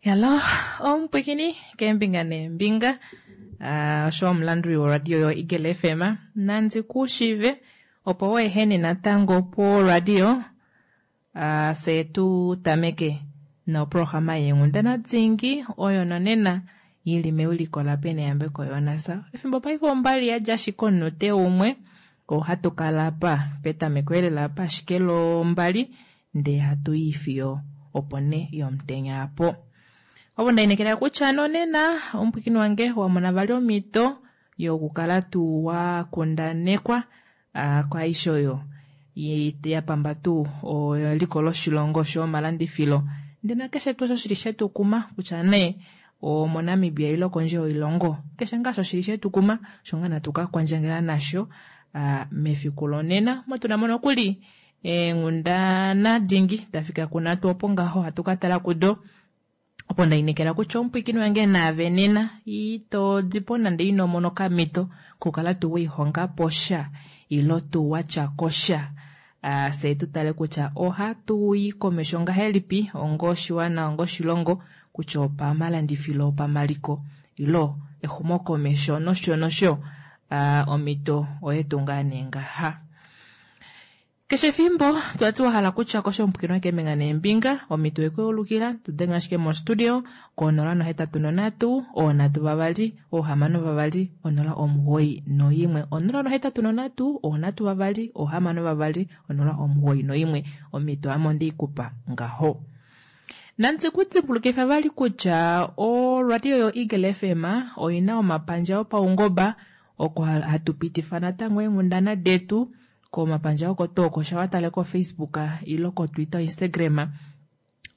Hello, omupwikini keembinga neembinga osho omulanduli woradio yoEagle FM nandi ku shive opo weehene natango poradio fye tu tameke noprograma yeenghundana dingi oyo nonena ili mewiliko laPeneyambeko Jonas. Efimbo paife ombali yadja ashike omunute umwe ohatu kala apa petameko elela apa ashike lombali ndee hatu i fiyo opo ne yomutenya apo. Ovo ndainekela kutya nonena omupwikini wange wa mona vali omhito yokukala tuu wa kundanekwa kwaaishe oyo ya pamba tuu eliko loshilongo osho omalandifilo ndee nakeshe tuu osho shili shetukuma kutya nee omoNamibia ile kondje yoilongo keshe ngaa osho shili shetukuma osho ngaa natu ka kwandjangela nasho mefiku lonena omo tuna mo nokuli eenghundana dingi dafika kunatu opo ngaho hatu ka tala kudo opo ndainekela kutya omupwikini wange naave nena ito dipo nande ino mona okamhito kukala tuu welihongapo sha ilo tuu watya ko sha fye tu tale kutya ohatu i komesho ngahelipi onga oshiwana onga oshilongo kutya opamalandifilo opamaliko ilo exumokomesho nosho nosho omhito oyetu ngaa nee ngaha. Keshe efimbo twati wa hala kutya kosho omupwikini keembinga neembinga omhito oye tu dengela ashike mostudio ko 083 3 6 091 083 3 6 091 omhito ame ondeikupa ngaho. Nandi kudimbulukifa vali kutya oradio yoEagle FM oina omapandja opaungoba oko hatu pitifa natango eenghundana detu komapandja oko tuu oko sha watale ko Facebook ilo ko Twitter, Instagram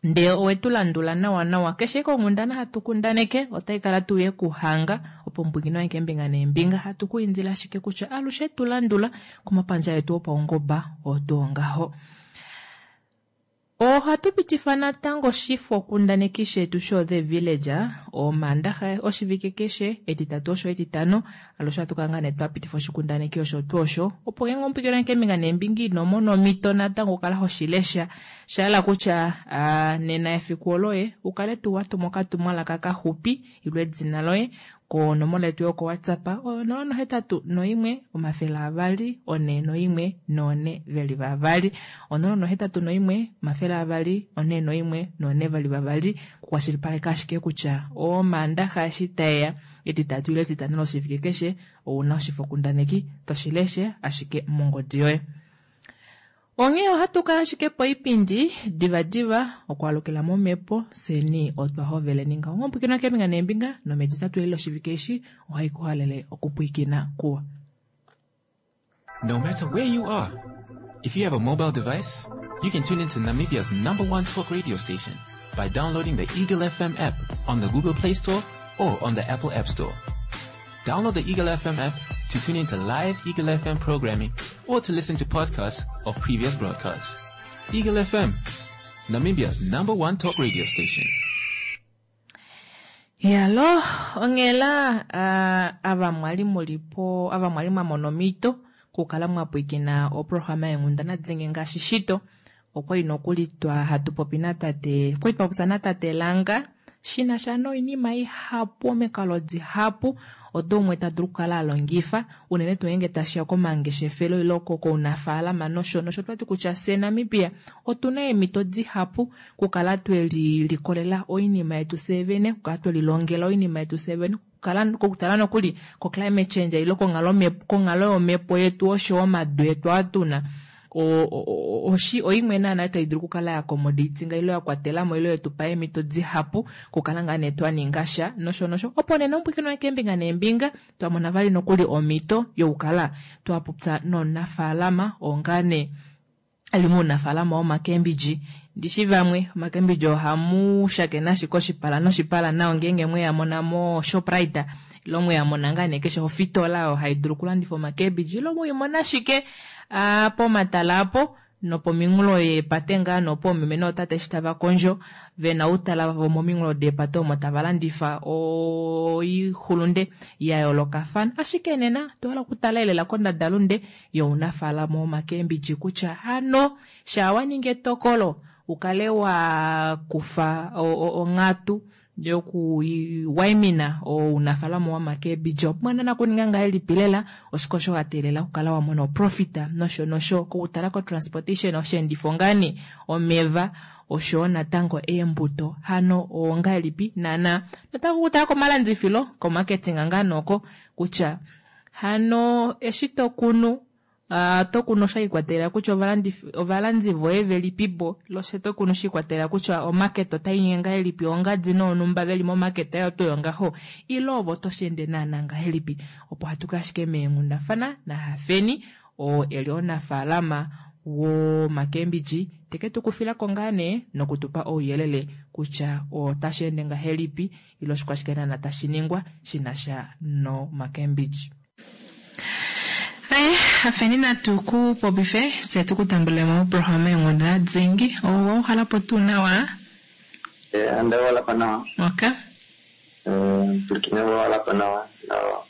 ndee owetu landula nawa nawa keshe konghundana hatu kundaneke otai kala tuu yekuhanga opo omupwikini wange keembinga neembinga hatu ku indile ashike kutya alushe tu landula komapandja etu opaungoba otuu ngaho. Ohatu pitifa natango oshifokundaneki shetu sho The Village omaandaxa oshivike keshe etitatu osho etitano alushe ohatu kala ngaa nee twapitifa oshikundaneki osho tuu osho opo ngeenge omupwikini wange keembinga neembinga ino mona omhito natango okukala hoshilesha shahala kutya nena efiku oloye ukale tuu watuma okatumwalaka kaxupi ilo edina loye konomola yetu yoko WhatsApp oyo 081 200 41 422 081 200 41 422 kukwashilipaleka ashike kutya omaandaxa eshi taeya etitatu ile etitano loshivike keshe ouna oshifokundaneki toshileshe ashike mongodi yoye. Onghee ohatu kala ashike poipindi divadiva okwaalukila momhepo fyeni otwa hoveleni ngaho. Omupwikinwa keembinga neembinga nometitatu eli loshivike eshi ohai kuhalele okupwiikina kuwa. No matter where you are, if you have a mobile device, you can tune into Namibia's number one talk radio station by downloading the Eagle FM app on the Google Play Store or on the Apple App Store. Download the Eagle FM app to tune into live Eagle FM programming or to listen to podcasts of previous broadcasts. Eagle FM, Namibia's number one talk radio station. Yalo, onghela ava mwali mulipo ava mwali mwa mona omhito kukala mwa pwiikina oprograma yenghundana dingi ngaashi shito okwali nokuli twa hatu popi natate okwali twa popya natate Langa shina sha noinima ihapu omikalo dihapu odo umwe ta dulu okukala alongifa unene tuu ngeenge tashiya komangeshefelo ile kounafaalama nosho nosho twati kutya fye Namibia otuna eemhito dihapu kukala twelilikolela oinima yetu fyee vene kukala twelilongela oinima yetu fyee vene kokutala nokuli ko climate change ile konghalo yomhepo yetu osho omadu etu aa tuna oimwe naana tai dulu okukala ya accommodatinga ile ya kwatelamo ile yetupa eemhito dihapu kukala ngaa nee twaninga sha nosho nosho opo nena omupwikini wange keembinga neembinga twamona vali nokuli omhito yokukala twapopya nomunafaalama oo ngaa nee eli mounafaalama womakembidji ndishi vamwe omakembidji ohamu shakene ashike oshipala noshipala nao ngeenge mweyamona mo Shoprite ilo mweyamona ngaa nee keshe ofitola oyo hai dulu okulandifa omakembidji ilo mweimona ashike pomatala apo nopominghulo yeepate ngaa nopoomeme nootate eshi tava kondjo vena outala vavo mominghulo deepate omo tava landifa oixulunde ya yoolokafana ashike nena otwa hala okutala elela kondadalunde younafaalama womakembidji kutya hano shaa waningi etokolo ukale wa kufa onghatu. Yoku waimina ounafalama womakebidji opumbwa naana kuninga ngahelipi lela oshike osho wa teelela okukala wa mona oprofita nosho nosho kokutala ko transportation osheendifo ngaani omeva oshoyo natango eembuto hano ongahelipi naana natango okutala komalandifilo komarketing ngaa oko kutya hano eshi tokunu oto kunu sha ikwatelela kutya ovalandi voye velipipo loshe to kunu shi ikwatelela kutya omarket otai nyenge ngahelipi ongadi noonumba veli momarket oyo tuu yongaho ile ovo to shi ende naana ngahelipi opo hatu ka ashike meenghundafana naHafeni oo eli omunafaalama womakembidji teke tu kufilako ngaa nee nokutupa ouyelele kutya otashi ende ngahelipi ile oshikwashike naana tashi ningwa shinasha nomakembidji. Aye, Hafeni natu ku popife tse tu ku tambule moprograma yeenghundana dingi. Owa uhalapo tuu nawa? Ande walapo nawa. Okay. Pwilikine walapo nawa. No.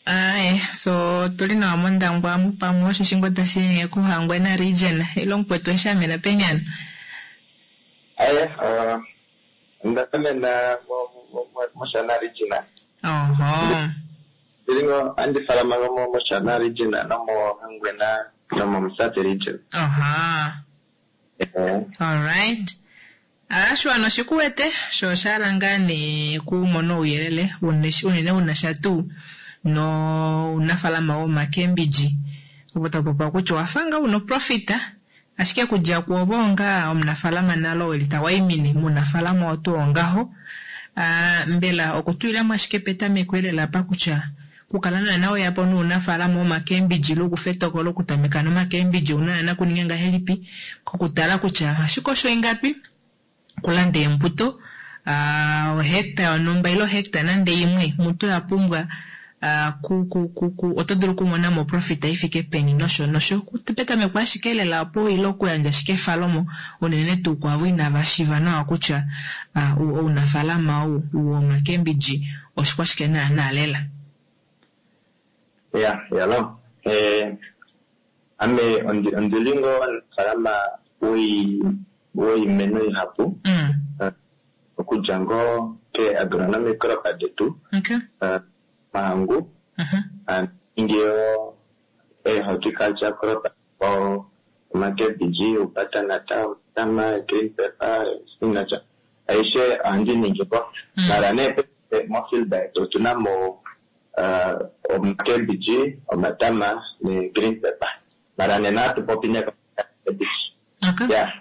Aye, so tuli nawa mOndangwa mupamwe osho shingo tashi kuHangwena region ile omukwetu eshi amena penyana. Aye, onda amena mOshana region. Oho. Ndilingo andi falama mo mOshana region nomoHangwena nomoMusati region. Aha. Alright. Ashiwana oshikuwete sho oshahala ngaa nee kumona ouyelele unene unasha tuu nounafalama womakembidji opo tapopiwa kutya owafa ngaa una oprofita ashike kudja kuovo onga omunafalama nalo weli tawaimine muunafalama otu ongaho mbela okutulilamo ashike petameko elela apa kutya kukala naana weyapo nuunafalama womakembidji lokufa etokolo okutameka nomakembidji ouna naana kuninga ngahelipi kokutala kutya ashike osho ingapi okulanda eembuto ohecta yonhumba ile ohecta nande imwe mutu ya pumbwa oto dulu okumona mo profit ifike peni nosho nosho petameko ashike lela opo ile okuyandja ashike efalomo unene tuu kwaavo inava shiiva nawa kutya ounafalama ou womakembidji oshikwashike naana lela. Ya, yalo. Ame ondili ngoo omunafalama woimeno ihapu. Okudja ngoo ke agronomic crop detu. Okay. Mahangu. Ningi yo horticulture crop omakebidji, ubutternut, omatama, green pepper, spinach. Aishe ohandi ningi po. Mara nee mofield yetu otuna mo omakebidji, omatama ne green pepper. Mara nena hatu popi ne cabbage. Okay. Yeah.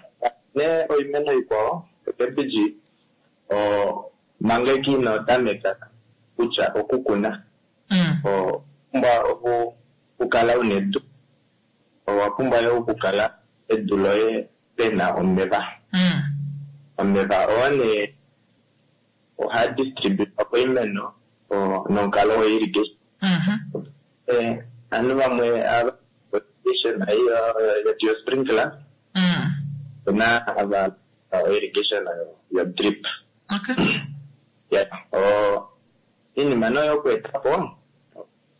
Ne oimeno ikwao, cabbage manga ino tameka kutya okukuna. Owa pumbwa okukala una edu. Owa pumbwa yo okukala edu loye pena omeva. Omeva oo nee ohaa distribute koimeno nomukalo wo irrigation. Ovanhu vamwe ava irrigation yetu yo sprinkler. Opena ava irrigation yo drip. Okay. Yeah. Iinima nee yoku etapo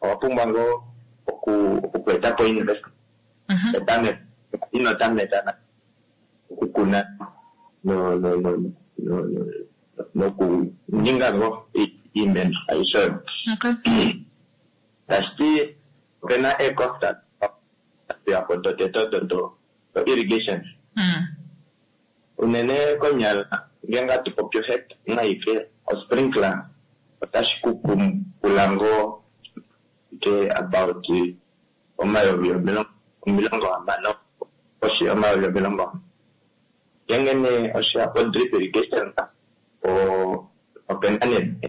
owa pumbwa ngoo oku etapo investment. Ino tameka okukuna nokuninga ngoo iimeno aishe oyo. Okay. Tashiti opena eecost yapo dotete odo do irrigation. Unene konyala ngenge hatu popi ohecta aike osprinkler otashi ku pula ngoo ke about 60,000 koshi yomayovi 60. Ngenge nee osheya po drip irrigation opena nee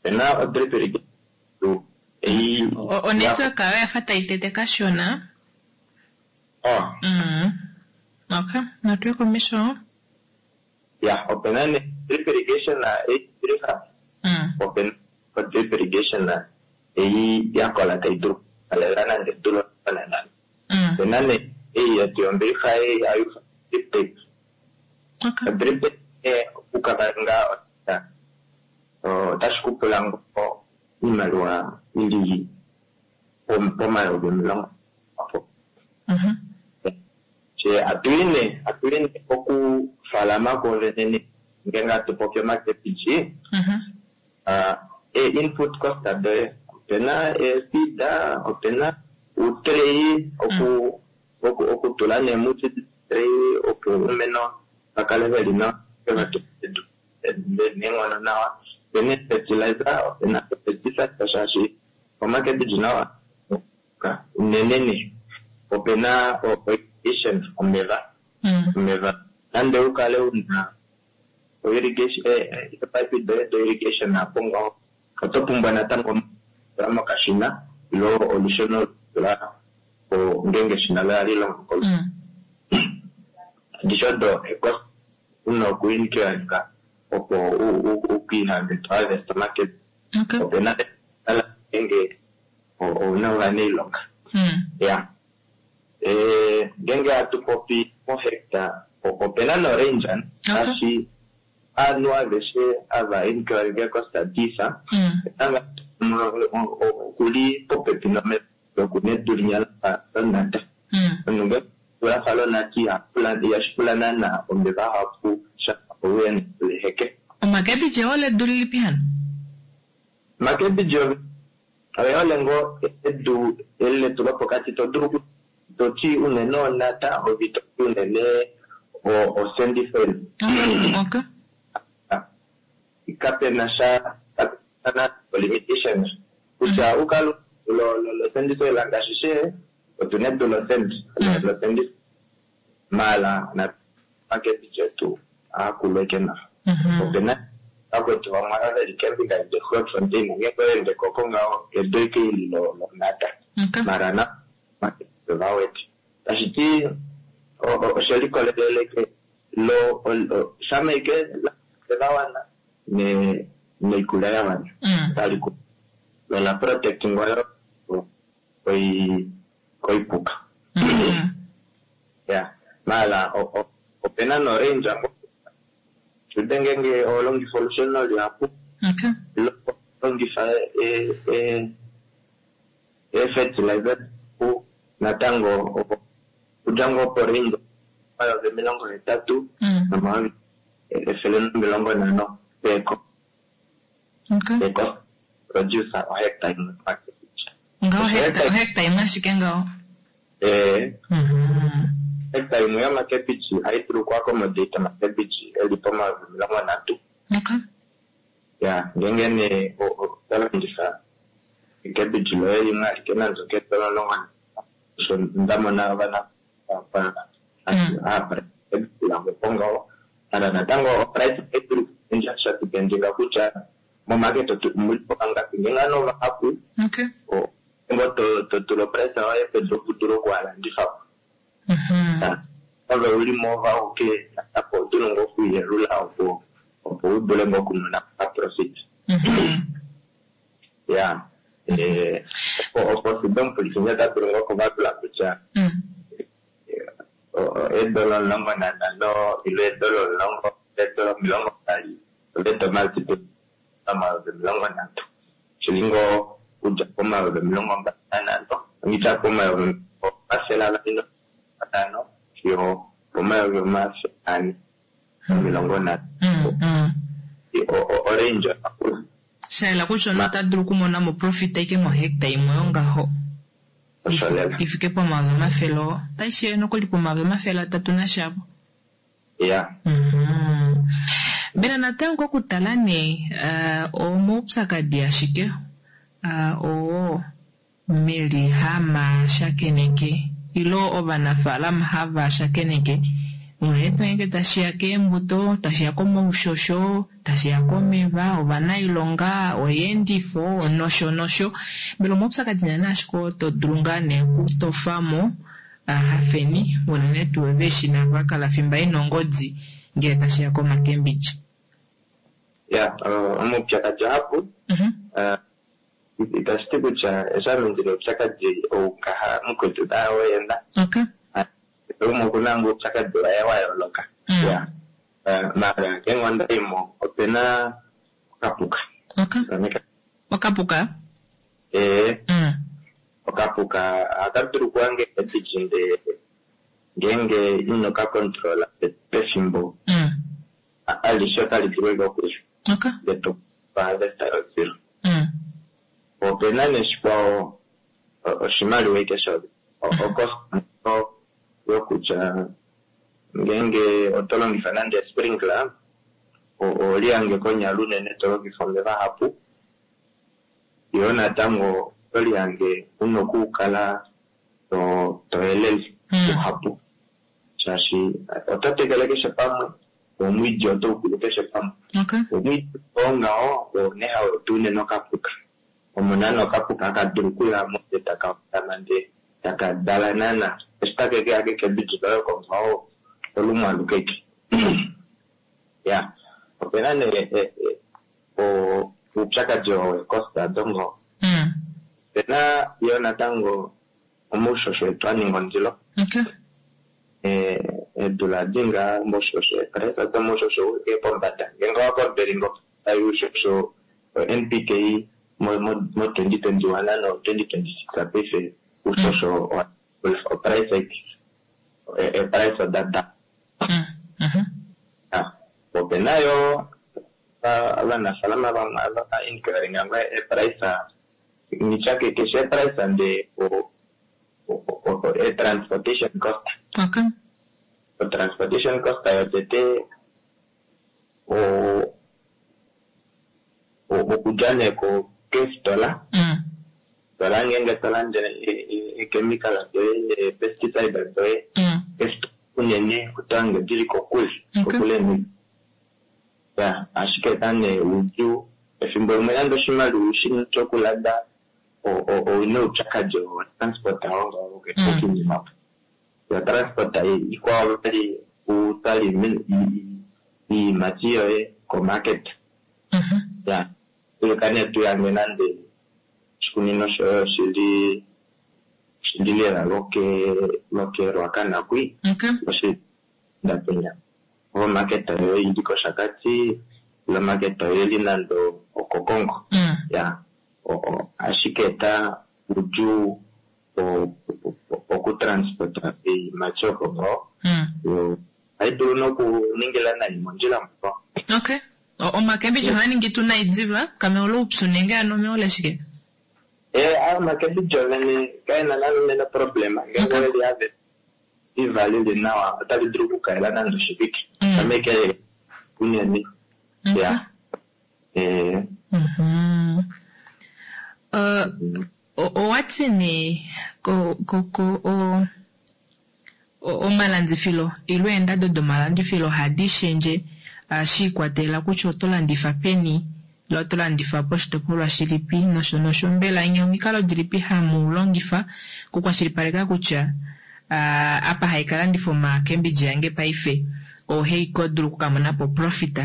opena o drip irrigation ei Onetwork oyo yafa tai tete kashona. Oh. Okay, natuye komesho. Ya, opena nee drip irrigation ei drip opena o drip irrigation ei yakola tai dulu okukalela nande edu lonana. Opena nee ei yetu yombilixa ei hayi drip tape. Okay. O drip tape okukala otashi ku pula ngoo iimaliwa ili pomayovi 10 opo. She atuyi nee okufalama kwoovene. Ngeenge hatu popi omakepiji, ee-input cost doye, opena ee-seed, opena uutrey okutula nee mu-seed tray opo uumeno va kale veli nawa, edu neenghono nawa. Opena ee-fertilizer, opena pesticide shaashi omakebiji nawa unene nee. Opena irrigation, omeva. Omeva nande u kale una irrigation, eepipe doye do irrigation apo ngaho, oto pumbwa natango tula mokashina ilo olusheno tula po ngeenge eshina loye ohali longo kolusheno. Adishe odo e-cost una okuincur opo ukiihange to harvest omakebi. Opena ngeenge ouna ovanailonga. Ya. Ngeenge hatu popi mohectare, opena no-range ngaashi ovanhu aveshe ava incur cost difa, okuli popepi nomeva okuna edu linya lafa lonata. Omunhu ngeenge lafa lonata ihashi pula naana omeva ahapu shafa ouya leheke. Omakebiji oole edu lilipi hano? Omakebiji oye hole ngoo edu eli letu lopokati, to dulu toti unene onata ove itoti unene o-sandy soil. Kapena sha, kapena limitation kutya ukale lo-sandy soil ngaashi she otuna edu lo-sand, lo-sandy maala omakebiji etu ohaakulu eke nawa. Opena vakwetu vamwe ava veli keembinga de Grootfontein, ngeenge owa ko ngaho edu eke eli lonata. Maala na omakebiji ovawete. Tashiti oshe likolelele lo shama ike la wana noikulya ya wana. Otali ku lola protecting oyo koipuka. Ya, maala opena no range shude ngeenge oho longifa olusheno lihapu, ilo longifa ee-fertilizer natango okudja ngoo po range 80 000 nomayovi 150 per cost produce ohectare imwe. Ngaho hectare imwe ashike ngaho? Ee. Hectare imwe yomakebiji ohayi dulu oku accommodate omakebiji eli pomayovi 30. Ya, ngeenge nee oto longifa ekebiji loye limwe alike nande okeedola 15, osho nda mona ovana lavo po ngaho. Maala natango o-price ohayi dulu okushendja sha dependinga kutya momarket omuli po vangapi. Ngeenge ovanhu ovahapu, ngo to tula o-price yoye pedu opo u dule okuhalandifa po. Ove uli mo auke natango oto dulu ngoo okuyelula opo u dule ngoo okumona profit. Ya, opo fido omupwilikini ota dulu ngoo okuvalula kutya eedola 15 ile eedola 10, eedola 20 ove to multiply 30 000. Shili ngoo okudja pomayovi 25, ongitya pomayovi 250 fiyo pomayovi 430. Orange yakula. Shayela kutya omunhu ota dulu okumona mo profit aike mohectare imwe yongaho. Osho lela. Ifike pomayovi 100, otayi shiye nokuli pomayovi 300 nashapo. Ya. Mbela natango okutala nee omaupyakadi ashike oo meli hama shakeneke ilo ovanafaalama hava shakeneke unene tuu ngeenge tashiya keembuto, tashiya komaushosho, tashiya komeva, ovanailonga, oyeendifo nosho nosho. Mbela omaupyakadi naana ashike oo to dulu ngaa nee okutofamo hafeni unene tuu veshi nava kala fimba ina ongodi ngele tashiya komakembidji? Ya, omaupyakadi ahapu. Itashi ti kutya eshi ame ndina oupyakadi ou ngaha mukwetu naye ena. Umwe okuna ngoo oupyakadi waye wa yooloka. Ya. Maala ngeenge onda yimo opena okapuka. Okapuka? Ee. Okapuka ohaka dulu okuhanga eebiji ndee ngeenge ino ka controla pefimbo. Alishe otali dulu eke okuya. Ndele harvest yozero. Opena nee shikwao oshimaliwa ike shoye. Ocost yokutya ngeenge oto longifa nande sprinkler, oholihange konyala unene to longifa omeva ahapu. Yoo natango oto lihange una okukala to helele luhapu. Shaashi oto tekele keshe pamwe, omwiidi oto ukulu keshe pamwe. Omwiidi oo ngaho oo nee hau eta unene okapuka. Omu na nee okapuka haka dulu okuya mo ndee taka hondama ndee taka dala naana. Eshi take keya kekebidi loye oko ngaho olumwe aluke eke. Ya, opena nee oupyakadi oo weecost dongo. Opena yo natango omaushosho etu a ninga ondilo. Eedula dinga omaushosho, eeprice domaushosho ouli pombada. Ngeenge owa comparing oushosho NPK mo 2021 no 2026 paife oushosho oprice eeprice oda da. Opena yo ovanafaalama vamwe ava inquiring ngoo eeprice nitya keshe eprice ndee e-transportation cost. O-transportation cost yotete okudja nee keefitola. Fitola ngeenge to lande eechemical doye, eepesticide doye, keefitola unene oto hange dili kokule, kokule Ya, ashike eta nee oudjuu efimbo limwe nande oshimaliwa ushina shokulanda ouna oupyakadi wotransport oo okinima opo. Yo transport ikwao vali utwale oiimati yoye komarket. Ya, ulika nee tuyange nande oshikunino shoye oshili lela lokeRuacana kwi. Oshindapenya. Omarket yoye ili kOshakati, ile omarket yoye ili nande okOkongo. Ya, ashike eta oudjuu okutransporta oiimati oko ngaho. Yo ohayi dulu nokuningila nai mondjila mo. Okay. Omakembidji ohaa ningi tuu nai diva? Kameola oupyu nenge ano omeola shike? Omakembidji ovene kaena nande unene problem. Ngeenge oweli harvest diva lili nawa otali dulu okukalela nande oshivike. Kameke unene. Ya. Owati nee omalandifilo ile eendado domalandifilo ohadi shendje shi ikwatelela kutya oto landifa peni ile oto landifa poshitopolwa shilipi nosho nosho. Mbela nye omikalo dilipi hamu longifa okukwashilipaleka kutya apa haikalandifa omakembidji yange paife ohai dulu okukamona po profit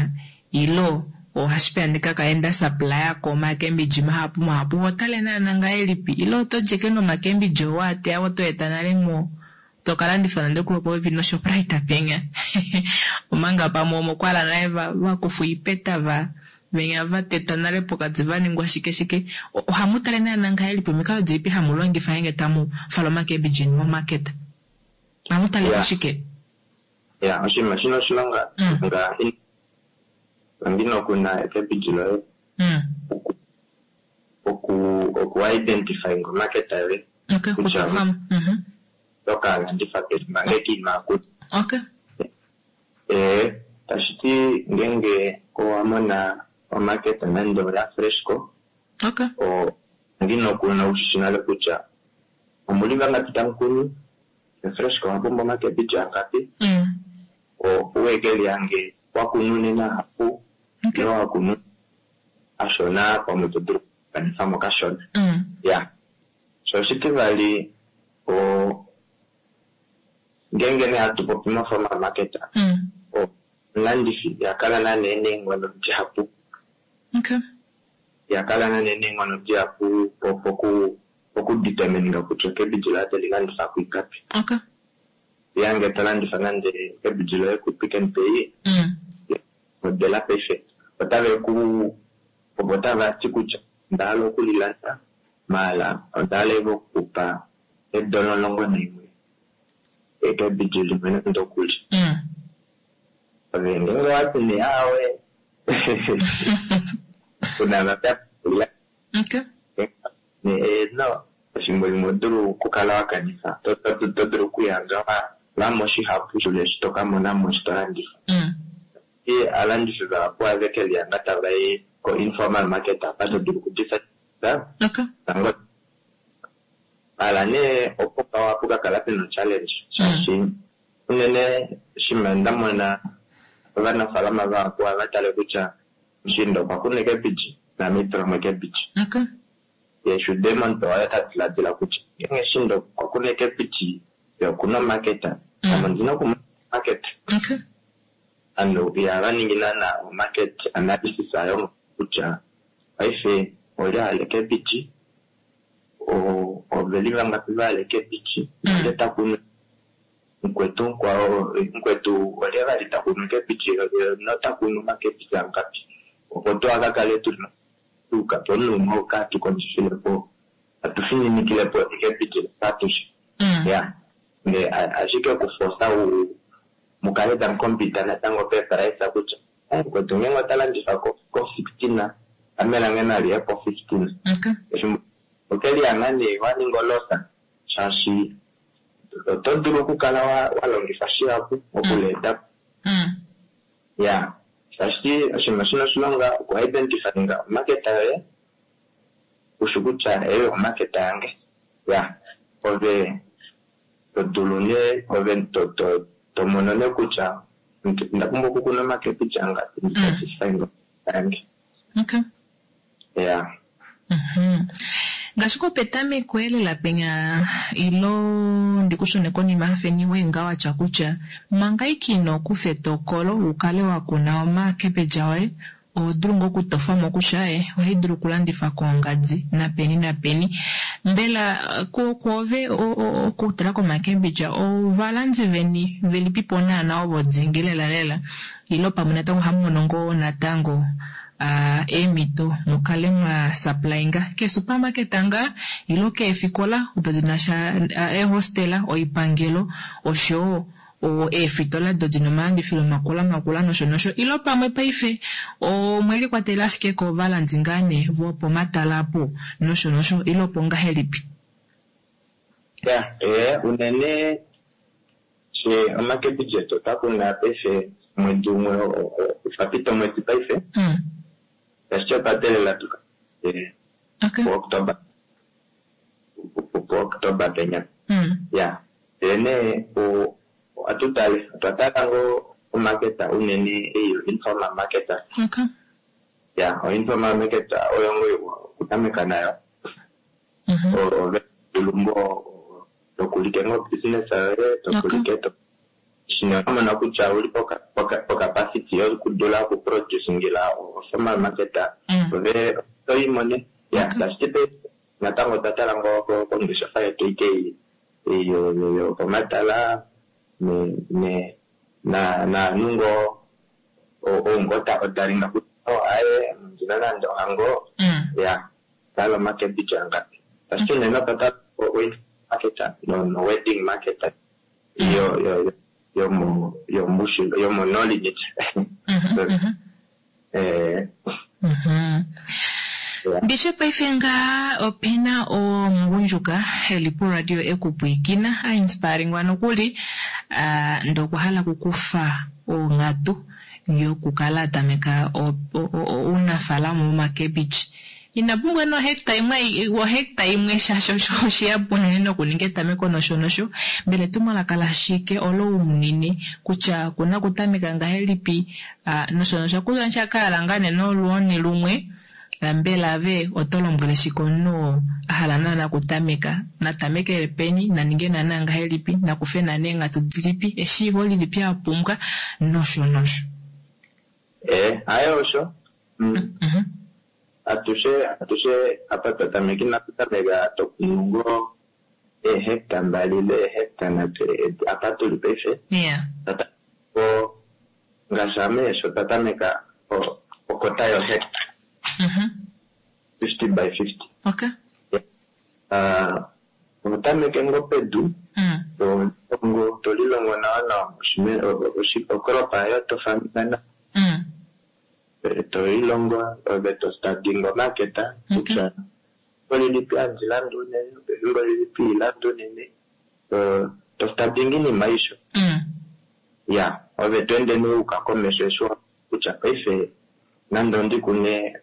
ilo ohashi peya ndikakale nda supplya ko omakembidji mahapu mahapu hotale naana ngahelipi ile oto djeke nomakembidji oo wateya oto eta nale mo tokalandifa nande okulo popepi noShoprite penya omanga pamwe omo kwala nale vakufa oipeta va venya vatetwa nale pokati vaningwa shike shike. Ohamu tale naana ngahelipi omikalo dilipi hamu longifa ngeenge tamu fala omakembidji eni momarket? Ohamu tale koshike? Ya, oshinima shina oshilonga manga kuna ekembidji loye oku identify omarket yoye kutya oto landifa peni manga inaa kuna. Tashiti ngeenge owa mona omarket nande oya Freshco, ongina kuna ushishi nale kutya omuli vangapi tamu kunu, Freshco owa pumbwa omakembidji angapi, uweke lihange wakunu unene ahapu ile wakunu ashona pamwe to dulu okukanifamo kashona. Ya, sho oshitivali ngeenge nee hatu popi moformal market, omulandifi ihakala naana ena eenghono dihapu. Ihakala naana ena eenghono dihapu pokudetermininga kutya ekembidji loye oteli landifa kuingapi. Ngeenge to landifa nande ekembidji loye ku Pick n Pay, modela paife otave ku ovo tava ti kutya onda hala okulilanda maala onda hala okukupa eedola 11 ekembidji limwe nande okuli. Ove ngeenge owati nee aawe uunamapya no efimbo limwe odulu okukala wakanifa to dulu okuyandja wamo shihapu shule eshi tokamona mo eshi tolandifa. Aalandifi vahapu ohave kelihanga tava i ko informal market apa to dulu okudisa hala nee opo ohapu kakala pena challenge shaashi unene shima ndamona ovanafalama vahapu ohava tale kutya mushiinda okwa kuna ecabbage naame itulamo ecabbage. Ye shude omuntu oye ta diladila kutya ngeenge mushiinda okwa kuna ecabbage ye okuna omarket ame ondina okumona market. Ovanhu ihava ningi naana omarket analysis ayo kutya paife olye a hala ecabbage, oveli vangapi va hala ecabbage, olye ta kunu mukwetu mukwao mukwetu olye vali ta kunu ecabbage nota kunu omacabbage angapi opo tuakakale tuna tuuka pomunhu umwe oo katukondjifilepo atu fininikilepo ecabbage atushe. Ya ashike okufosa mukale tamu compete natango peeprice kutya mukwetu ngeenge ota landifa ko 16 ame lange naliye po 15. Efimbo okelihanga nee waninga oloss shaashi oto dulu okukala walongifa shihapu okuleeta. Ya shaashi oshinima shina oshilonga oku identifyinga omarket yoye ushi kutya eyi omarket yange. Ya ove to dulu nee ove to mono nee kutya onda pumbwa okukuna omacabbage angapi ndi satisfy yange. Ya. Ngaashi kopetameko elela penya ilo ndikushune konima hafeni wenga watya kutya manga ike ino kufa etokolo ukale wakuna omacabbage oye oho dulu ngoo okutofamo kutya ohai dulu okulandifa koongadi napeni napeni. Mbela kwoove okutala komacabbage ovalandi veni velipipo naana ovo dingi lela lela ilo pamwe natango ohamu mono ngoo natango eemhito mukale mwa supplyinga keesupermarket ngaa ilo keefikola odo dinasha eehostela, oipangelo oshowo eefitola do dina omalandifilo makula makula nosho nosho ilo pamwe paife omwe likwatelela ashike kovalandi ngaa nee vopomatala apo nosho nosho ilo opo ngahelipi? Ya, unene she omacabbage etu otwa kuna paife omwedi umwe otwa pita omwedi paife. Ashike otwa teelela tuka puOctober penya. Ya, ndele nee ohatu tale otwa tala ngoo omarket unene ei informal market. Ya, o informal market oyo ngoo okutameka nayo. Ove dulu ngoo tokulike ngoo business yoye tokulike shino wamona kutya ouli pocapacity yokudula okuproducingila formal market ove otoimone. Ya, tashiti natango otwa tala ngoo kongeshefa yetu ike yopomatala naanhu ngoo ou ta odalinga kutya aaye ondina nande ohango ya tala omacabbage angapi. Tashiti unene otwa tala market no wedding market yomo no limit. Ndishe paife ngaa opena omugundjuka eli poradio ekupwiikina a inspiringwa nokuli ndee okwa hala okukufa onghatu yokukala atameka ounafalama womacabbage. Ina pumbwa nee ohecta imwe ohecta imwe shaashi oshihapu unene nokuninga etameko nosho nosho. Mbela etumwalaka lashike olo umunine kutya okuna okutameka ngahelipi nosho nosho kutya shakahala ngaa nee nolwooni lumwe mbela ave oto lombwele shike omunhu oo a hala naana okutameka natamekele peni naninge naana ngahelipi nakufe naana eenghatu dilipi eshiivo lilipi a pumbwa nosho nosho. Haye osho. Atushe apa twa tameka inatu tameka tokunu ngoo eehecta mbali ile eehecta nhatu apa tuli paife. Ngaashi ame sho twa tameka okota yohecta. 50 by 50. Oho tameke ngoo pedu. To lilongo nawa nawa ocrop yoye to farming nawa. To lilongo ove to studying market kutya efimbo lilipi handi landa unene, efimbo lilipi ihandi unene. To studying iinima aishe. Ya, ove to ende nee wuuka komesho eshi wa kutya paife nande ondi kune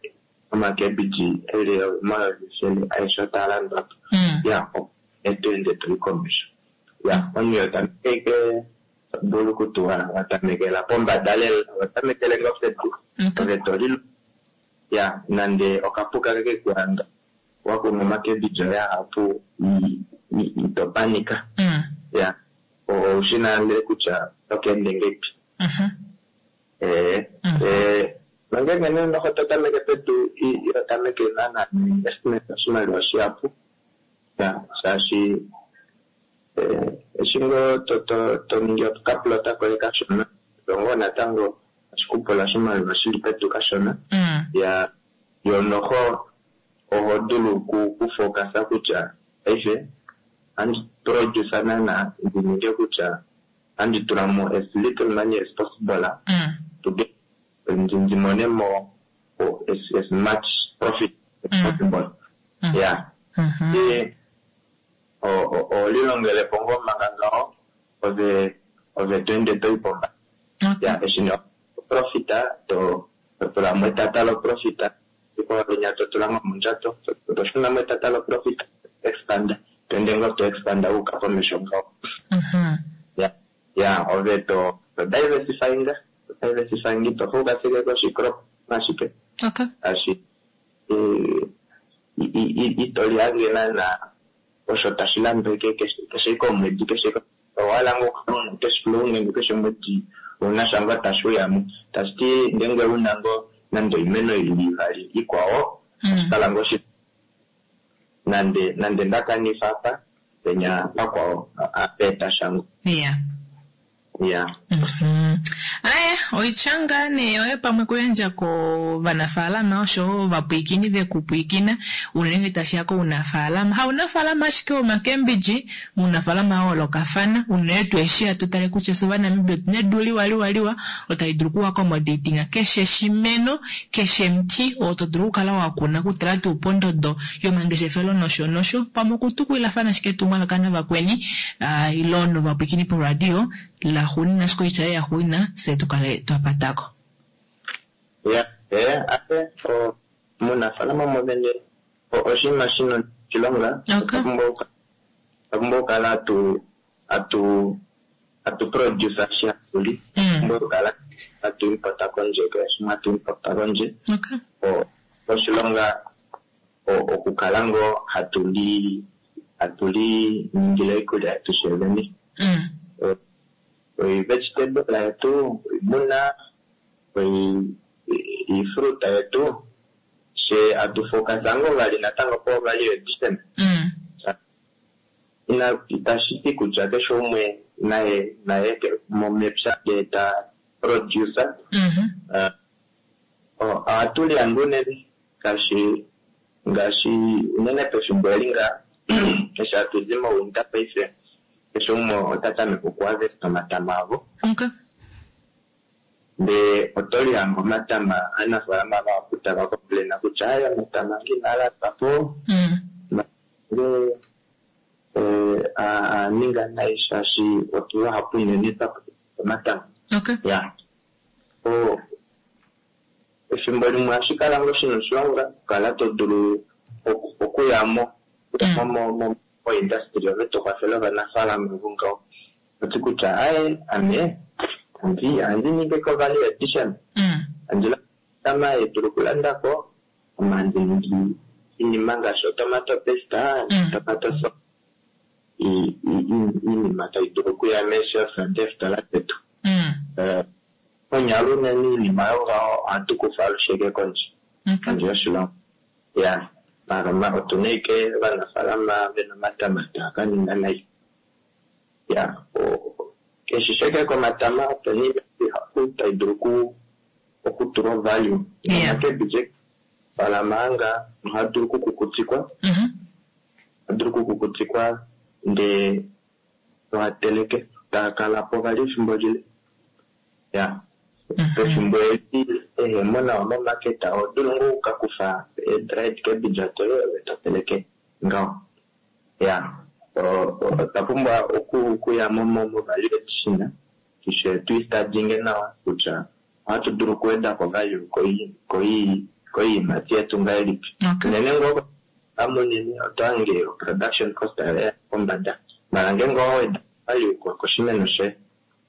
omacabbage eli 100,000 aeshe otaa landwa po. Ya, to ende toyi komesho. Ya, omunhu iho tameke dulu okutuwa watamekela pombada lela, oho tamekele ngoo pedu. Ove to lilongo. Ya, nande okapuka keke kuhanga wakuna omacabbage oye ahapu ito panika. Ya, oushi nale kutya oto ka ende ngahelipi. Nongenge nee noho to tameke pedu iho tameke naana investment oshimaliwa shihapu. Ya, shaashi eshi ngoo to ningi okaplota koye kashona, ngoo natango otashi kupula oshimaliwa shili pedu kashona. Ya, yo noho oho dulu okufocus kutya paife ohandi produce naana ndi ninge kutya ohandi tulamo as little money as possible to get ndi monemo as much profit as possible. Ya. Oho lilongelepo ngoo manga ngaho ove to ende toyi pombada. Ya, eshi nee profit to tulamo etata lo profit, linya to tula ngoo mondjato, to shunamo etata lo profit, expand, to ende ngoo to expand wuuka komesho ngaho. Ya, ove to diversifying, ito focus ashike koshicrop ashike. Shaashi ito lihange naana osho tashi landwa ashike keshe komwedi, keshe owahala ngoo okukala una cash flow nenge keshe omwedi ouna sha ngoo tashi uyamo. Tashiti ngenge una ngoo nande oimeno ili ivali ikwao, otashi kala ngoo shipu. Nande ndakanifa apa, penya pakwao apa eta sha ngoo. Ya. Aye, oitya ngaa nee yoye pamwe kuyandja kovanafaalama oshowo ovapwiikini vekupwiikina unene ngee tashiya kounafaalama. Haunafaalama ashike womakembidji, mounafaalama wa yoolokafana unene tuu eshi hatu tale kutya fye Ovanamibia otuna edu liwa liwa liwa olo tali dulu okuaccommodatinga keshe shimeno, keshe muti oo to dulu okukala wakuna okutala tuu pondodo yomangeshefelo nosho nosho pamwe okutukulilafana ashike etumwalaka navakweni ile novapwiikini poradio laxuunina ashike oitya yoye yaxuunina fye tukale twapatako. Ya, aye, omunafaalama mwene oshinima shina oshilonga. Otwa pumbwa okukala hatu produce shi hatu li. Otwa pumbwa okukala hatu importa kondje, kehe shimwe hatu importa kondje. Oshilonga okukala ngoo hatu li ningile oikulya yetu fyevene. Oi-vegetable yetu, oimuna, oifruta yetu, fye hatu focus ngoo vali natango po value addition. Itashi ti kutya keshe umwe naye mepya ndee ta produce. Ohatu lihange unene ngaashi unene pefimbo eli nga eshi hatu di mowinter paife, keshe umwe ota tameke okuharvest omatama avo. Ndee oto lihange omatama aanafaalama vahapu tava complain kutya aye omatama ange inaa landwa po. Nge a ninga nai shaashi otu vahapu unene twa omatama. Ya. Efimbo limwe ohashi kala ngoo shina oshilonga okukala to dulu okuyamo mo-industry ove to kwafele ovanafaalama vongaho. Oti kutya aye ame ohandi ningi ko value addition. Handi landa omatama dulu okulandako, ame handi ningi iinima ngaashi otomato paste, tomato sauce, iinima tayi dulu okuya meeshelf deefitola detu. Konyala unene iinima yongaho ohatu kufa alushe kondje, kondje yoshilongo. Ya, otuna ashike ovanafaalama vena omatama taa ka ninga nai. Ya, keshe sheke komatama opena iinima ihapu tayi dulu okutulwa value. Omacabbage faalama anga ohaa dulu okukukutikwa. Ohaa dulu okukukutikwa ndee Toa teleke taa kala po vali efimbo lile. Ya. Pefimbo eli ehemo nawa momaketa oho dulu ngoo okukakufa ee-dried cabbage doye ove to teleke ngaho. Ya. Otwa pumbwa okuya mo-value addition tushe tuistadinge nawa kutya ohatu dulu okuweda ko value koiimati yetu ngahelipi. Unene ngoo amunene oto hange production cost oya pombada. Mala ngeenge owa weda value koshimeno shoye,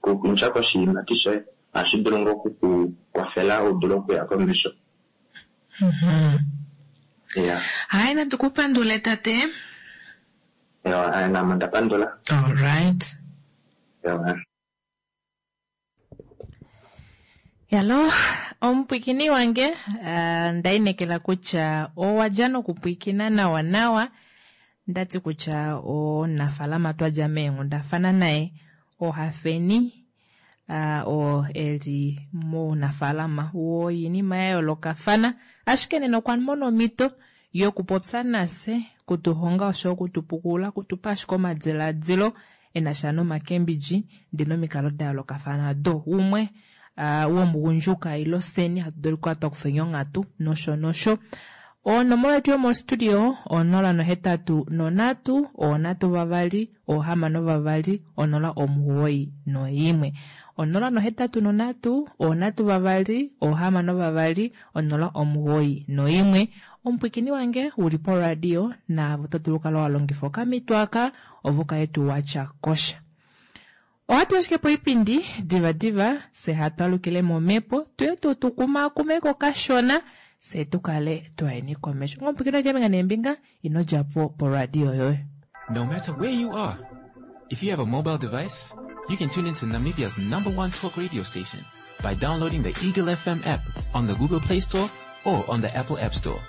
kutya koshiimati shoye, ohashi dulu ngoo okukukwafela u dule okuya komesho. Ya. Hai, natu ku pandule tate. Ewa, namo nda pandula. Alright. Ewa. Yalo, omupwikini wange, nda inekela kutya owa dja nokupwikina nawa nawa. Ndati kutya omunafaalama twa dja meenghundafana naye ohafeni oo eli mounafaalama woinima ya yoolokafana, ashike nena okwa mona omhito yokupopya nafye, kutuhonga osho okutupukulula, kutupa ashike omadiladilo e na sha nomakembidji ndele nomikalo da yoolokafana do umwe womugundjuka ilo seni hatu dulu okukala twa kufeni onghatu nosho nosho. Onomola yetu yomostudio 083 3 6 091. 083 3 6 091. Omupwikini wange uli poradio naavo to dulu okukala wa longifa okamito aka ovo kale tu watya kosha. Ohatu ashike poipindi diva diva fye hatu alukile momhepo tuye tu tukumaakumeko kashona fye tu kale twayeni komesho. Omupwikini wange keembinga neembinga ino dja po poradio yoye. No matter where you are, if you have a mobile device, you can tune into Namibia's number one talk radio station by downloading the Eagle FM app on the Google Play Store or on the Apple App Store.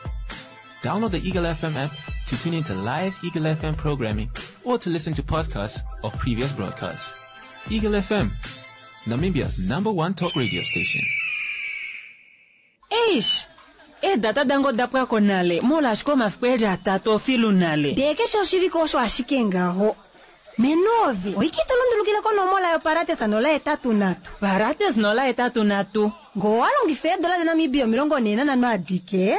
Download the Eagle FM app to tune into live Eagle FM programming or to listen to podcasts of previous broadcasts. Eagle FM, Namibia's number one talk radio station. Eish, eedata dange oda pwa ko nale molwaashi omafiku eli atatu ofilu nale. Ndee keshe oshivike osho ashike ngaho. Menovi, oike ito lundulukile konomola yoparates 083. Parates 083. Ngoo owa longifa eedola daNamibia 45 adike,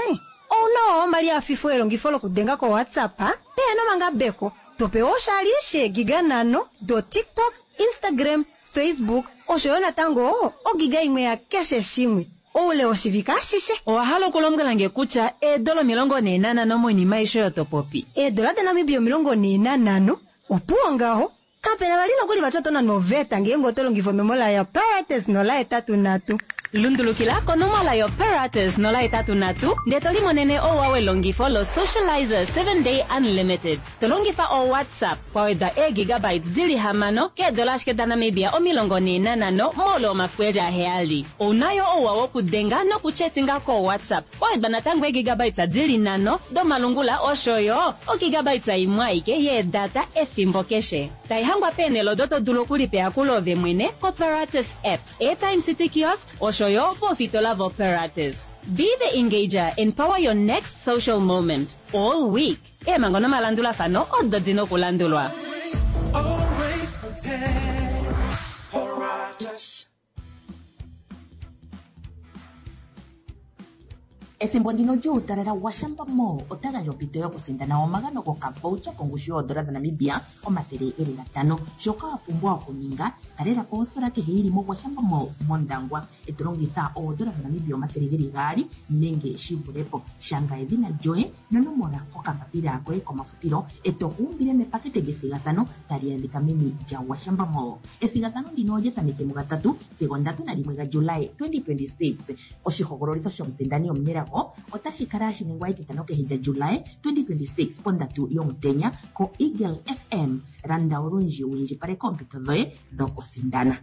ouna omali afifo elongifo lokudenga koWhatsApp pehena omangabeko, to pewa oshali sheegiga 5 do TikTok, Instagram, Facebook osho yo natango ogiga imwe ya keshe shimwe oule woshivike ashishe. Owa hala okulombwela nge kutya eedola 45 moinima aishe oyo to popi? Eedola daNamibia 45 opuwo ngaho. Kapena vali nokuli vati oto nanwa oveta ngeenge oto longifa onomola yoparates 083. Lundulukila konomola yoparates 083 ndee to limonene ouwa welongifo lo-Socializer 7 Day Unlimited. To longifa o-WhatsApp kwa wedwa eegigabytes dili 6 keedola ashike daNamibia 45 moule womafiku eli 7. Ouna yo ouwa wokudenga nokuchetinga ko-WhatsApp kwa wedwa natango eegigabytes dili 5 domalungula osho yo ogigabytes imwe aike yeedata efimbo keshe. Taihangwa peenhele odo to dulu okulipa ove mwene koParatus app, Airtime City Kiosks osho yo poofitola voParatus. Be the engager and power your next social moment all week. Eemhango nomalandulafano odo dina okulandulwa. Always prepared. Paratus. Ethimbo ndino lyuutalala Gwashamba Mall ota gandja ompito yokusindana omagano gokavoucher kongushu yoodola dhaNamibia 500. Shoka wa pumbwa okuninga, talela po ositola kehe yi li moGwashamba Mall mOndangwa e to longitha oodola dhaNamibia 200 nenge shi vule po. Shanga edhina lyoye nonomola kokambapila koye komafutilo e to ku umbile mepakete lyethigathano tali adhika meni lyaGwashamba Mall. Ethigathano ndino olya tameke mugatatu sigo 31 gaJulae 2026. Oshihogololitho shomusindani omunelago otashi kala hashi ningwa etitano kehe lyaJulae 2026 pondatu yomutenya koEagle FM. Landa olundji wu indjipaleke oompito dhoye dhokusindana.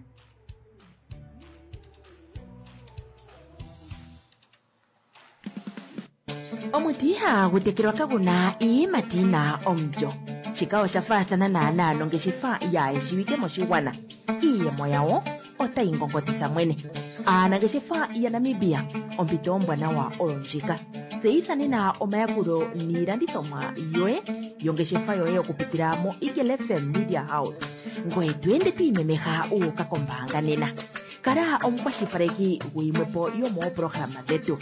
Omuti ihagu tekelwa kagu na iiyimati yi na omulyo. Shika osha faathana naanaa nongeshefa yaa shiwike moshigwana. Iiyemo yawo otayi ngongotitha mwene. Aanangeshefa yaNamibia, ompito ombwanawa oyo ndjika. Tseyitha nena omayakulo niilandithomwa yoye yongeshefa yoye okupitila mo Eagle FM Media House. Ngoye to ende to imemeha wu uka kombaanga nena. Kala omukwashilipaleki guyimwepo yomooprograma dhetu.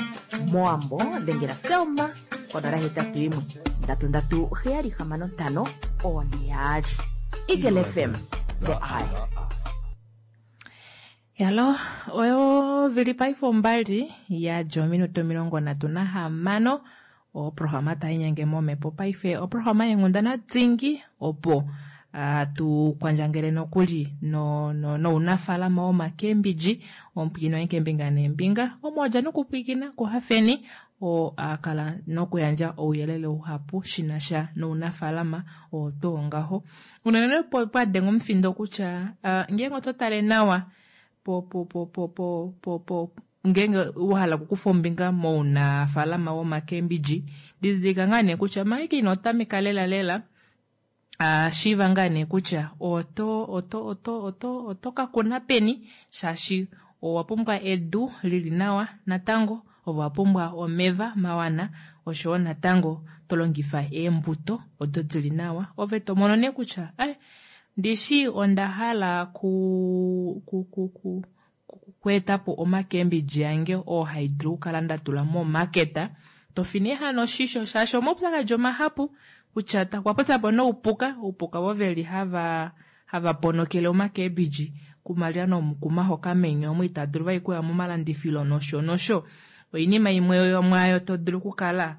Mowambo dhengela Selma konola hetatu yimwe ndatu ndatu heyali hamano ntano oone yaali. Eagle FM, the eye. Yalo, oyo vili paife ombali ya dja ominute 36 oprograma tai nyenge momhepo paife oprograma yeenghundana dingi opo tu kwandjangele nokuli no, no, nounafaalama womakembidji omupwiikini waye keembinga neembinga omo wadja nokupwiikina kuHafeni oo a kala nokuyandja ouyelele uhapu shi na sha nounafaalama oo tuu ngaho. Unene pwa denga omufindo kutya ngeenge oto tale nawa po po po po po po po ngeenge wa hala okukufa ombinga mounafaalama womakembidji didilika ngaa nee kutya manga ike ino tameka lela lela shiiva ngaa nee kutya oto oto oto oto oto ka kuna peni shaashi owa pumbwa edu lili nawa natango ove owa pumbwa omeva mawana oshowo natango to longifa eembuto odo dili nawa ove to mono nee kutya ai ndishi onda hala ku ku ku ku kweeta po omakembidji ange oo hai dulu okukala nda tula momaketa to fi nee hano oshisho shaashi omaupyakadi omahapu kutya okwa popya po noupuka oupuka vo veli hava hava ponokele omakembidji kumalya nomukuma hoka meni omo ita dulu vai kuya momalandifilo nosho nosho oinima imwe yomwaayo to dulu okukala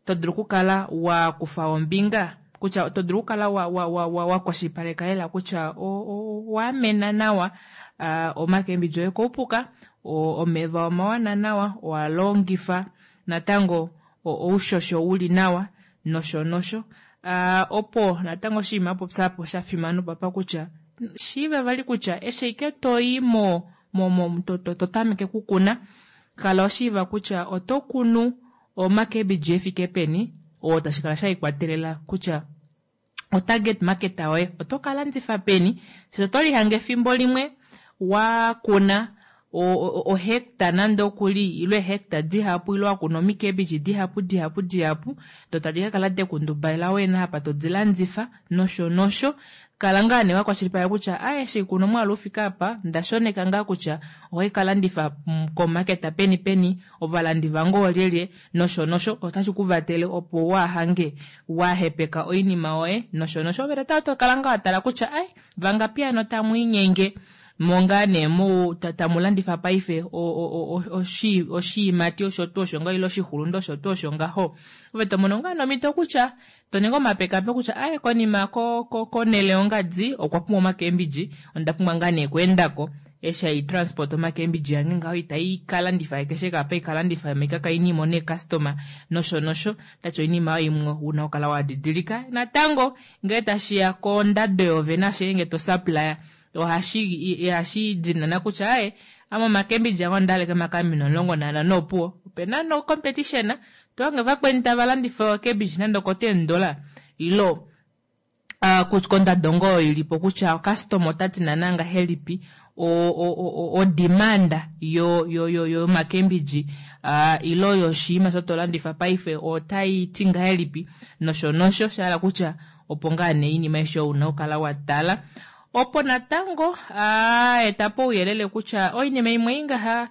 to dulu okukala wa kufa ombinga kutya to dulu okukala wa, wa, wa, wa, wa kwashilipaleka lela kutya owa amena nawa omakembidji oye koupuka, omeva omawana nawa, owa longifa natango oushosho uli nawa nosho nosho. Opo natango oshinima a popya po sha fimana opapa kutya shiiva vali kutya eshi ashike to i mo, mo, mo to, to, to tameke okukuna kala washiiva kutya oto kunu omakebiji efike peni oo tashi kala sha ikwatelela kutya o target market yoye oto ka landifa peni shaashi oto lihange efimbo limwe wa kuna ohecta nande okuli ile eehecta dihapu ile wa kuna omikebiji dihapu dihapu dihapu do tadi ka kala dekundubalela wena apa to di landifa nosho nosho kala ngaa nee wa kwashilipaleka kutya a eshi kuna omwaalu ufike apa nda shoneka ngaa kutya ohai ka landifa komaketa peni peni ovalandi vange oolyelye nosho nosho otashi ku vatele opo waa hange wa hepeka oinima yoye nosho nosho ove natango to kala ngaa wa tala kutya ai vangapi hano tamu inyenge mo ngaa nee mu tamu landifa paife oshiimati osho tuu osho ngaho ile oshixulunde osho tuu osho ngaho ove to mono ngaa nomhito kutya to ningi omapekapeko kutya aye konima konhele yongadi okwa pumbwa omakembidji onda pumbwa ngaa nee okweendako eshi hai transport omakembidji yange ngaho itai ka landifa keshe apa ika landifa maika kai nimo nee customer nosho nosho tati oinima oyo imwe una okukala wa didilika natango ngee tashiya kondado yovene ashike nge to supplier ohashi dinana kutya aye ame omakembidji ange onda hala makamina 15 opuwo opena no competition to hange vakweni tava landifa ocabbage nande oko ten dollar ilo kondado ngoo oyo ilipo kutya customer ota ti naana ngahelipi o demand yo yo yo yomakembidji ilo yoshiima osho to landifa paife otai ti ngahelipi nosho nosho shahala kutya opo ngaa nee oinima aishe oyo una okukala wa tala opo natango eta po ouyelele kutya oinima imwe ei ngaha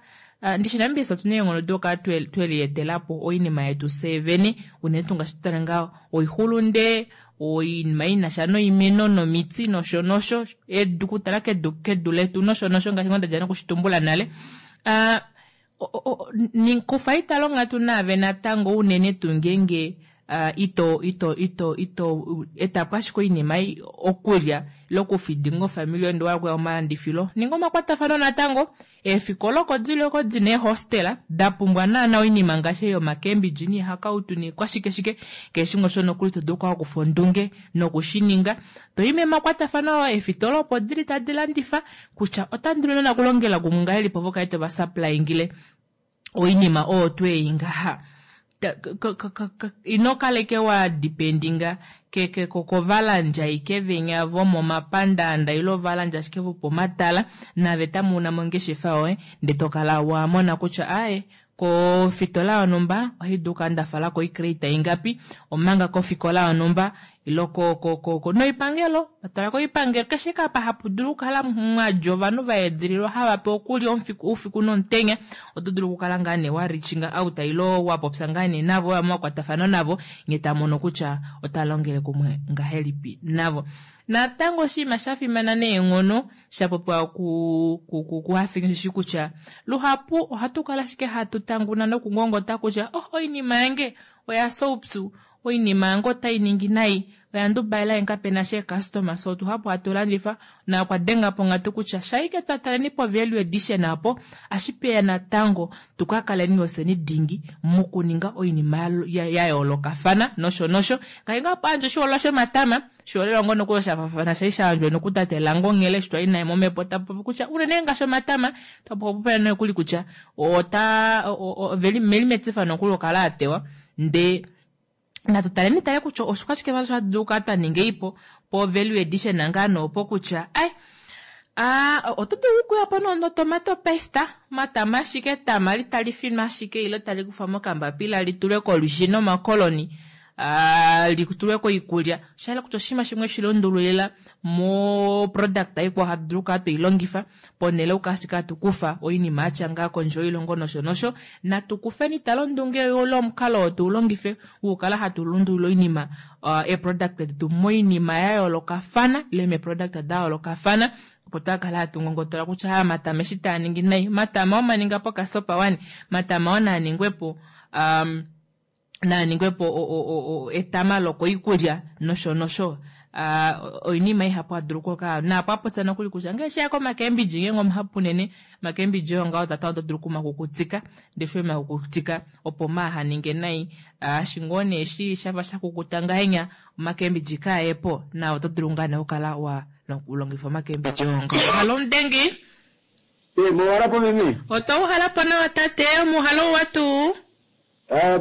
ndishi Namibia otuna eenghono dokukala twelietelapo oinima yetu fyee vene unene tuu ngaashi tutale ngaa oixulunde oinima inasha noimeno nomiti nosho nosho edu kutala kedu kedu letu nosho nosho ngaashi ngoo ndadja nokushitumbula nale kufa itala onghatu naave natango unene tuu ngeenge ito ito ito ito etapo ashike oinima ei okulya ile okufidinga ofamili yoye ndee wahala okuya momalandifilo ninga omakwatafano natango eefikola oko dili oko dina eehostela da pumbwa naana oinima ngaashi ei yomakembidji niihakautu niikwashike shike keshe shimwe osho nokuli to dulu okukala wakufa ondunge nokushininga toi memakwatafano eefitola opo dili tadi landifa kutya otandi dulu naana okulongela kumwe ngahelipi ovo kale tova supplyingile oinima oyo twei ngaha ino kaleke wa dependinga kovalandja ashike venya vomomapandaanda ile ovalandja ashike vopomatala nave tamu una mongeshefa yoye ndee tokala wa mona kutya aaye. Kofitola yonhumba ohai dulu okukala nda fala ko oicrate ingapi, omanga kofikola yonhumba ile noipangelo, twala koipangelo keshe ike apa hapu dulu okukala mwadja ovanhu va edililwa hava pewa okulya oufiku nomutenya, oto dulu okukala ngaa nee wa reaching out ile wa popya ngaa nee navo, wa makwatafano navo, nye tamono kutya ota longele kumwe ngahelipi navo. Natango oshinima sha fimana neenghono sha popiwa kuHafingi osheshi kutya luhapu ohatu kala ashike hatu tanguna nokungongota kutya oh oinima yange oya fya oupyu, oinima yange otai ningi nai, oya ndubaela nge kapena sha eecustomer, so tuhapu hatu landifa na okwa denga po onghatu kutya shaike twa taleni po value addition apo ashipeya natango tuka kaleni ofyeni dingi mokuninga oinima ya yoolokafana nosho nosho. Ngaashi ngaa pandje oshiholelwa shomatama, oshiholelwa ngoo nokuli osha shali sha yandjwa nokutate Lango Nghele eshi twali naye momhepo, tapopi kutya unene ngaashi omatama, tapopi nokuli kutya ota oveli meli metifa nokuli okala a tewa, ndee natu taleni tale kutya oshike vali hatu dulu okukala twa ninga ipo po value addition ngaa noopo kutya ai oto dulu okuya po notomato paste, matama ashike etama litali finwa ashike ile tali kufwa mokambapila litulwe kolwishi nomakoloni, litulwe koikulya. Osha hala kutya oshinima shimwe shi lundululila mo product ikwao hatu dulu okukala twei longifa ponhele okukala ashike hatu kufa oinima yatya ngaa kondje yoilongo nosho nosho. Natu kufeni tale ondunge ile omukalo oo tu longife wokukala hatu lundulula oinima eeproduct detu moinima ya yoolokafana ile meeproduct da yoolokafana, opo twakala hatu ngongotola kutya matama eshi taa ningi nai, matama omaninga po kasopa wani, matama oo naaningwepo naaningwepo etama lokoikulya nosho nosho. Oinima ihapu hatu dulu okukala naapo apopya nokuli kutya ngee sheya komakembidji, ngeenge omuhapu unene makembidji oyo ngaho tata oto dulu okumakukutika, ndee eshi wemakukutika opo maaha ninge nai, eshi ngoo nee eshi shafa shakukuta ngahenya omakembidji kaayepo, na oto dulu ngaa nee okukala wa longifa omakembidji oyo ngaho. Halo Mudengi. Mouhalapo meme? Otwa uhalapo nawa tate, omuhalo uwa tuu?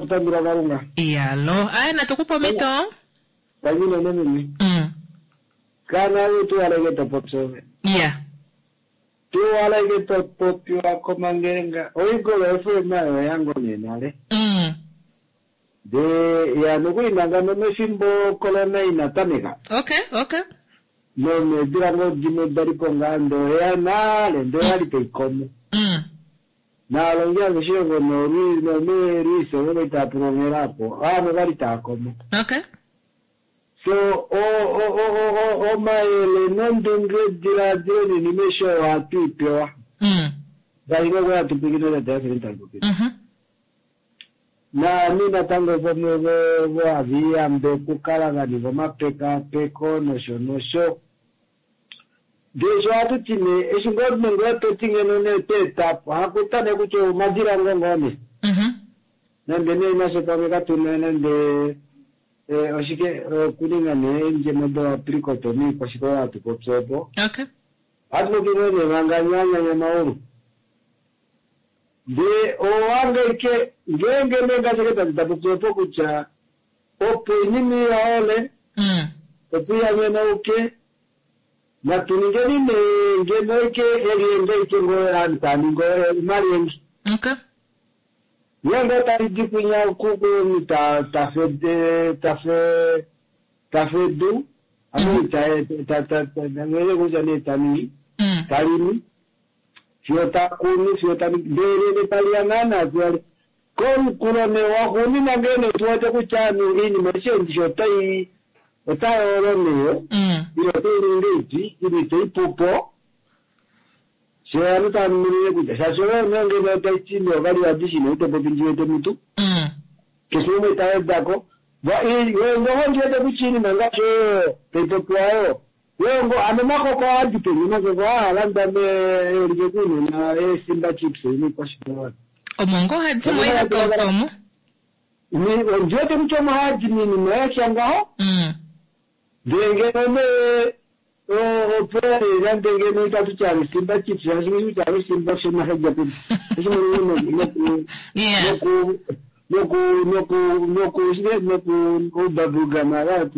Tutambula Kalunga. Iyalo. Aye natukupa omhito. Tangi meme. Kana we tuwaleke topopya. Yeah. Tuwaleke topopiwa komangelenga. Oigolo FM nayo yango nenale. De ya nokuinanga nomefimbo corona inatameka. Okay, okay. Nomedula ngo dimwe dalipo ngaa ndo ya nale ndo yali taikomo. Naalongi aveshe nomeelwiso vove taa pulongelapo avo vali taakomo. Okay. So omayele nondunge diladilo ninima eshi ohatu ipewa. Ngaashi ngoo hatu pwikine tata tatu Naami natango vamwe vohaviyambe okukala vaninga omapekapeko nosho nosho. Ndee sho ohatu ti nee eshi ngoo nenge toti ngeno nee tweetapo hakuta nee kutya omadilango ngoo nee. Nande nee nashe pamwe katuna nande oshike okuninga nee eendjemo doapricot omiikwashike oyo hatu popi opo. Okay. Ohatu popi ngoo nee manga nyanyanya maulu. Ndee owange ngeenge nee ngaashi tatu tapopi opo kutya opo oinima iyaole opo iyanyenauke natu ningeni nee ngeno ike elienge ike ngoo aantu taa ningi omalyenge. Okay. Ngeenge tali di kwinya kuku tafedu ame ta kutya nee taningi talimi fiyo takunu fiyo taningi ndele taliya naana fiyo komukulo nee waxuunina ngee tuwete kutya iinima eshi otai otayoolo nee ile otai ningi iti ile itaipupo sho ovanhu tamunine kutya shaashi oyo nee ngeno otai ti nee ovali vadishi nee itopopi ndiwete mutu keshe umwe tawedako wengoho ndiwete kutya iinima ngaashi oyo taipopiwa oyo wengo ano makoko ohadi peni makoko ahalanda meelike kuunona eesimba chips niikwashike Omo ngoo hadi mo ihakauka omo. Ndiwete kutya omo hadi miinima yatya ngaho. Ndee ngeno nee opo nande ngeno itatu tya simba chips shaashi kutya simba shomahedja peni noku noku noku noku shike noku bubblegum ava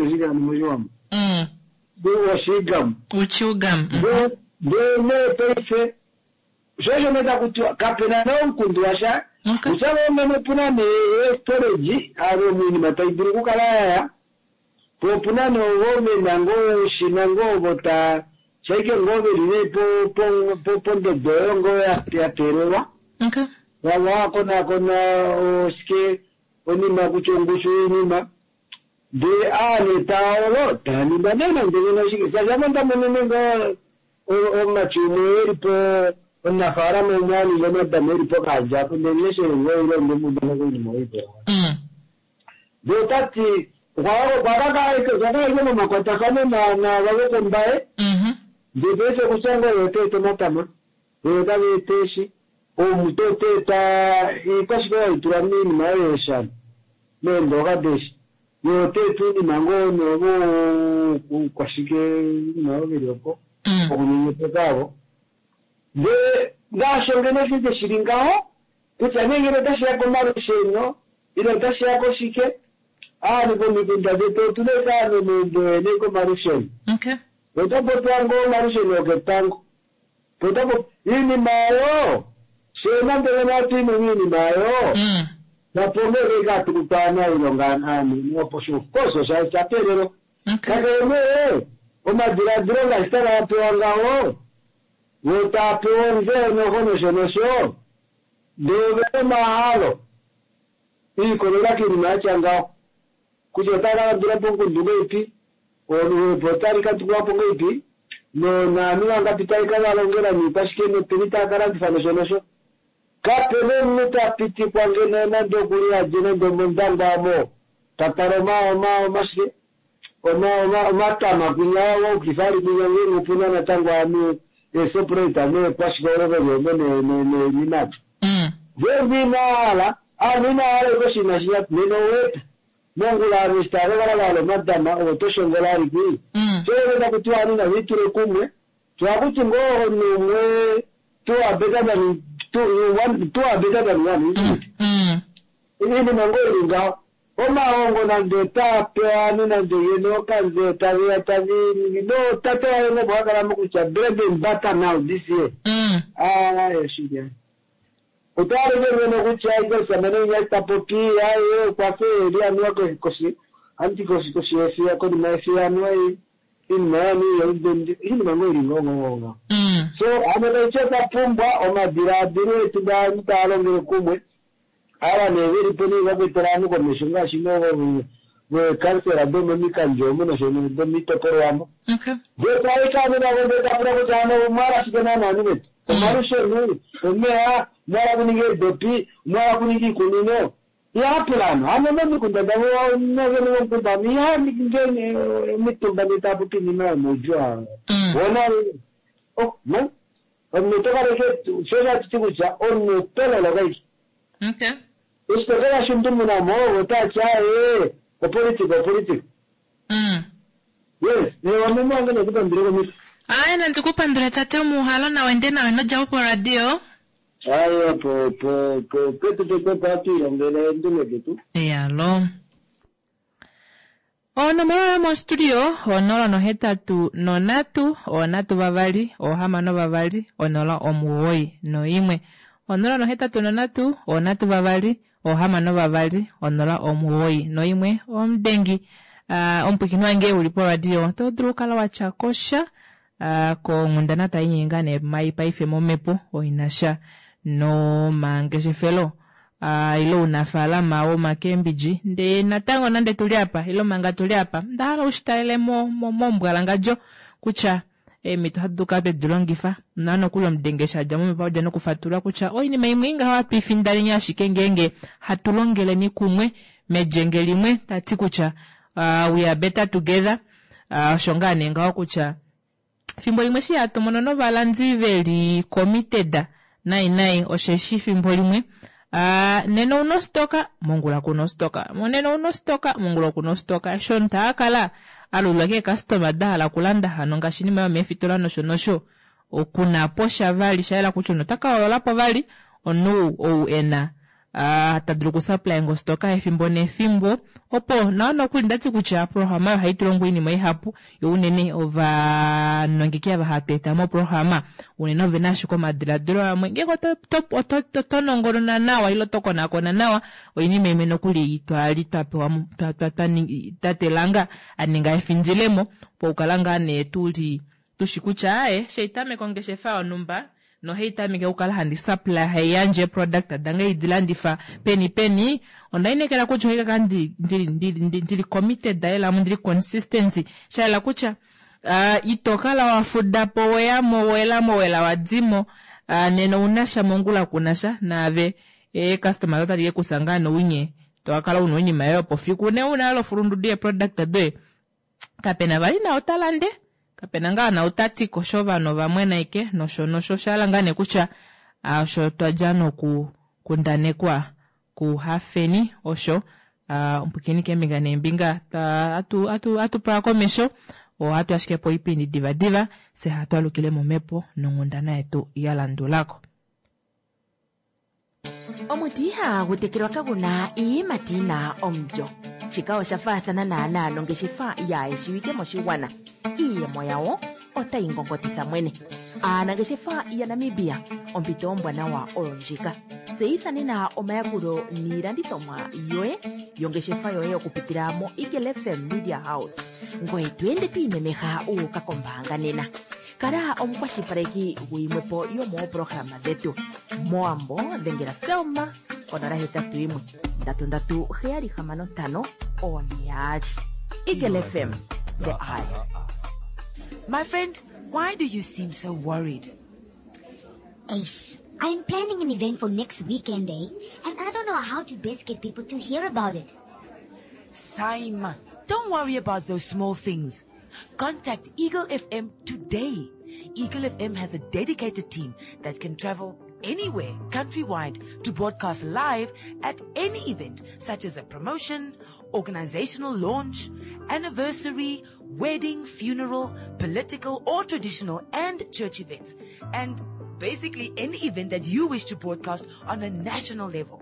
oshike moshiwambo. Oshigam. Uchugam. Ndee nee paife Sho osho nee taku tiwa kape na nee omukundu washa. Kutya ngoo ngeno opu na nee eestorage, alo oinima tai dulu okukala yaya, po opu na nee ovo ve na ngoo oushina ngoo ovo ta shaike ngoo veli nee po po pondodo oyo ngoo ya teelelwa. Vava wakonaakona oshike onima kutya ongushu yoinima ndee aa nee taa olo taa ningwa nee nande ngeno shike shaashi ame onda monene ngoo omumati umwe eli po omunafaalama umwe a ninga omadama eli pokaandja apo ndee leshele ngoo ile ondemuudana koinima oyo ndee otati okwa kakala ike momakwatafano naava vokombaye ndee paife kutya ngoo ye ota eta omatama ye otava eta eeshi omuto ota eta iikwashike oyo haitulwa miinima oyo yeeshana meendooka deeshi ye ota eta uunima ngoo noovo kwashike iinima oyo veli opo okunyenyepeka avo ndee ngaasho ngeno shike shili ngaho kutya nee ngeno otashiya komalusheno ile otashiya koshike aanhu komikunda detu otuna ike aanhu meumbo yene komalusheno ota popiwa ngoo omalusheno oketango potapo iinima oyo shee nande ngeno hatu i miinima oyo napongeke katukuta aanailonga aanhu opo of course osha teelelwa kakele nee omadiladilo ngaashi taga pewa ngaho vo taa pewa ontseyo noho nosho nosho ndee ovena omahalo iikolela kiinima yatya ngaho kutya otaya ka kandula po omukundu ngeipi oluhepo otali kandulwa po ngeipi naanhu vangapi tali ka valongela niikwashike nopeni taya ka landifa nosho nosho kapena omunhu ta pitikwa ngeno nande okuli adje nande omondangwa amo ta tala omashike omatama kwinya waukifa ali kwinya ngenge opuna natango aanhu eeseparate neekwashike olo veli omo neenimati ngeenge inahala aanhu inahala ike oshinima shinya nena oweta mongula aanhu eshi tava kakala vahala omatama ovo toshongola aliki so taku tiwa aanhu nava itule kumwe twakuti ngoo omunhu umwe two are better than two, one, two are better than one, isn't it? Iinima ngoo ili ngaho omahongo nande otaa pewa aanhu nande yene okanze taveya tavi no tate waye ngo bwakala mokutya bread and butter now this year. Ah, shike otaleke ngeno kutya ike omusamane inya ta popi aye okwafe eli anuwa koshi anti koshi koshi yefiya konima yefiya anuwa iinima yanu iinima ngoo ili ngoo ngoo ngoo so ano taiti otwa pumbwa omadilaadilo etu gaanhu taa longele kumwe ava nee veli po nee vakwetela aanhu komesho ngaashi veekansela domomikandjo omo nosho domiitopolwa ndee taika aanhu navo ndee tapula kutya ano omwala shike naana aanhu vetu omalusheno omeya omwala kuninga eedopi omwala kuninga iikunino ihapula ano ano momikunda davo novene vomukunda iha ngene omitumba ndee taapopi iinima yomaudjuu wona oh no omunhu oto kaleke sho shatiti kutya omunhu oto loloka ike eshi to kala shundumunamo otaati aye opolitika opolitika yes wameme wange nekupandule komito aye nandikupandule tate omuhalo nawe nde nawe nodjapo poradio aye po po po petu petu hatu ilongele eendunge detu eyalo onomola yomostudio 083 3 6 2 091 083 3 6 2 091 omudengi omupwiikini wange uli poradio oto dulu okukala watya kosha konghundana tai nyenga nee mai paife momhepo oinasha nomangeshefelo ile ounafaalama womakembidji ndee natango nande tuli apa ile manga tuli apa nda hala ushitalele mombwalangadjo kutya eemhito ohatu dulu kala twedi longifa na nokuli omudenge eshi adja momhepo odja nokufatulula kutya oinima imwe ingaho hatu ifindaleni ashike ngeenge hatu longeleni kumwe melyenge limwe tati kutya we are better together osho ngaa nee ngaho kutya fimbo limwe eshi hatu mono novalandi veli committed nai nai osheshi fimbo limwe nena ouna ostoka mongula kuna ostoka nena ouna ostoka mongula kuna ostoka eshi omunhu taakala alulilwa keekastoma dahala okulanda hano ngaashi inima yomeefitola nosho nosho okuna po sha vali shayela kutya omunhu otaka hoololapo vali omunhu ou ena. Ta dulu okusupply ngostoka efimbo nefimbo opo nawa nokuli ndati kutya programa ohayi tu longo iinima ihapu yo unene ovanongeki ava hatu eta moprograma unene ovena ashike omadiladilo amwe ngenge oto nongonona nawa ile oto konakona nawa oinima imwe nokuli twali twa pewa tate Langa a ninga efindilemo pokukala ngaa nee tuli tushi kutya aye sheitameka ongeshefa yonhumba nohai tameke okukala handi supply hai yandje product dange idi landifa peni peni onda inekela kutya ohai kaka ndili committed ela ndili consistency shaela kutya ito kala wa fuda po weyamo welamo wela wadimo nena ounasha mongula kunasha naave customer otali ke kusa ngaa nounye tokakala una oinima yoye opo fiku ne una lofulundudu yeproduct doye kapena vali na otalande kapena ngaa na otati kosho ovanhu ovamwena ike nosho nosho shala ngaa nee kutya osho twadja noku kundanekwa kuhafeni osho ompukeni keembinga neembinga atu pula komesho ohatu ashike po oipindi divadiva se hatu alukile momhepo nonghundana yetu ya landulako. Omuti ihagu tekelwa kaguna iiyimati yina omulyo. Shika osha faathana naanaa nongeshefa yaayeshiwike moshigwana. Iiyemo yawo otayi ngongotitha mwene. Aanangeshefa yaNamibia, ompito ombwanawa oyo ndjika. Tseyitha nena omayakulo niilandithomwa yoye yongeshefa yoye okupitila mo Eagle FM Media House. Ngoye to ende to imemeha u uka kombaanga nena. Kala omukwashilipaleki guyimwepo yomoopolohalama dhetu. Mowambo dhengela Selma konola hetatu yimwe ndatu ndatu heyali hamano ntano one yaali. Eagle FM, the eye. My friend, why do you seem so worried? Ace, I'm planning an event for next weekend, eh? And I don't know how to best get people to hear about it. Saima, don't worry about those small things. Contact Eagle FM today. Eagle FM has a dedicated team that can travel anywhere countrywide to broadcast live at any event such as a promotion, organizational launch, anniversary, wedding, funeral, political or traditional and church events, and basically any event that you wish to broadcast on a national level.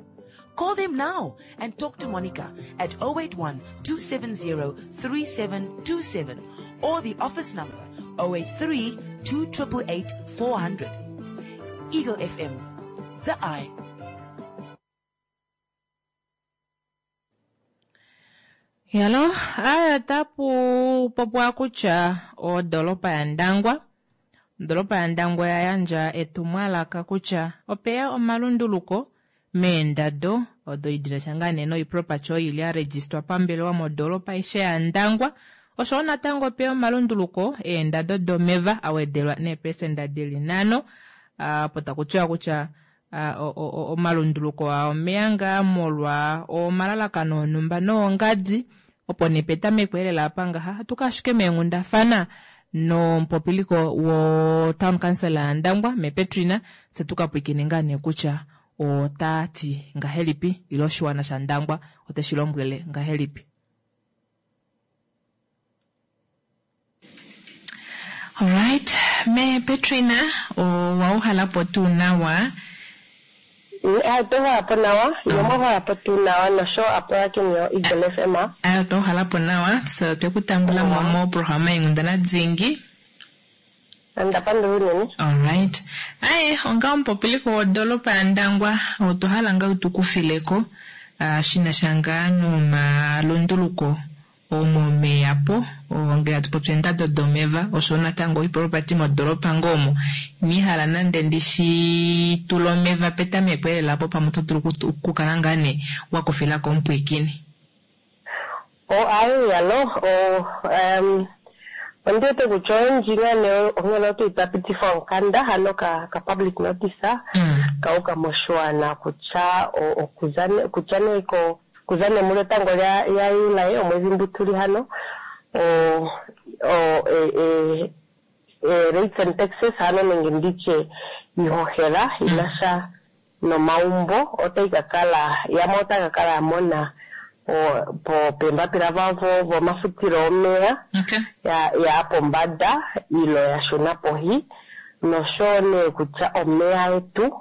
Call them now and talk to Monica at 081 270 3727 or the office number 083 288 400. Eagle FM, the eye. Yalo, aya tapu popwa kutya odolopa yaNdangwa odolopa yaNdangwa oya yandja etumwalaka kutya opeya omalunduluko meendado odo idina sha ngaa nee noiproperty oyo ili ya registwa pambelewa modolopa aishe yaNdangwa oshowo natango opeya omalunduluko eendado domeva awedelwa neepesenda dili nhano opo taku tiwa kutya omalunduluko aa omeya ngaa molwa omalalakano onhumba noongadi opo nee petameko elela apa ngaha hatu ka ashike meenghundafana nomupopiliko wo town council yaNdangwa me Petrina tse tuka pwiikine ngaa nee kutya ota ti ngahelipi ile oshiwana shaNdangwa oteshi lombwele ngahelipi. Alright, me Petrina owa uhalapo tuu nawa? Otwa uhalapo nawa, ye mwa uhalapo tuu nawa nosho apulakeni yo Eagle FM. Ayo otwa uhalapo nawa, so twe ku tambula mo moprograma yeenghundana dhingi. Onda pandula unene. Alright. Aye, onga omupopiliko wodolopa yaNdangwa, otwa hala ngaa tu kufileko shina sha ngaa nomalunduluko omomeya po ngele atu popi eendado domeva osho natango oiproperty modolopa ngoo omo iniihala nande ndishi tula omeva petameko elela po pamwe oto dulu okukala ngaa nee wa kufilako omupwiikini. O aye yalo o um ondi wete kutya oyendji ngaa nee onghela otwa twa pitifa omukanda hano ka, ka public notice kauka moshiwana kutya okuza kutya nee ko kuza nee mulyotango lya ya Juli omwedhi mbu tuli hano o o e, e, e, rates and taxes hano nenge nditye ihohela inasha nomaumbo otai ka kala yamwe otaka ka kala yamona po peembapila vavo vomafutilo omeya ya ya pombada ilo ya shuna pohi nosho nee kutya omeya etu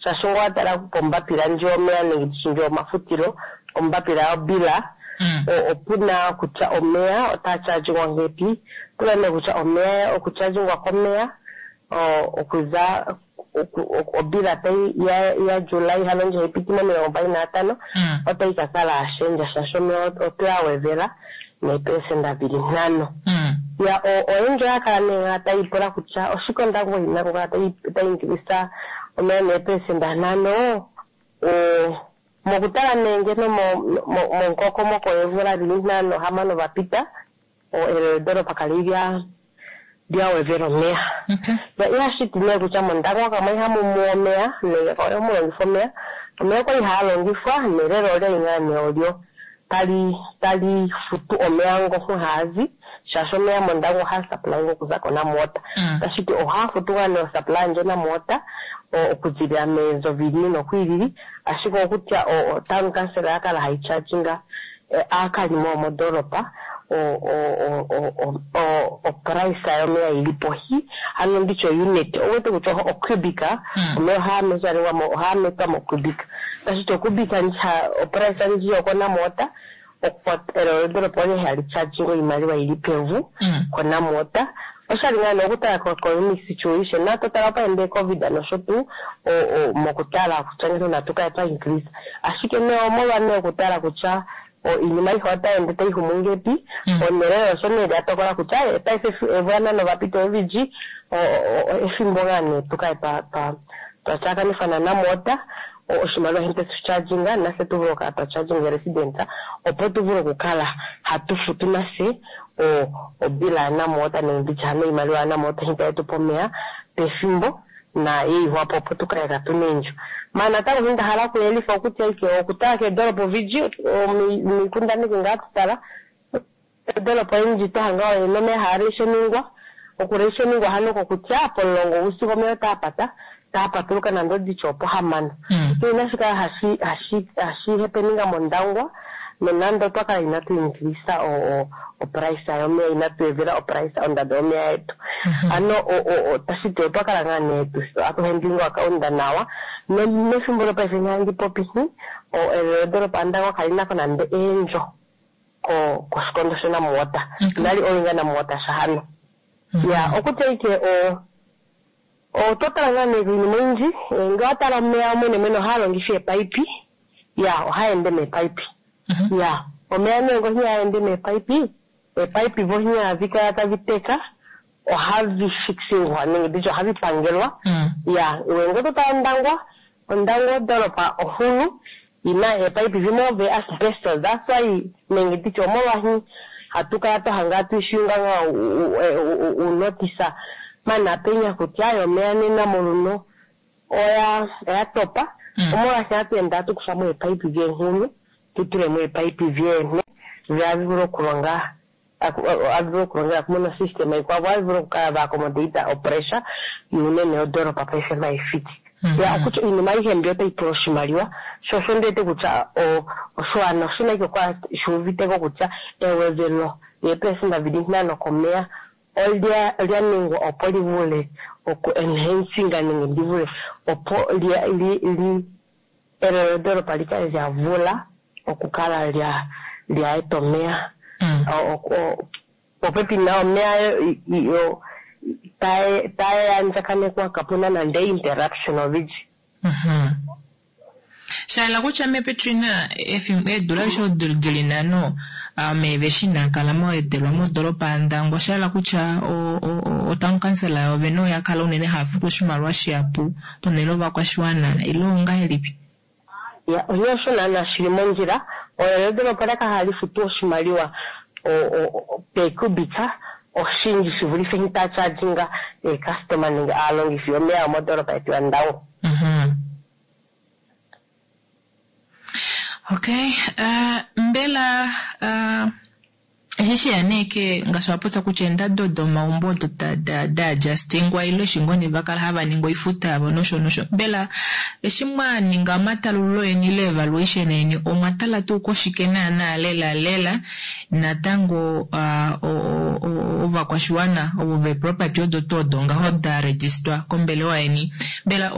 Shaashi ngee owa tala pombapila ndji yomeya nenge ndishi ndji yomafutilo, ombapila yobila, opuna kutya omeya otaa chargingwa ngepi, opuna nee kutya omeya okuchargingwa komeya okuza obila tai ya July hano ndji haipiti momilongo mbali nanhano otai ka kala yashendja shaashi omeya otwe a wevela neepelesenda dili nhano. Ya oyendji oya kala nee ngaa taipula kutya oshike Ondangwa ina kukala tai increase omeya neepelesenda nhano. Mokutala nee ngeno momukokomoko weemvula dili nhano hamano vapita, elelo ledoropa kali lya wevela omeya. Ya ihashiti nee kutya mOndangwa kamwe ihamu muwa omeya nenge kamwe ihamu longifwa omeya. Omeya okwali haa longifwa nelelo olyali ngaa nee olyo tali futu omeya ngo haazi, shaashi omeya mOndangwa ohaa supply okuza koNamwater. Tashiti ohaa futu ngaa nee osupply ndjo Namwater okuzilila meenzo vilili nokwilili, ashike okutya otown council oya kala hai charginga aakalimo yomodoropa oprice yomeya ili pohi, hano nditye unit owete kutya ocubic omeya ohaa measurewa ohaa metwa mocubic, tashiti ocubic oprice ndji yokoNamwater elelo ledoropa oli hali charginga oimaliwa ili pevu koNamwater. Oshali ngaa nee okutala ko-economic situation, na totala opaende COVID nosho tuu, mokutala kutya ngeno natu kale twa increase, ashike nee omolwa nee okutala kutya iinima aihe otai ende tai humu ngepi, onelelo osho nee lya tokola kutya paife eemvula nhano vapita eviji efimbo ngaa nee tukale twa tyakanifwa naNamwater oshimaliwa hente tucharginga nafye tu vule okukala twa charginga resident, opo tu vule okukala hatu futu nafye obila yaNamwater nenge nditye hano iimaliwa yaNamwater hita yetupa omeya pefimbo na yeihwapo, opo tukale katuna eendjo. Maana natango nda hala okuyelifa okutya ike okutala keedoropa ovindji miikundaneki ngaa tutala eedoropa oyindji twahanga oyena omeya haa rationingwa. Okurationingwa hano kokutya pomulongo wuusiku omeya otaa pata, taa patuluka nande oditye opohamano. Inashi kala hashi happeninga mOndangwa, nonande otwa kala inatu increase oprice yomeya, inatu evela oprice ondando yomeya yetu. Ano tashiti otwa kala ngaa nee atu handlinga account nawa. Mefimbo lopaife nghandi popi, elelo ledoropa Ndangwa kali nako nande eendjo koshikondo shoNamwater, inali owinga NamWater shahano. Ya okutya ike otwa tala ngaa nee iinima oyindji, ngee owa tala omeya mwene mwene ohaa longifa eepaipi, ya ohaa ende meepaipi. Ya omeya nee ngo ihaa ende meepaipi, eepaipi vo ihadhi kala tadhi teka, ohadhi fixingwa nenge nditye ohadhi pangelwa. Ya ngee oto tala Ondangwa, Ondangwa odoropa onkulu ina eepaipi dhimwe ove asbestos, that's why nenge nditye omolwahi hatu kala twa hanga tuishunga ngaa unotisa mana penya kutya omeya nena moluno oya topa, omolwashi hatu ende hatu kufamo eepaipi dheenghulu tutulemo eepaipi vyeene dhi vule okulonga, hadhi vulu okulongela kumwe nosystem ikwavo, hadhi vulu okukala va accommodate opressure yuunene yodoropa paife maifiki. Ya okutya iinima ayihe mbi otayi pula oshimaliwa, sho osho ndiwete kutya oshiwana oshina ike okukala shuuviteko kutya ewevelo lyeepelesenda dhili ntano komeya olya ningwa opo li vule oku enhancinga nenge ndi vule opo li elelo lyodoropa li kale lya vula okukala lya eta omeya popepi na omeya yo taya andjakanekwa, kapuna nande interruption olundji. Shaela kutya mePetrina eedula osho dili nhano omeva eshi inaa kala moetelwa modoropa yaNdangwa, oshaela kutya otown council yovene oya kala unene haya futu oshimaliwa shihapu ponhele yovakwashiwana ile ongahelipi? Ya onye osho naana shili mondjila, elelo lyodoropa olya kala hali futu oshimaliwa pekubika oshindji shi vulithe taa charginga eecustoma nenge aalongithi yomeya yomodoropa yetu yaNdangwa. Okay, mbela Eshi sheya nee ke ngaashi wa popya kutya eendado domaumbo odo da adjustingwa ile eshi ngoo nee va kala hava ningi oifuta yavo nosho nosho. Mbela eshi mwa ninga omatalululo eni ile evaluation eni omwa tala tuu koshike naana lela lela natango ovakwashiwana ovo ve property odo tuu odo ngaho da register kombelewa yeni mbela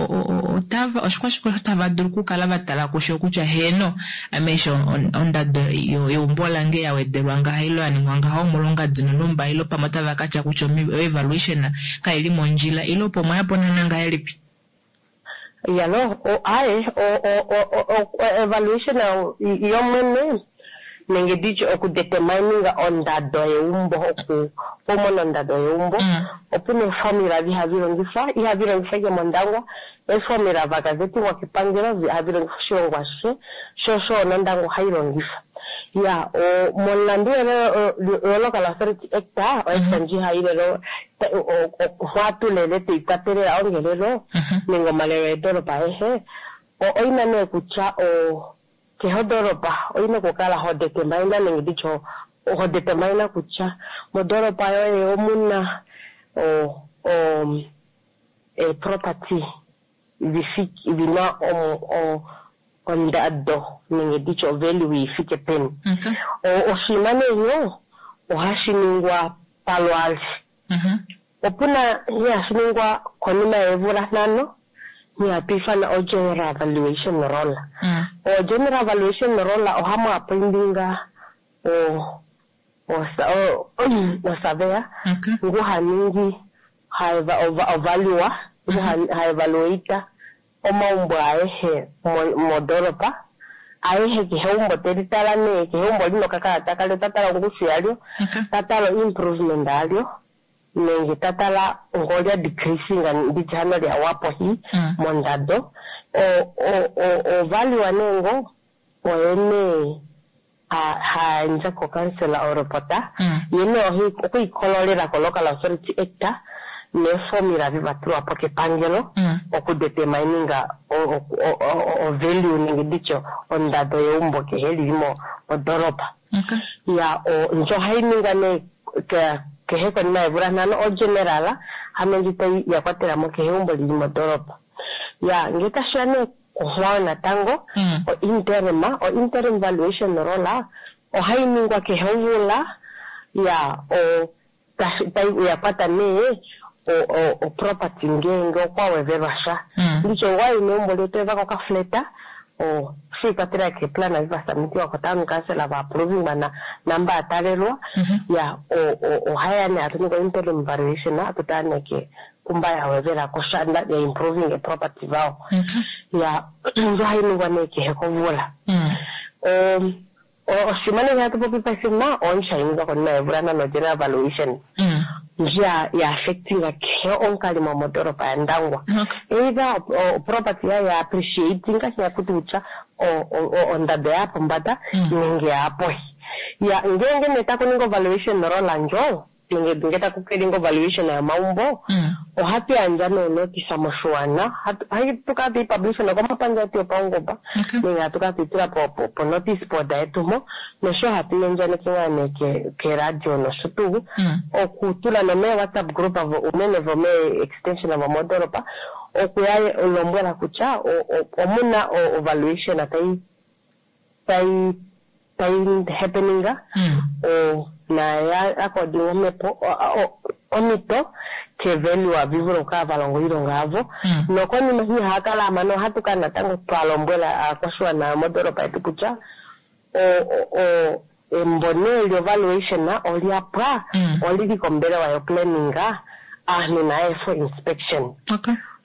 otava oshikwashike osho tava dulu okukala va tala kusho kutya heeno ame eshi ondado yeumbo lange ya wedelwa ngaha ile ya ningwa ngaha omolwongadi nonhumba ile pamwe otava ka tya kutya evaluation kaili mondjila ile opo mwa yapo naana ngahelipi? Yalo, aye, evaluation yomwene nenge nditye okudetermininga ondado yeumbo, okumona ondado yeumbo, opuna eeformula dihadhi longifwa, ihadhi longifwa ike mOndangwa, eeformula vakazetingwa kepangelo hadhi longifwa oshilongo ashishe, sho osho nOndangwa ohayi longifwa. Ya, momulandu we-Local Authority Act, oact ndji hayi lelo hwatulele twiikwatelela ongelelo nenge omalelo eedolopa ayehe, oyina nee kutya kehe odolopa oyina okukala ho determine nenge nditye ho determine kutya modolopa yoye omuna eeproperty dhina ondado nenge nditye ovalue ifike peni. Oshinima nee nyo ohashi ningwa palwaali. Opuna nghee hashi ningwa konima yeemvula 5 nghee hatu ifana o general valuation roll. O general valuation roll ohamu appointinga osurveyor ngu haningi ha ngu ha evaluate omaumbo ayehe modolopa ayehe, kehe eumbo teli tala nee, kehe eumbo lina okakalata kalyo, ta tala ongushu yalyo, ta tala improvement yalyo nenge ta tala ngolya decreasing nditye hano lya wapo hi mondado. Ovalue nee ngo oye nee hayandja kokansela orepota, ye nee okwiikololela ko Local Authority Act neeformula vivatulwa po kepangelo okudetermininga ovalue nenge nditye ondado yeumbo kehe lili modolopa. Ya, ndjo ohayi ningwa nee kehe konima yeemvula 5, ogeneral hano ndji tayi yakwatela mo kehe eumbo lili modolopa. Ya, ngele tashiya nee kuhwayo natango o interim valuation roll ohayi ningwa kehe omvula. Ya, yakwata nee oproperty ngeenge okwa wevelwa sha, nditye wayi meumbo lyetu evako okafleta, shiikwatelela keeplan vivasubmitiwa ko-town council va-approvingwa namba atalelwa. Ya, ohaya nee atu ningi interim valuation, atu tala nee kumba ya wevelako sha ya improving eproperty vawo. Ya, ndjo hayi ningwa nee kehe komvula. Oshinima nee hatu popi paife ma oondji hayi ningwa konima yeemvula 5, general valuation ndji ya affectinga kehe omukalimo mondolopa yaNdangwa, either property yayo ya appreciatinga shakuti kutya ondando ya pombanda nenge ya pohi. Ya, ngeenge nee taku ninga valuation roll ndjo nenge nge taku ninga valuation yomaumbo, ohatu yandja nee notice moshiwana, hatu kala tuyi publish nokomapandja etu yopaungomba nenge hatu kala tuyi tula po notice board yetu mo, nosho hatu yandjaneke ngaa nee keradio nosho tuu okutula nomee WhatsApp group unene vomee extension vomodolopa, okuya lombwela kutya omuna evaluation tayi tayi tayi happeninga naya according omhepo omito kevalue vivule okukala valonga oilonga yavo. Nokonima eshi haakala amana, ohatu kala natango twa lombwela aakwashiwana yomodolopa yetu kutya embo nee lyovaluation olya pwa, olili kombelewa yoplanning, aantu naye for inspection.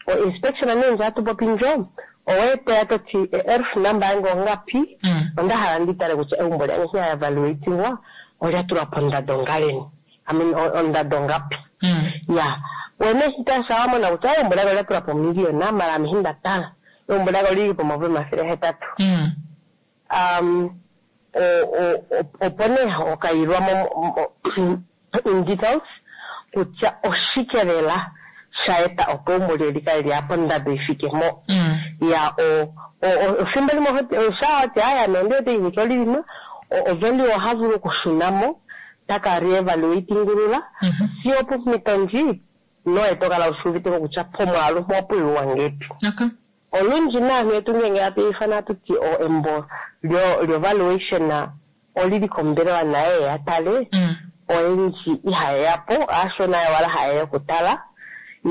O inspection nee ndjo hatu popi ndjo, oweeteya toti erf number yange ongapi, onda hala ndi tale kutya egumbo lyange ya evaluatingwa olya tulwa pondando ngaleni, I mean ondando ngapi. Ya, wene shitasha wamona kutya egumbo lyange olya tulwa pomiliyona, mala ame nda tala egumbo lyange olili po800 000. Opo nee okayilwa mo in details kutya oshike lela sha eta opo egumbo lyoye likale lya pondando ifike mo. Ya, efimbo limwe sha wati aya nonde wete kutya olili mo ovalue, oha vulu okushuna mo. taka reevaluatingulula siyo pomhito ndji noye to kala ushi uvite ko kutya pomwaalu mpo opuyiwa ngepi. Olundji naantu yetu ngenge hatu ifana hatu ti o embo lyo lyo valuation olili kombelewa naye ya tale, oyendji ihaye ya po, aashona owala haye ya okutala.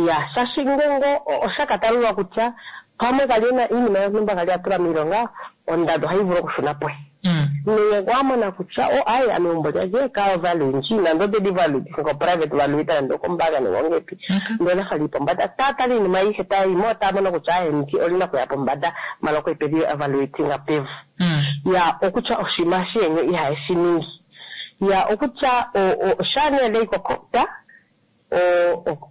Ya shashi ngenge osha ka talulwa kutya pamwe kali ena iinima yontumba kali a tula miilonga, ondando ohayi vulu okushuna pohi. Nenge wa mona kutya o ayi ame egumbo lyandje ka value ndji nando onde li value ko private value nando okombaanga nenge ongepi, ndele ola fa lili pombanda, taa tala iinima ayihe taya yi mo, otaya mono kutya ayi ndi olina okuya pombanda mala okwe peli evaluatinga pevu. Ya okutya oshinima shiyenye ihaye shi ningi. Ya okutya shaa nee leyi kokota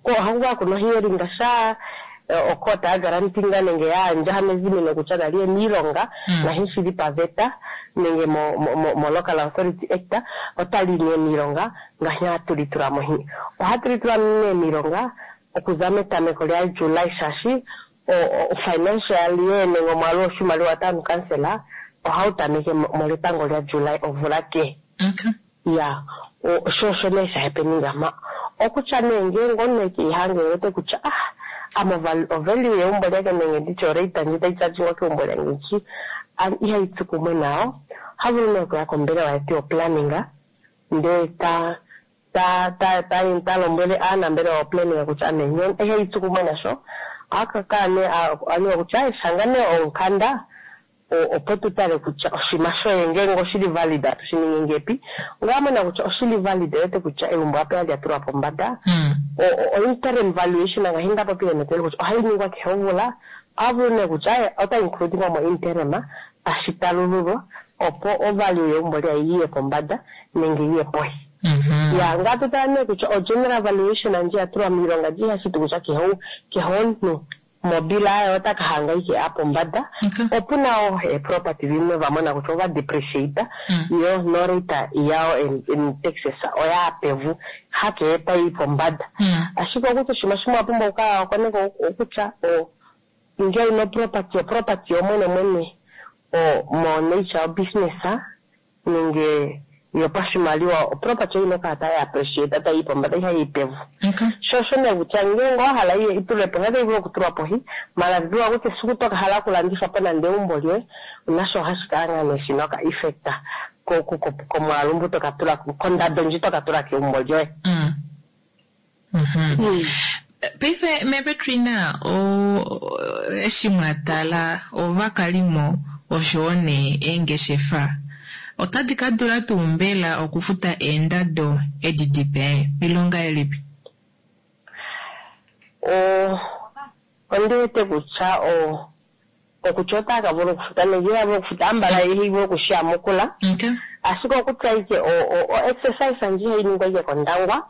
ohaku kala kuna ohearing shaa okota ya garantinga nenge yaandja mezimino kutya nali ye miilonga nahi shili paveta nenge mo Local Authority Act otali nee miilonga ngaashi hatu li tula mo. Ohatu li tula nee miilonga okuza metameko lya July shaashi o financial year nenge omwaalu woshimaliwa town council ohau tameke moletango lya July omvula kehe. Ya sho osho nee sha happeninga ma okutya nee ngenge omunhu eke ihange wete kutya ah ame ovalue yeumbo lyake nenge nditye orate ndji tayi chargingwa keumbo lyange ndji ihayi tsu kumwe nayo, oha vulu nee okuya kombelewa yetu yoplanning ndee ta ta ta ta ta lombwele aanambelewa yoplanning kutya ame ihayi tsu kumwe nasho. Ohaka kala nee aniwa kutya shanga nee omukanda opo tu tale kutya oshinima shoye ngenge oshili valid atu shi ningi ngepi. Onga mona kutya oshili valid wete kutya egumbo ape lya tulwa pombanda, o interim valuation ngaashi nda popile metelo kutya ohayi ningwa kehe omvula, oha vulu nee kutya ota includingwa mo interim tashi talululwa opo ovalue yegumbo lyaye yiye pombanda nenge yiye pohi. Ya ngatu tala nee kutya o general valuation ndji ya tulwa miilonga ndji ihashi ti kutya kehe omuntu mobila yaye ota ka hanga ike ya pombanda. Opuna wo eeproperty dhimwe va mona kutya ova depreciate yo norate yawo in taxes oya pevu hakehe tayi pombanda. Ashike okutya oshinima shimwe wa pumbwa okukala wa koneka okutya ngele ino property oproperty yomwene mwene mo nature business nenge yopashimaliwa oproperty oyina okukala tayi appreciate tayi pombanda ihayi pevu. Sho osho nee kutya ngele wa hala itulwe po otayi vulu okutulwa pohi mala dhiwa kutya esiku toka hala okulanditha po nande egumbo lyoye nasho ohashi kala ngaa nee shina oka effect komwaalu mbu toka tula kondando ndji toka tula kegumbo lyoye. Paife mePetrina eshi mwa tala ovakalimo oshowo nee eengeshefa otadi ka dula tuu mbela okufuta eendado edi dipe milonga elipi? Ondi wete kutya okutya otaya ka vula okufuta nenge ihaya vulu okufuta ambala ihayi vulu okushiyamukula. Ashike okutya ike o exercise ndji hayi ningwa ike kOndangwa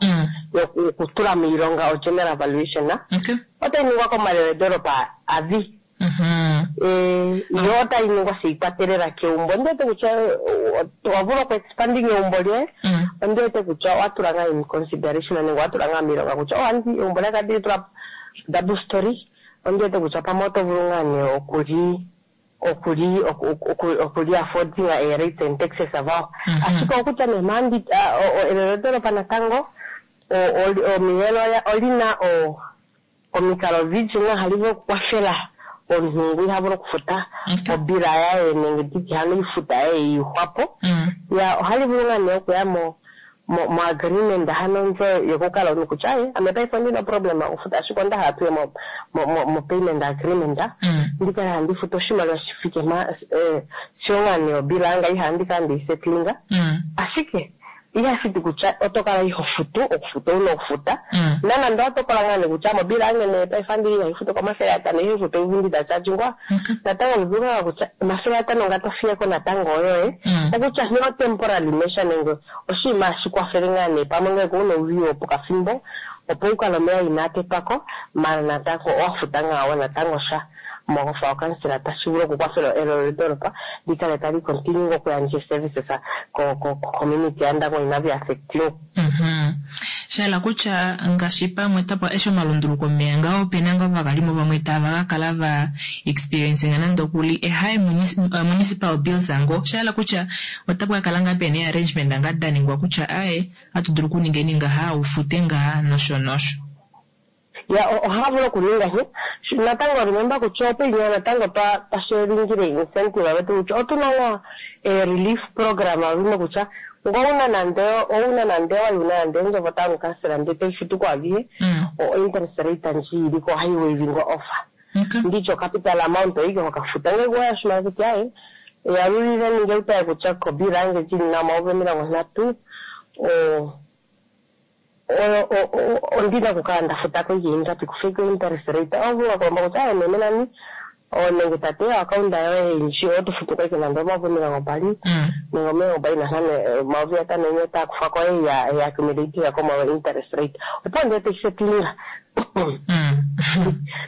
yokutula miilonga o general valuation otayi ningwa komalelo avi. Yo otayi ningwa shi ikwatelela kegumbo. Ondi wete kutya owa vulu oku expanding egumbo lyoye. Ondi wete kutya owa tula ngaa in consideration nenge owa tula ngaa miilonga kutya andi egumbo lyake andi li tula double story. Ondi wete kutya pamwe oto vulu ngaa nee okuli okuli okuli affording a rates and taxes avawo. Ashike okutya nee mandi elelo natango omiyelo olina omikalo odhindji nga hali vulu okukwathela omuntu ngu iha vulu okufuta obila yaye nenge nditye hano ifuta yaye yiihwapo. Ya ohali vulu ngaa nee okuya mo mo agreement hano ndjo yokukala omuntu kutya aye ame paife ondina problem okufuta ashike onda hala tuye mo mo payment agreement ndikale handi futu oshimaliwa shi fike ma sigo ngaa nee obila yanga ihandi kala ndeyi settlinga. Ashike ihashi ti kutya oto kala iho futu okufuta ouna okufuta. Nanande owa tokola ngaa nee kutya mobila yange nee paife andi ihayi futu ko500 ihayi futu evundi da chargingwa natango vulu ngaa kutya 500 nga to fiyeko natango oyoye. Okutya nghee o temporary measure nenge oshinima hashi kwathele ngaa nee pamwe ngele kuuna uudhigu wopokathimbo opo wu kale omeya inaa tetwako mala natango owa futa ngaa wo natango sha mogofa okansela tashi vulu okukwathela elelo lyondolopa li kale tali continue okuyandja services ko community yaNdangwa inavi affectiwa. Sha hala kutya ngaashi pamwe tapa eshi omalunduluko omeya ngaho ope na ngoo ovakalimo vamwe tava ka kala va experiencing nande okuli e high municipal bills ngo. Sha hala kutya otapa ka kala ngaa pena arrangement nga da ningwa kutya aye atu dulu okuningeni ngaha ufute ngaha nosho nosho. Ya, ohava vulu okuninga shi. Natango remember kutya opo inya natango twashelingile incentive vetu kutya otuna nga relief program avime kutya ngo una nande ouna nande wa una nande endjovo town council nde taifutu ko avihe o interest rate ndji iliko ohayi waivingwa off. Ndityo capital amount oike hokafuta ngeke waya shimaliwa kutya aye yalulile ninge utaye kutya kobila yange ndjili na 30,000 o ondina okukala nda futa ko ingapi kufika interest rate ovula kulomba kutya aye meme nani nenge tate account yoye ndji oto futu ko ike nande 20,000 nenge 25,000 5,000 enye otaa kufa ko ya ya accumulate ko interest rate opo ndee tekisetinga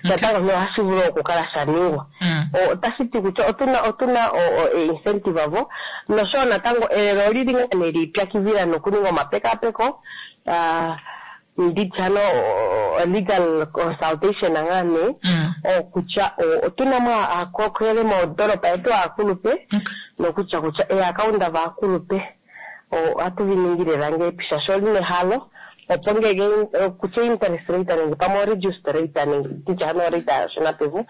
natango ohashi vulu okukala sha ningwa. Otashi ti kutya otuna incentive avo noshowo natango elelo olili ngaa nee liipyakidhila nokuninga omapekapeko nditya no legal consultation ngaa nee okutya otuna mo aakokele moondolopa yetu aakulupe nokutya kutya eakaunda vaakulupe ohatu vi ningile lange shaashi oli nehalo opo ngenge kutya interest rate nenge pamwe reduced rate nenge nditya hano rate yashona pevu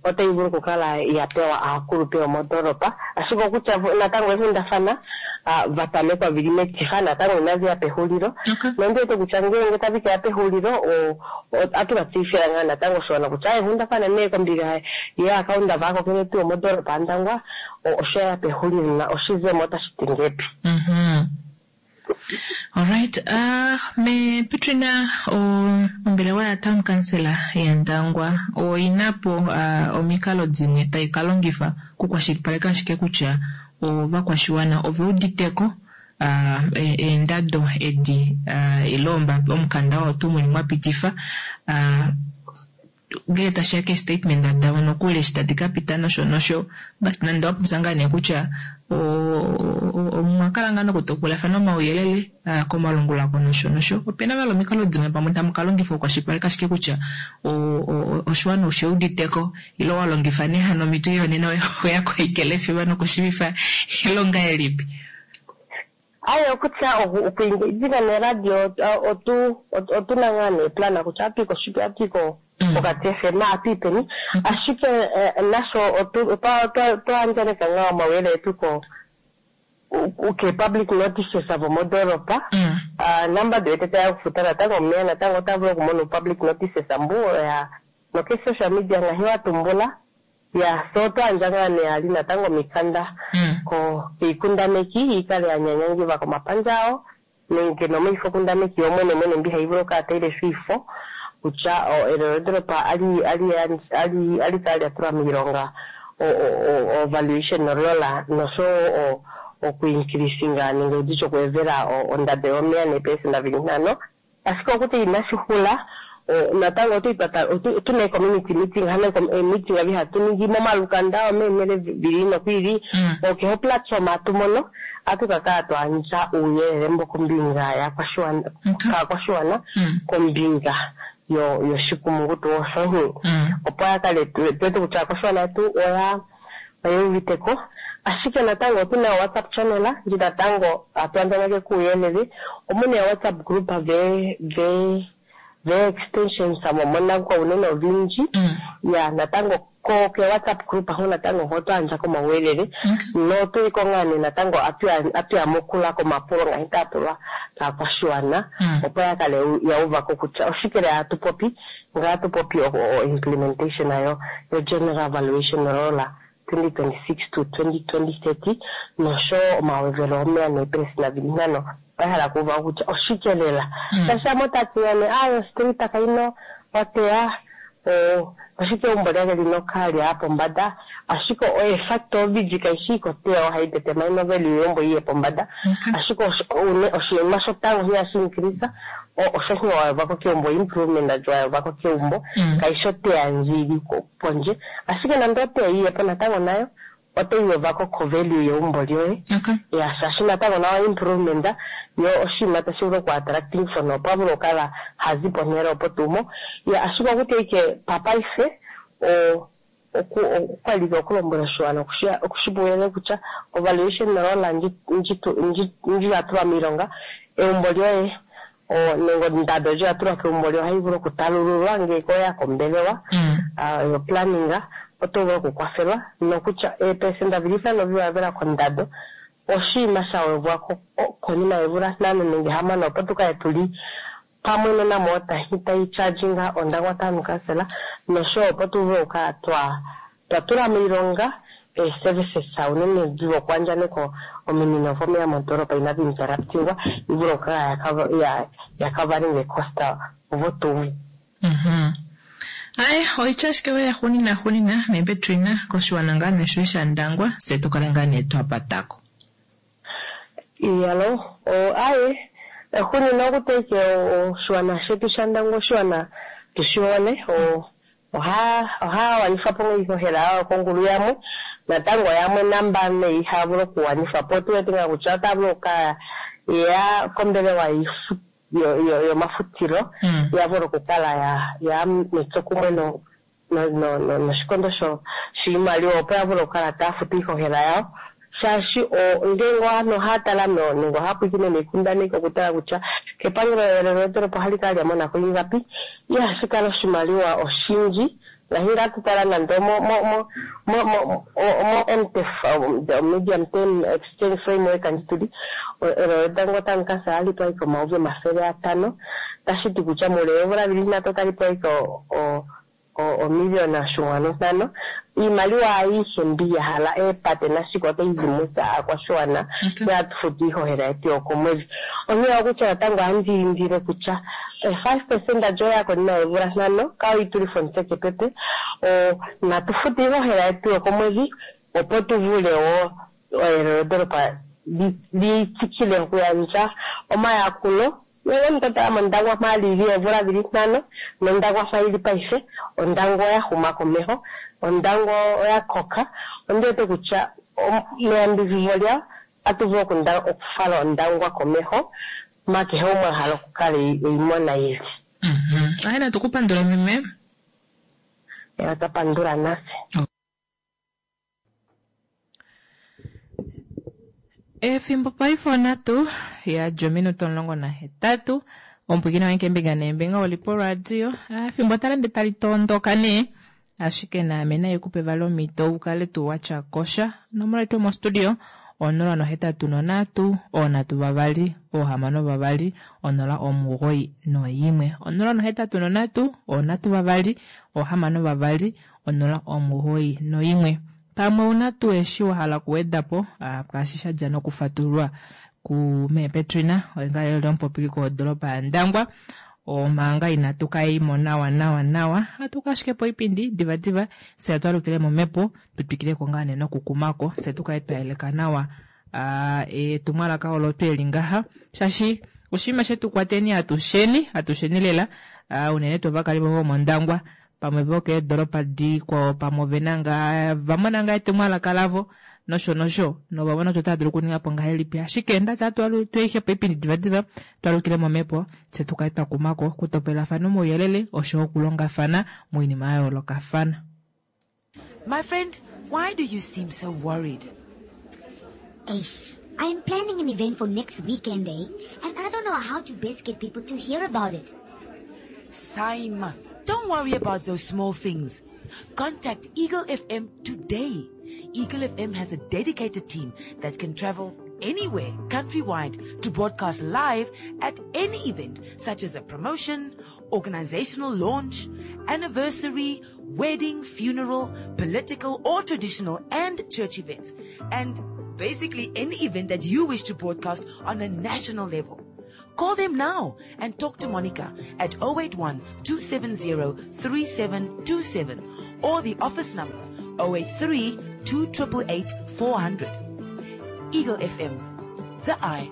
otayi vulu okukala ya pewa aakulupe yomondoolopa. Ashike okutya natango eenghundafana vatamekwa vili metifa natango inadhi ya pehulilo. Nondi wete kutya ngenge tadhi keya pehulilo atu ka tseyithila ngaa natango oshiwana kutya eenghundafana nee kombinga yeakaunda vaakokele tuu yomondoolopa yaNdangwa osho ya pehulilo na oshizemo otashi ti ngepi. Alright, me Petrina, ombelewa ya town councillor yaNdangwa oina po omikalo dimwe tai ka longifa kukwashilipaleka ashike kutya ovakwashiwana ove uditeko eendado edi ile omukanda oo tuu muli mwa pitifa ngele tashiya ke statement davo nokuli eshi tadi ka pita nosho nosho nande wapopya ngaa nee kutya omwa kala ngaa nokutopolafana omauyelele komalungula nosho nosho opena vali omikalo dimwe pamwe tamu ka longifa okukwashilipaleka ashike kutya oshiwana oshe uditeko ile wa longifa nee hano omhito yonena oya koikele fiwa nokushivifa ilonga elipi. Aye okutya okuengagina neradio otuna ngaa nee plan kutya atuyi koshipi atuyi pokati FM atuyi peni ashike nasho otwa andjaneka ngaa omauyelele etu ko ke public notices avo mondoolopa namba diwete taya kufuta natango omeya natango ota vulu okumona public notices ambu ya noke social media ngahi watumbula ya so otwa ngaa nee ali natango omikanda ko kiikundaneki ikale ya nyanyangidhwa komapandja awo nenge nomiifokundaneki yomwene mwene mbi hayi vulu okukala tayi lesha iifo kutya elelo lyondolopa ali ali ali ali kala lya tulwa miilonga o valuation roll noshowo okuincreasinga nenge nditye okuwedhela ondando yomeya neepelesenda dhili ntano. Ashike okutya inashi hula natango otuna community meeting hano meeting avi hatu ningi momalukanda omeenhele vili nokwili okehe platform atu mono atu ka kala twaandja uuyelele mbo kombinga yakwashiwana kaakwashiwana kombinga yoshikumungu tuu osho opo ya kale tuwete kutya aakwashiwana yetu oya uviteko. Ashike natango otuna WhatsApp channel ndji natango atu andjaneke kuuyelele omuna WhatsApp group ve ve ve extensions moMondangwa unene odhindji ya natango ko ke WhatsApp group aho natango ho twaandja komauyelele notuliko ngaa nee natango atu yamukula komapulo ngahi taa pulwa kaakwashiwana opo ya kale ya uvako kutya oshike lela atu popi ngaa atu popi o implementation yo general valuation roll 2026 to 2030 noshowo omawedhelo omeya neepelesenda dhili ntano oya hala kuuva kutya oshike lela shaashi yamwe otaya ti ne ayo street kayina oteya oshike egumbo lyake lina okalya pombanda ashike oefacto odhindji kayishi ikoteya ohayi determine value yegumbo yiye pombanda ashike oshinima shotango hihashi increase osho shi wayovako keumbo improvement wayovako keumbo kayishi oteya ndji ili pondje ashike nande oteya yiyepo natango nayo Otayi gwedhwa ko ko-value yegumbo lyoye. Ya, shaashi natango nawa improvement yo oshinima tashi vulu oku attracting for opo a vule okukala ha zi ponhele opo tuu mo. Ya, ashike okutya ike papaife o oku okwali ike okulombwela oshiwana okushi okushi pa uuyelele kutya ovaluation roll ndji ndji ndji ndji ya tulwa miilonga egumbo lyoye o nenge ondando ndji ya tulwa kegumbo lyoye ohayi vulu okutalululwa ngele oya kombelewa yo planning oto vulu okukwathelwa nokutya eepelesenda dhili ntano dhiwadhela kondando oshinima sha gwedhwa ko konima yeemvula ntano nenge hamano opo tu kale tuli pamwe noNamwater tayi charginga Ondangwa Town Council noshowo opo tu vule okukala twa twa tula miilonga ee-services unene dhokuandjaneka ominino dhomeya mondoolopa inadhi interruptingwa yi vule okukala ya ya covering cost votuu. Aye, oitya ashike we yaxuunina xuunina, mee Petrina, koshiwana ngaa nee shoye shaNdangwa, fye tu kale ngaa nee twa patako. Iyalo, o, aye, xuunina okutya ike oshiwana shetu shaNdangwa oshiwana tu shi hole, o, oha, ohaya wanifa po iihohela yawo yokongulu yamwe, natango yamwe namba nee ihaya vulu okuwanifa po. Otu wete ngaa kutya otaya vulu okukala ye ya kombelewa yiifu, yo, yo, yomafutilo ya vule okukala ya, ya metsokumwe no, no, no, no, noshikondo sho, shiimaliwa opo ya vule okukala taya futu iihohela yawo. Shaashi o, ngele ovanhu ohaya tala no, nenge ohaya pwiikine miikundaneki okutala kutya kepangelo elelo lyondolopa ohali kala lya mona ko ingapi, ihashi kala oshimaliwa oshindji ngaashi ngaa tu tala nande omo mo mo mo mo mo MTEF, the Medium Term Exchange Framework ndji tuli, elelo lyOndangwa Town Council ohali pewa ike 500 000, tashi ti kutya muule woomvula dhili ndatu otali pewa ike o, o, omiliyona oshinkwanu ntano. Iimaliwa ayihe mbi ya hala eepate nashike otayi zi mutse aakwashigwana okay. Hatu futu iihohela yetu yokomwedhi. Onkene okutya natango ohandi indile kutya 5% lyoye ya konima yeemvula ntano kayo itulithe omutse kepepe. Natu fute iihohela yetu yokomwedhi opo tu vule wo elelodolopa li tsikile okuyandja omayakulo. Ngele omuntu to tala mOndangwa mpa li li oomvula dhi li ntano nOndangwa mpa yi li paife, Ondangwa oya huma komeho, Ondangwa oya koka. Ondi wete kutya meyambidhidho lyawo otatu vulu okufala Ondangwa komeho mpa kehe gumwe a hala okukala e yi mona yi li. Aye natu ku pandule meme. Otwa pandula natse. Efimbo paife onhatu ya dja ominute 18 omupwiikini wange keembinga neembinga oli poradio. Ah, efimbo tali ende tali tondoka nee ashike naame nai kupe vali omhito u kale tuu watya kosha. Onomola yetu yomostudio 083 3 6 2 0 91 083 3 6 2 091. Pamwe ouna tuu eshi wa hala okuweda po kwaashi sha dja nokufatululwa ku mee Petrina, oye ngaa eli omupopiliko wodolopa yaNdangwa. Omanga inatu ka imo nawa nawa nawa, atu ka ashike poipindi diva diva, fye atu alukile momhepo, tu twikile ko ngaa nee nokukumako, fye tu kale twa yeleka nawa etumwalaka olo tweli ngaha, shaashi oshinima shetu kwateni atusheni, atusheni lela, unene tuu ovakalimo vomOndangwa, pamwe vokeedolopa dikwao, pamwe ove na ngaa va mona ngaa etumwalaka lavo nosho nosho, nova mona kutya otava dulu okuninga po ngahelipi. Ashike ndati atu tweihe po oipindi divadiva, twalukile momhepo, tse tu kale twa kumako okutopelafana omauyelele osho okulongafana moinima ya yoolokafana. My friend, why do you seem so worried? Eish, I'm planning an event for next weekend, eh? And I don't know how to best get people to hear about it. Saima, don't worry about those small things. Contact Eagle FM today. Eagle FM has a dedicated team that can travel anywhere countrywide to broadcast live at any event such as a promotion, organizational launch, anniversary, wedding, funeral, political or traditional and church events, and basically any event that you wish to broadcast on a national level. Call them now and talk to Monica at 081 270 3727 or the office number 083 288 400. Eagle FM, the eye.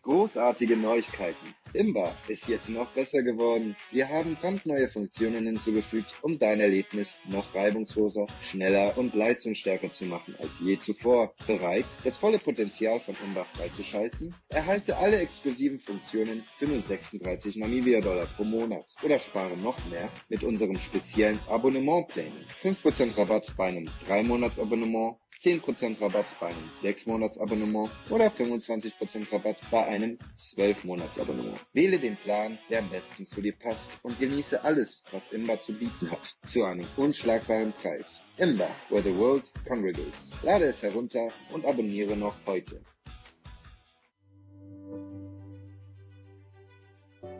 Großartige Neuigkeiten. Imba ist jetzt noch besser geworden. Wir haben brandneue Funktionen hinzugefügt, um dein Erlebnis noch reibungsloser, schneller und leistungsstärker zu machen als je zuvor. Bereit, das volle Potenzial von Imba freizuschalten? Erhalte alle exklusiven Funktionen für nur 36 Namibia-Dollar pro Monat oder spare noch mehr mit unserem speziellen Abonnementplänen. 5% Rabatt bei einem 3-Monats-Abonnement, 10% Rabatt bei einem 6-Monats-Abonnement oder 25% Rabatt bei einem 12-Monats-Abonnement. Wähle den Plan, der am besten zu dir passt und genieße alles, was Imba zu bieten hat, zu einem unschlagbaren Preis. Imba, where the world congregates. Lade es herunter und abonniere noch heute.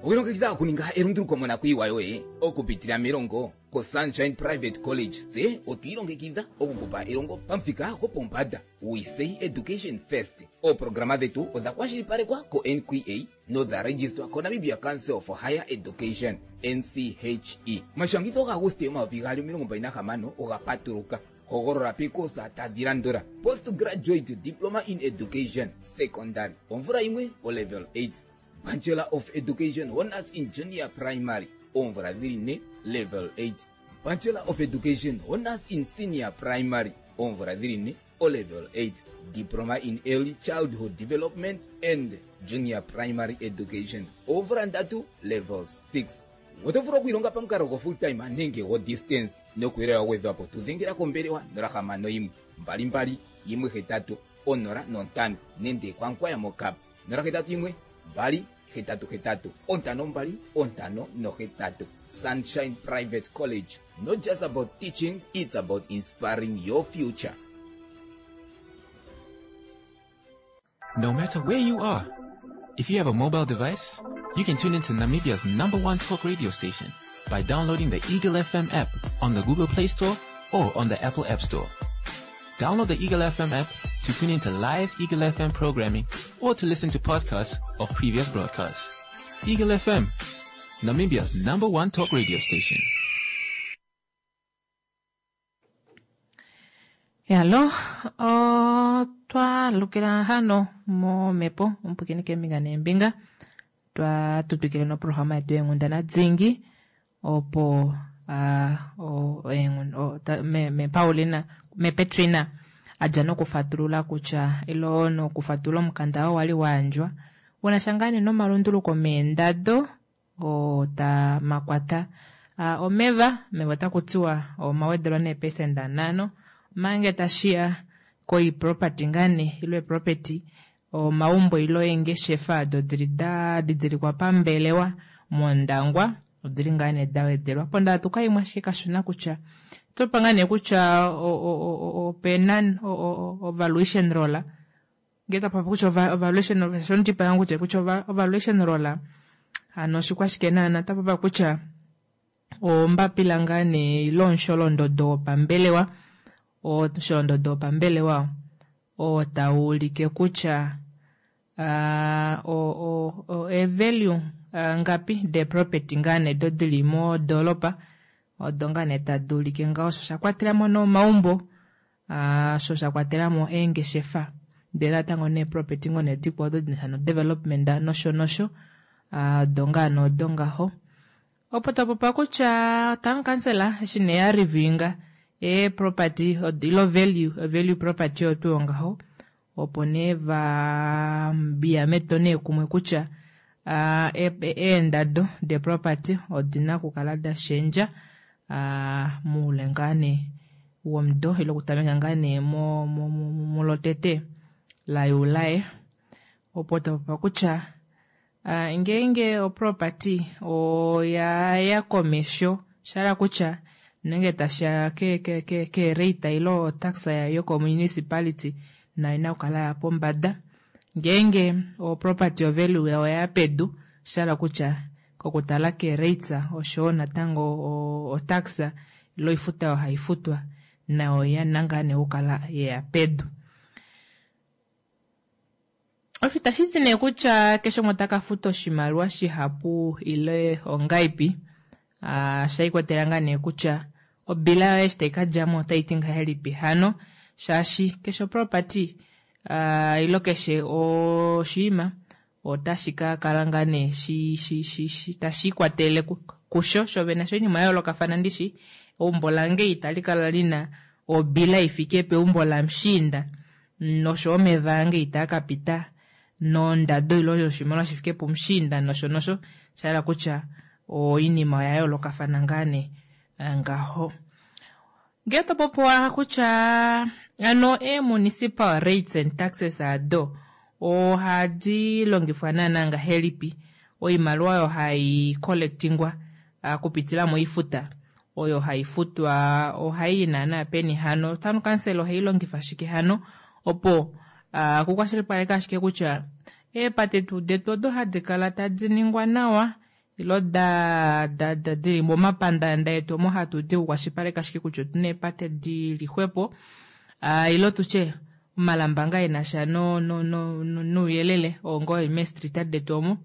Okwilongekidha okuninga elunduluko monakuyiwa yoye okupitila melongo koSunshine Private College tse otwiilongekidha okukupa elongo pamuthika gopombanda. We say education first. Ooprograma dhetu odha kwashilipalekwa ko-NQA nodha registwa koNamibia Council for Higher Education NCHE. Omashangitho gaAguste 2026 oga patuluka. Hogolola peekosa tadhi landula: Postgraduate Diploma in Education Secondary omvula yimwe olevel 8, Bachelor of Education Honors in Junior Primary oomvula dhili ne level 8, Bachelor of Education Honors in Senior Primary oomvula dhili ne o level 8, Diploma in Early Childhood Development and Junior Primary Education oomvula ndatu level 6. Oto vulu okwiilonga pamukalo go full time nenge go distance. Nokuuyelele wa gwedhwapo tu dhengela kombelewa 061 22 18 05 nenge kwaNkwaya moKap 081 2 88 52 58. Sunshine Private College, not just about teaching, it's about inspiring your future. No matter where you are, if you have a mobile device, you can tune into Namibia's number one talk radio station by downloading the Eagle FM app on the Google Play Store or on the Apple App Store. Download the Eagle FM app to tune into live Eagle FM programming or to listen to podcasts of previous broadcasts. Eagle FM, Namibia's number one talk radio station. Yalo, otwa lukila hano momhepo omupwikini keembinga neembinga twa tutwikile noprograma yetu yeenghundana dingi opo me, me Paulina me Petrina a dja nokufatulula kutya ilo nokufatulula omukanda oo wali wa yandjwa una sha ngaa nee nomalunduluko meendado oo ta makwata omeva. Omeva otaku tiwa omawedelwa neepesenda nhano omange tashiya koiproperty ngaa nee ilo eproperty omaumbo ilo eengeshefa odo dili da didilikwa pambelewa mOndangwa odili ngaa nee da wedelwa. Pondaatuka imwe ashike kashona kutya otopa ngaa nee kutya opena ovaluation roll ngee tapopi kutya ovaluation roll shondipa yangu kutya kutya ovaluation roll hano oshikwashike naana tapopa kutya ombapila ngaa nee ilo omusholondodo wopambelewa omusholondodo wopambelewa oo tau ulike kutya evalue ngapi de property ngaa nee do dili modoolopa odo ngaa nee tadi ulike ngaho osho sha kwatelamo nomaumbo sho sha kwatelamo eengeshefa ndele natango nee property ngoo nee dikwao odo dinasha no development nosho nosho odo ngaa nee odo ngaho opo tapopa kutya town council eshi nee ya reviewinga e property ilo value value property oyo tuu ngaho opo nee va biya meto nee kumwe kutya eendado de property odina okukala da shendja moule ngaa nee womudo ile okutameka ngaa nee mulotete laJuli opo tapopa kutya ngeenge oproperty oya ya komesho shahala kutya nenge tashiya ke rate ile otax yokomunicipality nayo ina okukala ya pombada ngeenge oproperty ovalue yayo oya pedu shahala kutya kokutala ke rates oshowo natango otax ilo oifuta oyo haifutwa nayo oyina ngaa nee okukala yeya pedu. Osho itashi ti nee kutya keshe umwe otaka futa oshimaliwa shihapu ile ongaipi osha ikwatelela ngaa nee kutya obila yoye eshi tai kadjamo otai ti ngahelipi hano shaashi keshe oproperty ilo keshe oshinima. Otashi ka kala ngaa nee shi, shi, shi, shi, tashi ikwatelele ku, kusho shovene sho oinima ya yoolokafana ndishi. Eumbo lange itali kala li na obila i fike peumbo lamushiinda, nosho omeva ange itaa ka pita nondado ile yoshimaliwa shi fike pumushiinda nosho nosho. Sha hala kutya oinima oya yoolokafana ngaa nee ngaho. Ngee to popi owala kutya ano ee-municipal rates and taxes ado ohadi longifwa naana ngahelipi, oimaliwa oyo hai collectingwa okupitila moifuta oyo hai futwa ohai i naana peni hano, town council ohai longifa shike hano opo kukwashilipaleke ashike kutya eepate tuu detu odo hadi kala tadi ningwa nawa ilo da, da, da dili momapandaanda etu omo hatu di okukwashilipaleka ashike kutya otuna eepate di li xwepo, ilo tutye omalamba ngaa e na sha no, no, no, no, nouyelele oo ngoo eli meestrita detu omo,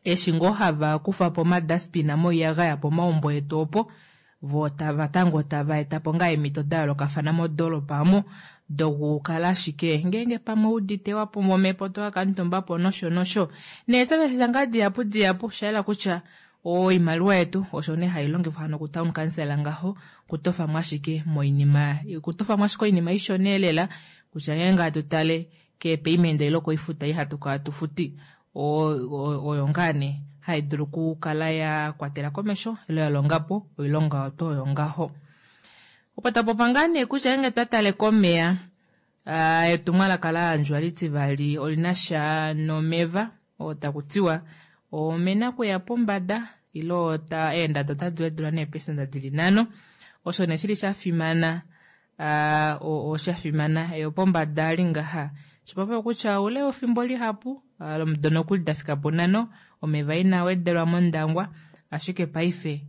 eshi ngoo hava kufa po omadustbin moiyagaya pomaumbo etu opo, vo tava tango tava eta po ngaa eemhito da yoolokafana modoolopa omo dokukala ashike ngeenge pamwe udite wa pumbwa omhepo to ka kamutumba po nosho nosho. Nee services ngaa dihapu dihapu, osha yela kutya oimaliwa yetu osho nee hai longifwa hano ku town council ngaho, kutofamo ashike moinima, kutofamo ashike oinima ishona elela, kutya ngeenge hatu tale keepayment ile koifuta ei hatu kala tu futi, oyo ngaa nee hai dulu okukala ya kwatela komesho ile ya longa po oilonga oyo oyo ngaho. Opo tapopa ngaa nee kutya ngeenge twa tale komeya, etumwalaka la yandjwa litivali olina sha nomeva oo taku tiwa omena kuya pombada ile ota eendado otadi wedulwa neepesenda dili 5. Osho nee shili sha fimana, osha fimana eyo pombada ali ngaha. Shipapa kutya oule wefimbo lihapu, lomudo nokuli da fika po 5, omeva ina wedelwa mondangwa, ashike paife,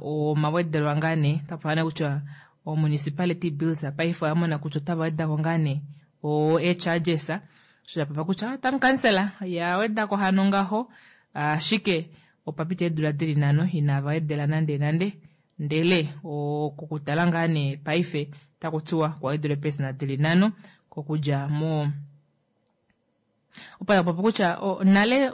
omawedelwa ngaa nee, tapa nee kutya o municipality bills paife oya mona kutya otava wedako ngaa nee o e-charges. Osho shapapa kutya town council ya wedako hano ngaho, ashike opa pita eedula dili 5 inava wedela nande nande, ndele okukutala ngaa nee paife taku tiwa kwa wedula eepesenda dili 5 kokudja mo opo tapopi kutya nale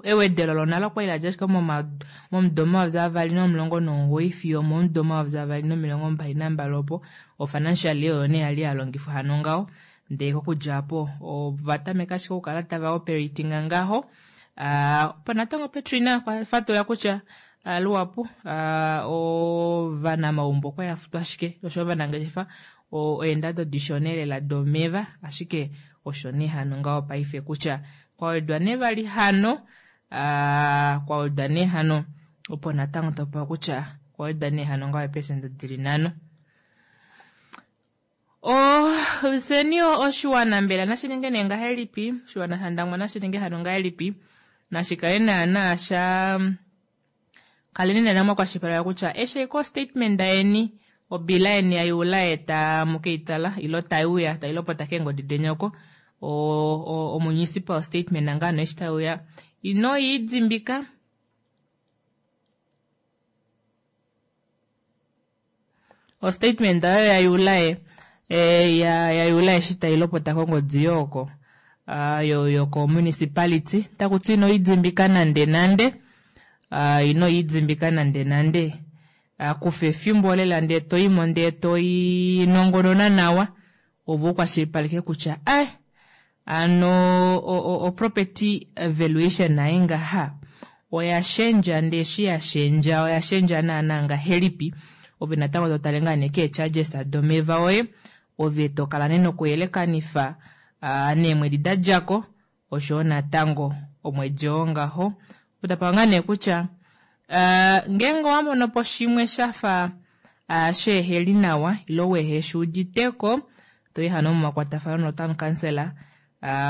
ewedelo lonale okwa li la dja ashike momudo 2019 fiyo momudo 2022 opo o financial year oyo nee yali ya longifwa hano ngaho, ndele kokudja apo ova tameka ashike okukala tava operating ngaho. Opo natango Petrina okwa fatula kutya luhapu ovanamaumbo okwa ya futwa ashike osho ovanangeshefa eendado dishona elela domeva, ashike osho nee hano ngaho paife kutya kwa wedwa nee vali hano, kwa wedwa nee hano opo natango topewa kutya kwa wedwa nee hano ngaho eepesenda dili 5. Fyeni oshiwana mbela nashi ninge nee ngahelipi? Oshiwana shaNdangwa nashi ninge hano ngahelipi? Nashi kale naana sha kaleni naana mwakwashilipaleka kutya eshi ko statement yeni obila yeni ya yula eta mukeitala ilo taiuya tailopota keengodi deni oko, o municipal statement ngano eshi taiuya ino idimbika. O statement oyo ya yula ya yula eshi tailopota kongodi yoko, yoko municipality, takuti ino idimbika nande nande, ino idimbika nande nande, kufa efimbo lela ndee toimo ndee toinongonona nawa ovo ukwashilipaleke kutya ano o property valuation naye ngaha oya shendja, ndee eshi ya shendja oya shendja naana ngahelipi. Ove natango to tale ngaa nee kee charges domeva oye, ove to kala nee nokuyelekanifa neemwedi da djako oshoyo natango omwedi oo ngaho. Otapa ngaa nee kutya ngeenge owa mono po shimwe shafa sheeheli nawa ilo wehe shi uditeko, toi hano momakwatafano notown council,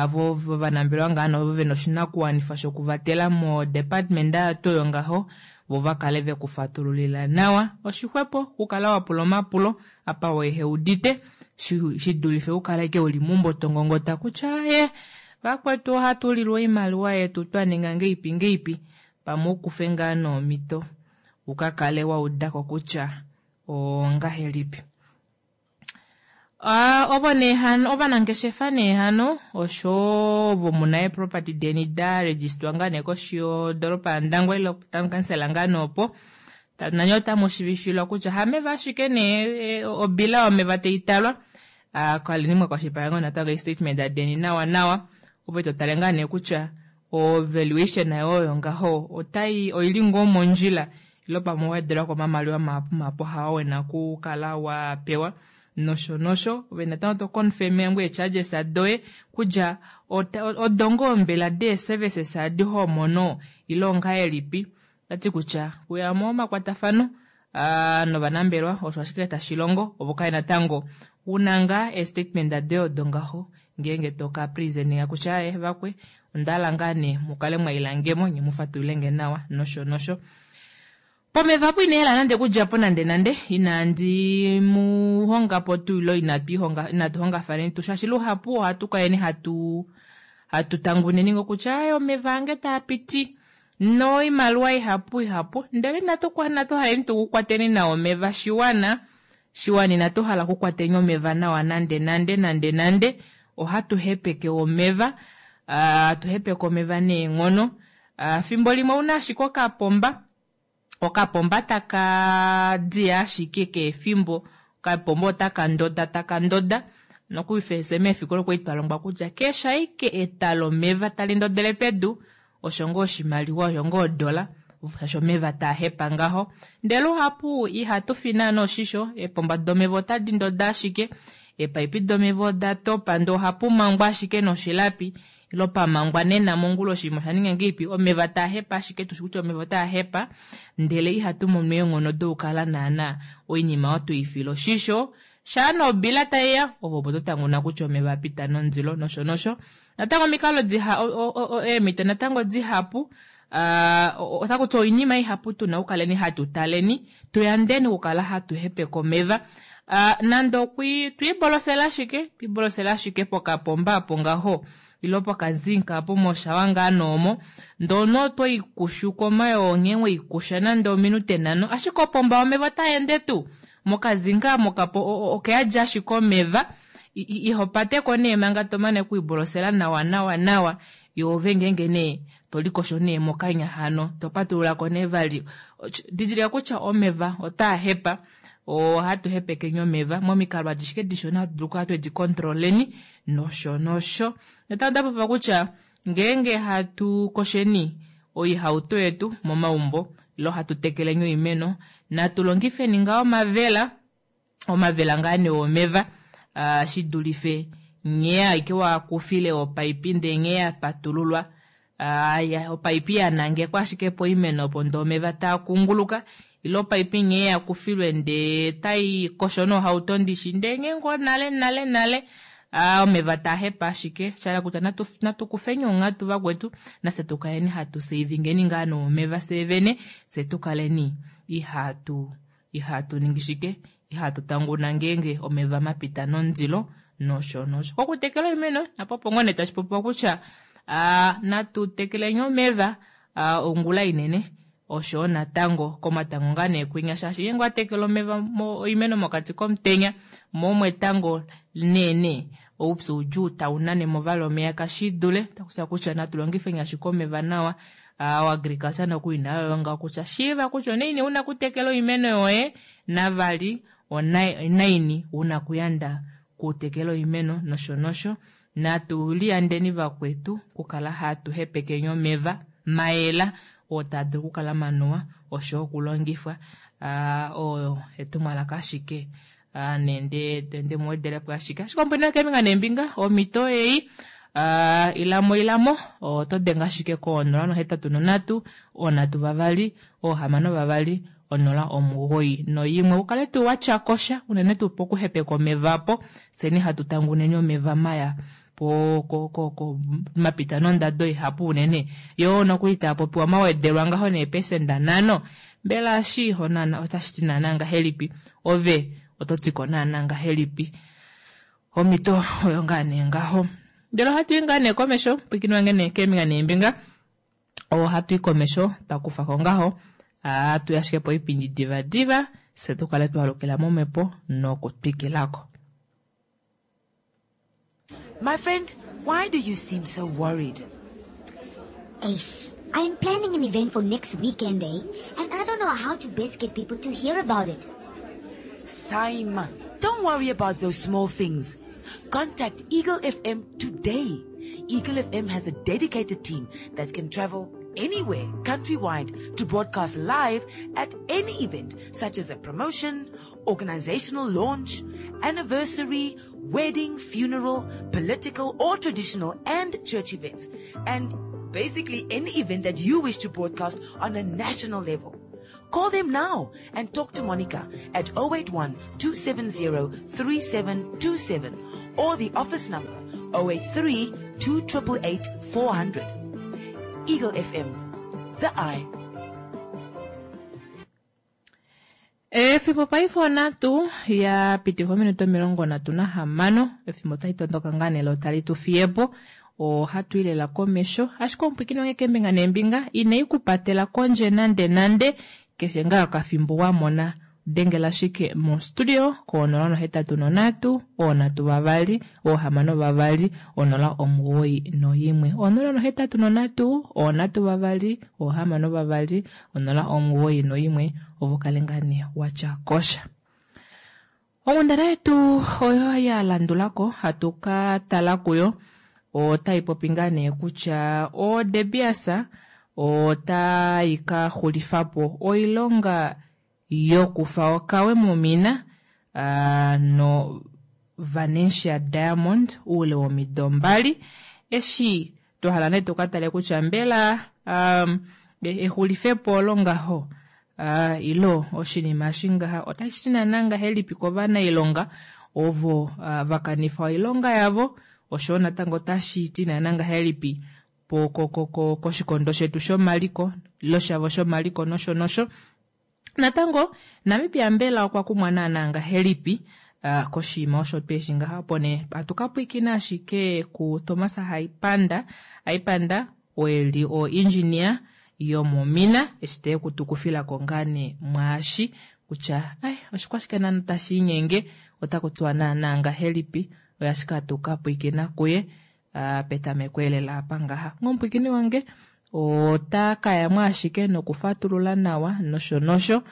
vo ovanambelewa ngaa navo vena oshinakuwanifa shokuvatela mo department yato oyo ngaho, vo va kale ve kufatululila nawa. Oshixwepo okukala wa pula omapulo apa wehe udite, shi dulife ukale ke uli mumbo tongongota kutya ye vakwetu ohatu lilwa oimaliwa yetu twa ninga ngeipi ngeipi, pamwe ukufe ngaa nomhito uka kale wa udako kutya ongahelipi. Ovo nee hano ovanangeshefa nee hano osho ovo muna eeproperty deni da registwa ngaa nee koshi yodoropa yaNdangwa ile town council ngaa nee opo nanye otamu shivifilwa kutya hameva ashike nee obila yomeva tai talwa kaleni mwa kwashilipaleka ngoo natango eestatement deni nawa nawa ove to tale ngaa nee kutya o valuation nayo oyo ngaho otai oili ngoo mondjila ile pamwe owa wedelwako omamaliwa mahapu mahapu hao wena okukala wa pewa nosho nosho. Ove natango to confirm ngoo ee-charges doye kutya odo ngoo mbela dee-services adi ho mono ile ongahelipi. Otati kutya kuya momakwatafano novanambelwa osho ashike tashi longo opo kale natango una ngaa ee-statement doye odo ngaho ngeenge to ka presentinga kutya aaye vakwe onda hala ngaa nee mukale mwa ilangemo nye mu fatululenge nawa nosho nosho. Pomeva apo ina hala nande okudja po nande nande inandi mu honga po tuu ile inatu ihonga inatu hongafaneni tuu shaashi luhapu ohatu kaleni hatu hatu tanguneni ngo kutya aaye omeva ange taa piti noimaliwa ihapu ihapu ndele inatu inatu haleni tuu kukwateni nawa omeva shiwana shiwana inatu hala kukwateni omeva nawa nande nande nande nande ohatu hepeke omeva hatu hepeke omeva neenghono fimbo limwe ouna ashike okapomba okapomba taka diya ashike keefimbo okapomba otaka ndoda taka ndoda nokufye meefikola okwali twalongwa kutya keshe ashike eta lomeva tali ndodele pedu osho ngoo oshimaliwa osho ngoo odola shaashi omeva taa hepa ngaho ndele luhapu ihatu fi naana oshisho eepomba domeva otadi ndoda ashike eepaipi domeva oda topa ndee ohapu mangwa ashike noshilapi ile pamangwa nena mongula oshinima osha ninga ngeipi omeva taa hepa ashike tushi kutya omeva otaa hepa ndele ihatu mono eenghono dokukala naana oinima oyo tuifila oshisho shaa nobila taiya ovo opo totanguna kutya omeva apita nondilo nosho nosho natango omikalo diha eemhito natango dihapu otakuti oinima ihapu tuna okukaleni hatu taleni tuyandeni okukala hatu hepeke omeva nande okwi twiibolosela ashike twiibolosela ashike pokapomba apo ngaho ile pokazinka apo moshawa ngaa noomo ndoo otoikushu komayoo nghee weikusha nande ominute nhano ashike opomba yomeva otayeende tuu mokazinka mokapo okeyadja ashike omeva ihopateko nee manga tomane okwiibolosela nawa nawa nawa yoove ngeenge nee tolikosho nee mokanya hano topatululako nee vali didilika kutya omeva otaa hepa ohatu hepekeni omeva momikalo adishike dishona hatu dulu okukala twedi kontroleni nosho nosho. Natango otapopiwa kutya ngeenge hatu kosheni oihauto yetu momaumbo ile hatu tekeleni oimeno natu longifeni ngaa omavela omavela ngaa nee omeva shidulife nghee aike wakufile opaipi ndee nghee yapatululwa opaipi yanangekwa ashike poimeno opo ndee omeva taa kunguluka ile opaipi nghee yakufilwe ndee tai kosho nohauto ndishi ndee nghee ngoo nale nale nale omeva taa hepa ashike shahala kutya natu kufeni onghatu vakwetu nafye tukaleni hatu savingeni ngaa nomeva fyee vene fye tukaleni ihatu ihatu ningi shike ihatu tanguna ngeenge omeva mapita nondilo nosho nosho. Kokutekela oimeno napo opo ngoo nee tashi popiwa kutya natu tekeleni omeva ongula inene oshoyo natango komatango ngaa nee kwinya shaashi ngeenge owa tekele omeva oimeno mokati komutenya moo omwetango neene oupyu udjuu tau nane mo vali omeya kashidule takusha kutya natu longifeni ashike omeva nawa oagriculture nokuli nayo oyo ngaho kutya shiiva kutya onaini una kutekela oimeno yoye navali onaini una kuyanda kutekela oimeno nosho nosho natu liyandeni vakwetu okukala hatu hepekeni omeva mayela oo taa dulu okukala manuwa oshoyo okulongifwa oyo etumwalaka ashike nende nde muwedelepo ashike ashike ombwena keembinga neembinga omhito ei ilamo ilamo oto denge ashike ko 083 3 6 2 09 ukale tuu watyakosha unene tuu pokuhepeka omeva apo fyeni hatu tanguneni omeva maya po ko ko ko mapita nondado ihapu unene yoo nokuli taa popiwa mawedelwa ngaho neepesenda nhano mbela eshi onana otashi ti naana ngahelipi ove oto tiko naana ngahelipi omhito oyo ngaa nee ngaho ndele ohatu i ngaa nee komesho pwiikini wange nee keembinga neembinga ohatu i komesho twa ko ngaho hatu ashike po oipindi divadiva fye tukale twalukila momhepo nokutwikilako. My friend, why do you seem so worried? Ace, I'm planning an event for next weekend, eh? And I don't know how to best get people to hear about it. Saima, don't worry about those small things. Contact Eagle FM today. Eagle FM has a dedicated team that can travel anywhere countrywide to broadcast live at any event such as a promotion, organizational launch, anniversary, wedding, funeral, political or traditional and church events, and basically any event that you wish to broadcast on a national level. Call them now and talk to Monica at 081 270 3727 or the office number 083 2888 400. Eagle FM, the eye. Efimbo paife onhatu ya pitifa ominute 36 efimbo otali tondoka ngaa nee lo tali tu fiyepo ohatu i lela komesho ashike omupwikini wange keembinga neembinga inai ku patela kondje nande nande keshe ngaa okafimbo wa mona dengela ashike mostudio ko 083 3 6 091 083 3 6 091 ovo kale ngaa nee watya kosha. Onghundana yetu oyo ya landulako hatu ka tala kuyo otai popi ngaa nee kutya o De Beers otai ka xulifa po oilonga yokufa okawe momina no Vanetia Diamond oule womido mbali eshi twa hala nee tuka tale kutya mbela um, exulifepo olo ngaho uh, ilo oshinima eshi ngaha otashi ti naana ngahelipi kovanailonga ovo uh, va kanifa oilonga yavo oshowo natango otashi ti naana ngahelipi po ko, ko, ko, koshikondo shetu shomaliko ilo shavo shomaliko nosho nosho Natango, Namibia mbela okwa kumwa naanaa ngahelipi koshinima osho tweshi ngaha? Opo nee hatu ka pwiikina ashike kuThomas Haipanda, Haipanda oo e li oengineer yomomina eshi te ku tu kufila ko ngaa nee mwaashi kutya ai oshikwashike naana tashi inyenge, otaku tiwa naanaa ngahelipi, oye ashike hatu ka pwiikina kuye petameko elela apa ngaha. Ngomupwiikini wange ota ka ya mo ashike nokufatulula nawa nosho nosho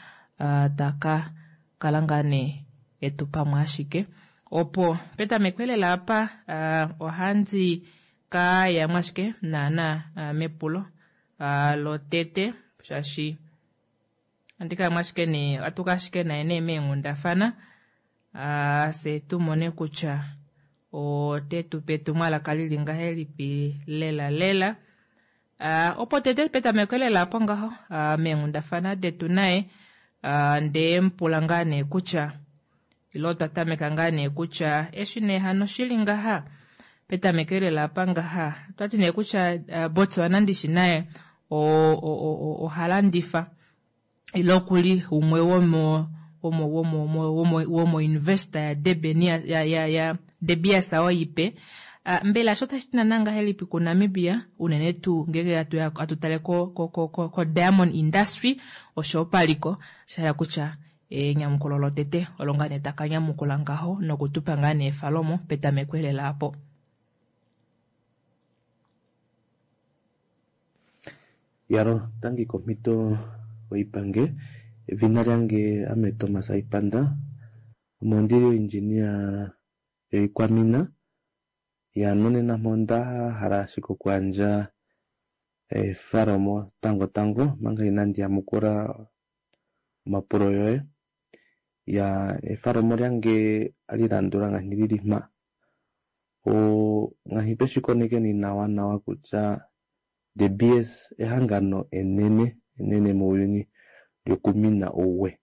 ta ka kala ngaa nee etu pamwe ashike. Opo petameko elela apa ohandi ka ya mo ashike naana mepulo lotete shaashi ohandi ka ya mo ashike nee ohatu ka ashike naye nee meenghundafana fye tu mone kutya ote tu pe etumwalaka li li ngahelipi lela lela. Opo tete petameko lela apo ngaho meenghundafana detu naye nde mu pula ngaa nee kutya ile otwa tameka ngaa nee kutya eshi nee hano shi li ngaha petameko lela apa ngaha otwa ti nee kutya Botswana ndishi naye oha landifa ile oku li umwe womo womo womo womo womo investor ya Durban ya ya ya, ya De Beers oyo ipe. Uh, mbela sho otashi ti naana ngahelipi kuNamibia unene tuu ngenge hatu hatu tale ko, ko, ko, ko, ko diamond industry osho paliko sha hala kutya enyamukulo lotete olo ngaa nee taka nyamukula ngaho nokutupa ngaa nee efalomo petameko elela apo. Yalo, tangi komhito oipange. Edhina lyange ame Thomas Aipanda. Ame ondili oindjinia yoikwamina. Ya nonena mpo onda hala ashike okuyandja efalomo tango tango manga inandi yamukula omapulo yoye. Ya efalomo lyange ali landula ngaashi lili mpa. Ngaashi tweshi konekeni nawa nawa kutya De Beers ehangano enene enene muuyuni lyokumina uuwe.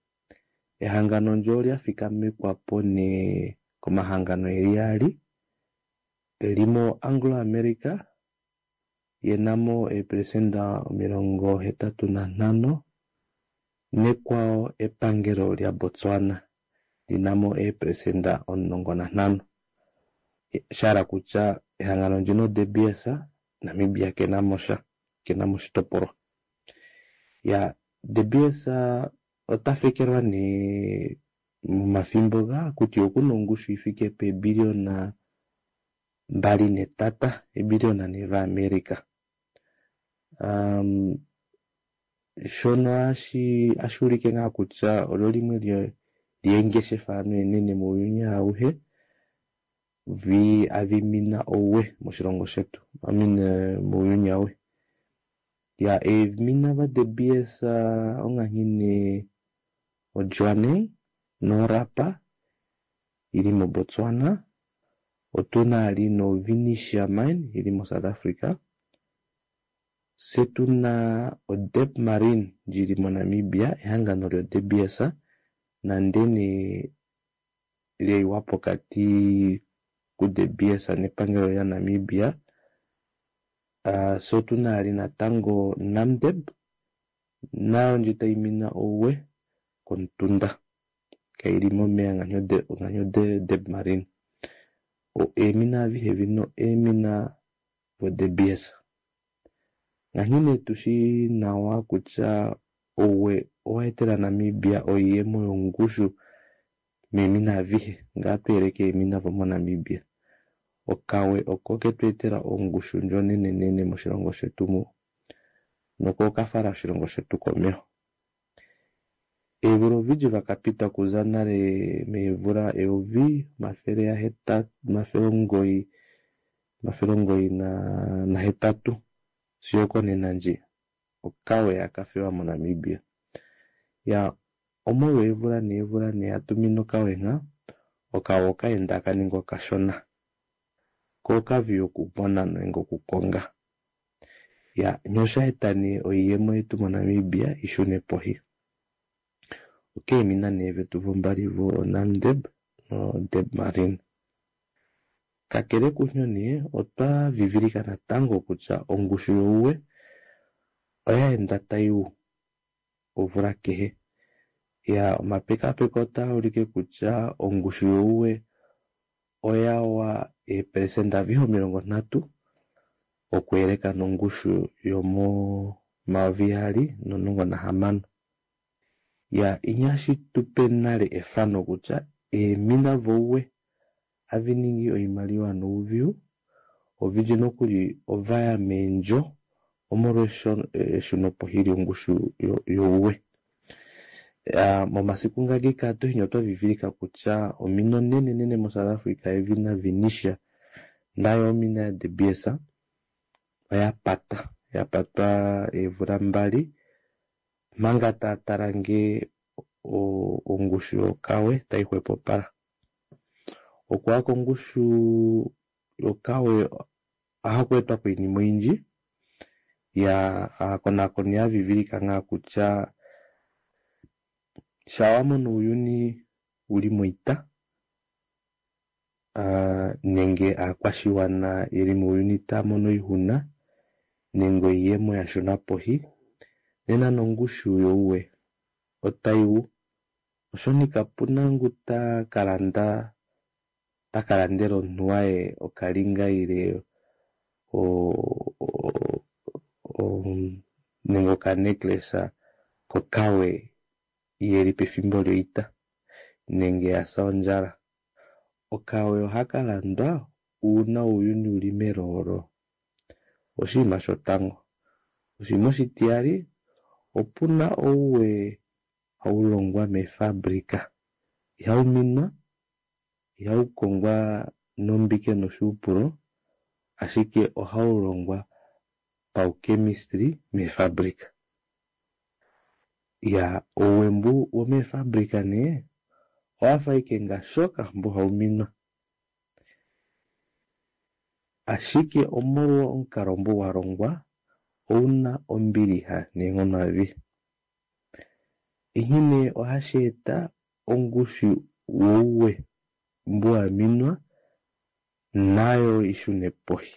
Ehangano ndyo olya thikamekwa po nee komahangano geli gaali, limo Anglo America ye na mo eepelesenda 85 nekwawo epangelo lyaBotswana li na mo eepelesenda 15. Sha hala kutya ehangano ndino De Beers Namibia ke na mo sha, ke na mo oshitopolwa. Ya De Beers ota fekelwa nee momathimbo ga kutya oku na ongushu yi fike peebiliona. mbali netata ebiliona nee vaAmerica. Shono hashi ulike ngaa kutya olyo limwe lyeengeshefa ano enene muuyuni auhe vi avimina ouwe moshilongo shetu, I mean muuyuni auhe. Ya eemina va De Beers onganghene oJwaneng noRapa ili moBotswana, otuna ali no Venetia Mine ili moSouth Africa, se tuna oDeb Marine lili moNamibia, ehangano lyo De Beers nandene leiwa pokati ku De Beers nepangelo lya Namibia. So tuna ali natango Namdeb nayo ndji taimina ouwe kontunda kaili momeya nganyo Deb Marine. Eemina avihe vino eemina vo De Beers. Nganghine tushi nawa kutya ouwe owaetela Namibia oiyemo yongushu meemina avihe ngaa tweeleke eemina vo moNamibia. Okawe oko ketweetela ongushu ndjo nenenene moshilongo shetu mu noko okafala oshilongo shetu komeho. Eevula ovindji vakapita okuza nale meevula eyovi omafele omafele omugoyi nahetatu sigo okonena ndji okawe akafewa moNamibia. Ya omolwa eevula neevula nee atumina okawe nga okawe okaenda akaninga okashona ko okavi okumona nenge okukonga. Ya nyosha eta nee oiyemo yetu moNamibia ishune pohi. Okeemina nee vetu vombali vo Namdeb no Deb Marine. Kakele kunyo nee otwa vivilika natango kutya ongushu youwe oyaenda tai omvula kehe. Ya omapekapeko otaa ulike kutya ongushu youwe oyawa eepelesenda avihe 30 okuyeleka nongushu yomo 2016. Ya inyashi tupe nale efano kutya eemina vouwe aviningi oimaliwa nouviu ovindji nokuli ovaya meendjo omolwa eshunopohi lyongushu youwe. Momasiku ngagika tohinyo otwavivilika kutya omina onenenene moSouth Africa yedhina Venetia nayo omina ya De Beers oya pata, ya patwa eevula 2 manga taatala nge ongushu yokawe taixwepopala. Okuya kongushu yokawe ohaku etwa koinima oyindji. Ya aakonakoni yavivilika ngaa kutya shawamona uuyuni uli moita nenge aakwashiwana yeli muuyuni taamono oixuna nenge oiyemo yashuna pohi nena nongushu youwe otaiwu. Oshoni kapuna ngu takalanda takalandela omunhu waye okalinga ile nenge okanecklace kokawe yeli pefimbo lyoita nenge yasa ondjala. Okawe ohakalandwa uuna uuyuni uli meloolo. Oshinima shotango. Oshinima oshitiyali opuna ouwe haulongwa meefabrika. Ihau minwa, ihau kongwa nombike noshuupulo, ashike ohaulongwa pauchemistry meefabrika. Ya ouwe mbu womeefabrika nee owafa ashike ngashoka mbu hauminwa. Ashike omolwa omukalo mbu walongwa ouna ombiliha neenghono adhihe. Inghene ohashi eta ongushu wouwe mbu waminwa nayo ishune pohi.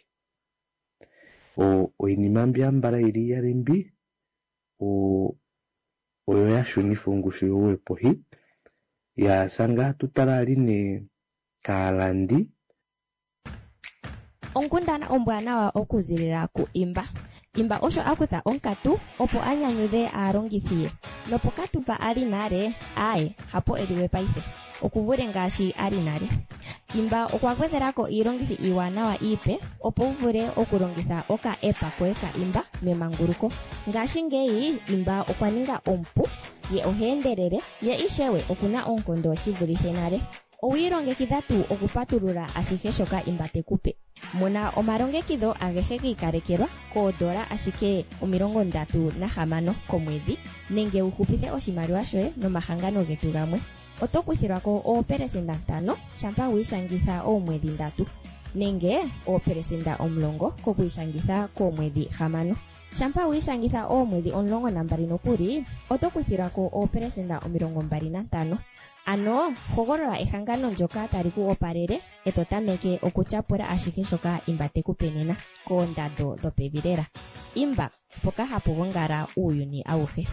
Oinima mbi ambala ili iyali mbi oyo yashunifa ongushu youwe pohi. Ya sanga tutala ali ne kaalandi. Onkundana ombwanawa okuzilila ku Imba. Imba osho a kutha onkatu opo a nyanyudhe aalongithi ye. Nopokatu mpa a li nale, aaye, hapo e liwe paife. Okuvule ngaashi a li nale. Imba okwa gwedhela ko iilongithi iiwanawa iipe opo wu vule okulongitha oka-app koye ka Imba memanguluko. Ngashingeyi Imba okwa ninga omupu, ye oha endelele, ye ishewe okuna oonkondo shi vulithe nale. Owi ilongekidha tuu okupatulula ashihe shoka Imba te ku pe? Mona omalongekidho agehe gi ikalekelwa koodola ashike 36 komwedhi nenge wu hupithe oshimaliwa shoye nomahangano getu gamwe. Oto kuthilwa ko oopelesenda 5 shampa wi ishangitha oomwedhi ndatu nenge oopelesenda 10 kokwiishangitha koomwedhi 6. Shampa wi ishangitha oomwedhi 12 nokuli, oto kuthilwa ko oopelesenda 25. Ano hogolola ehangano ndyoka tali ku opalele e to tameke okutyapula ashihe shoka Imba te ku pe nena koondando dhopevi lela. Imba, mpoka hapu gongala uuyuni awuhe.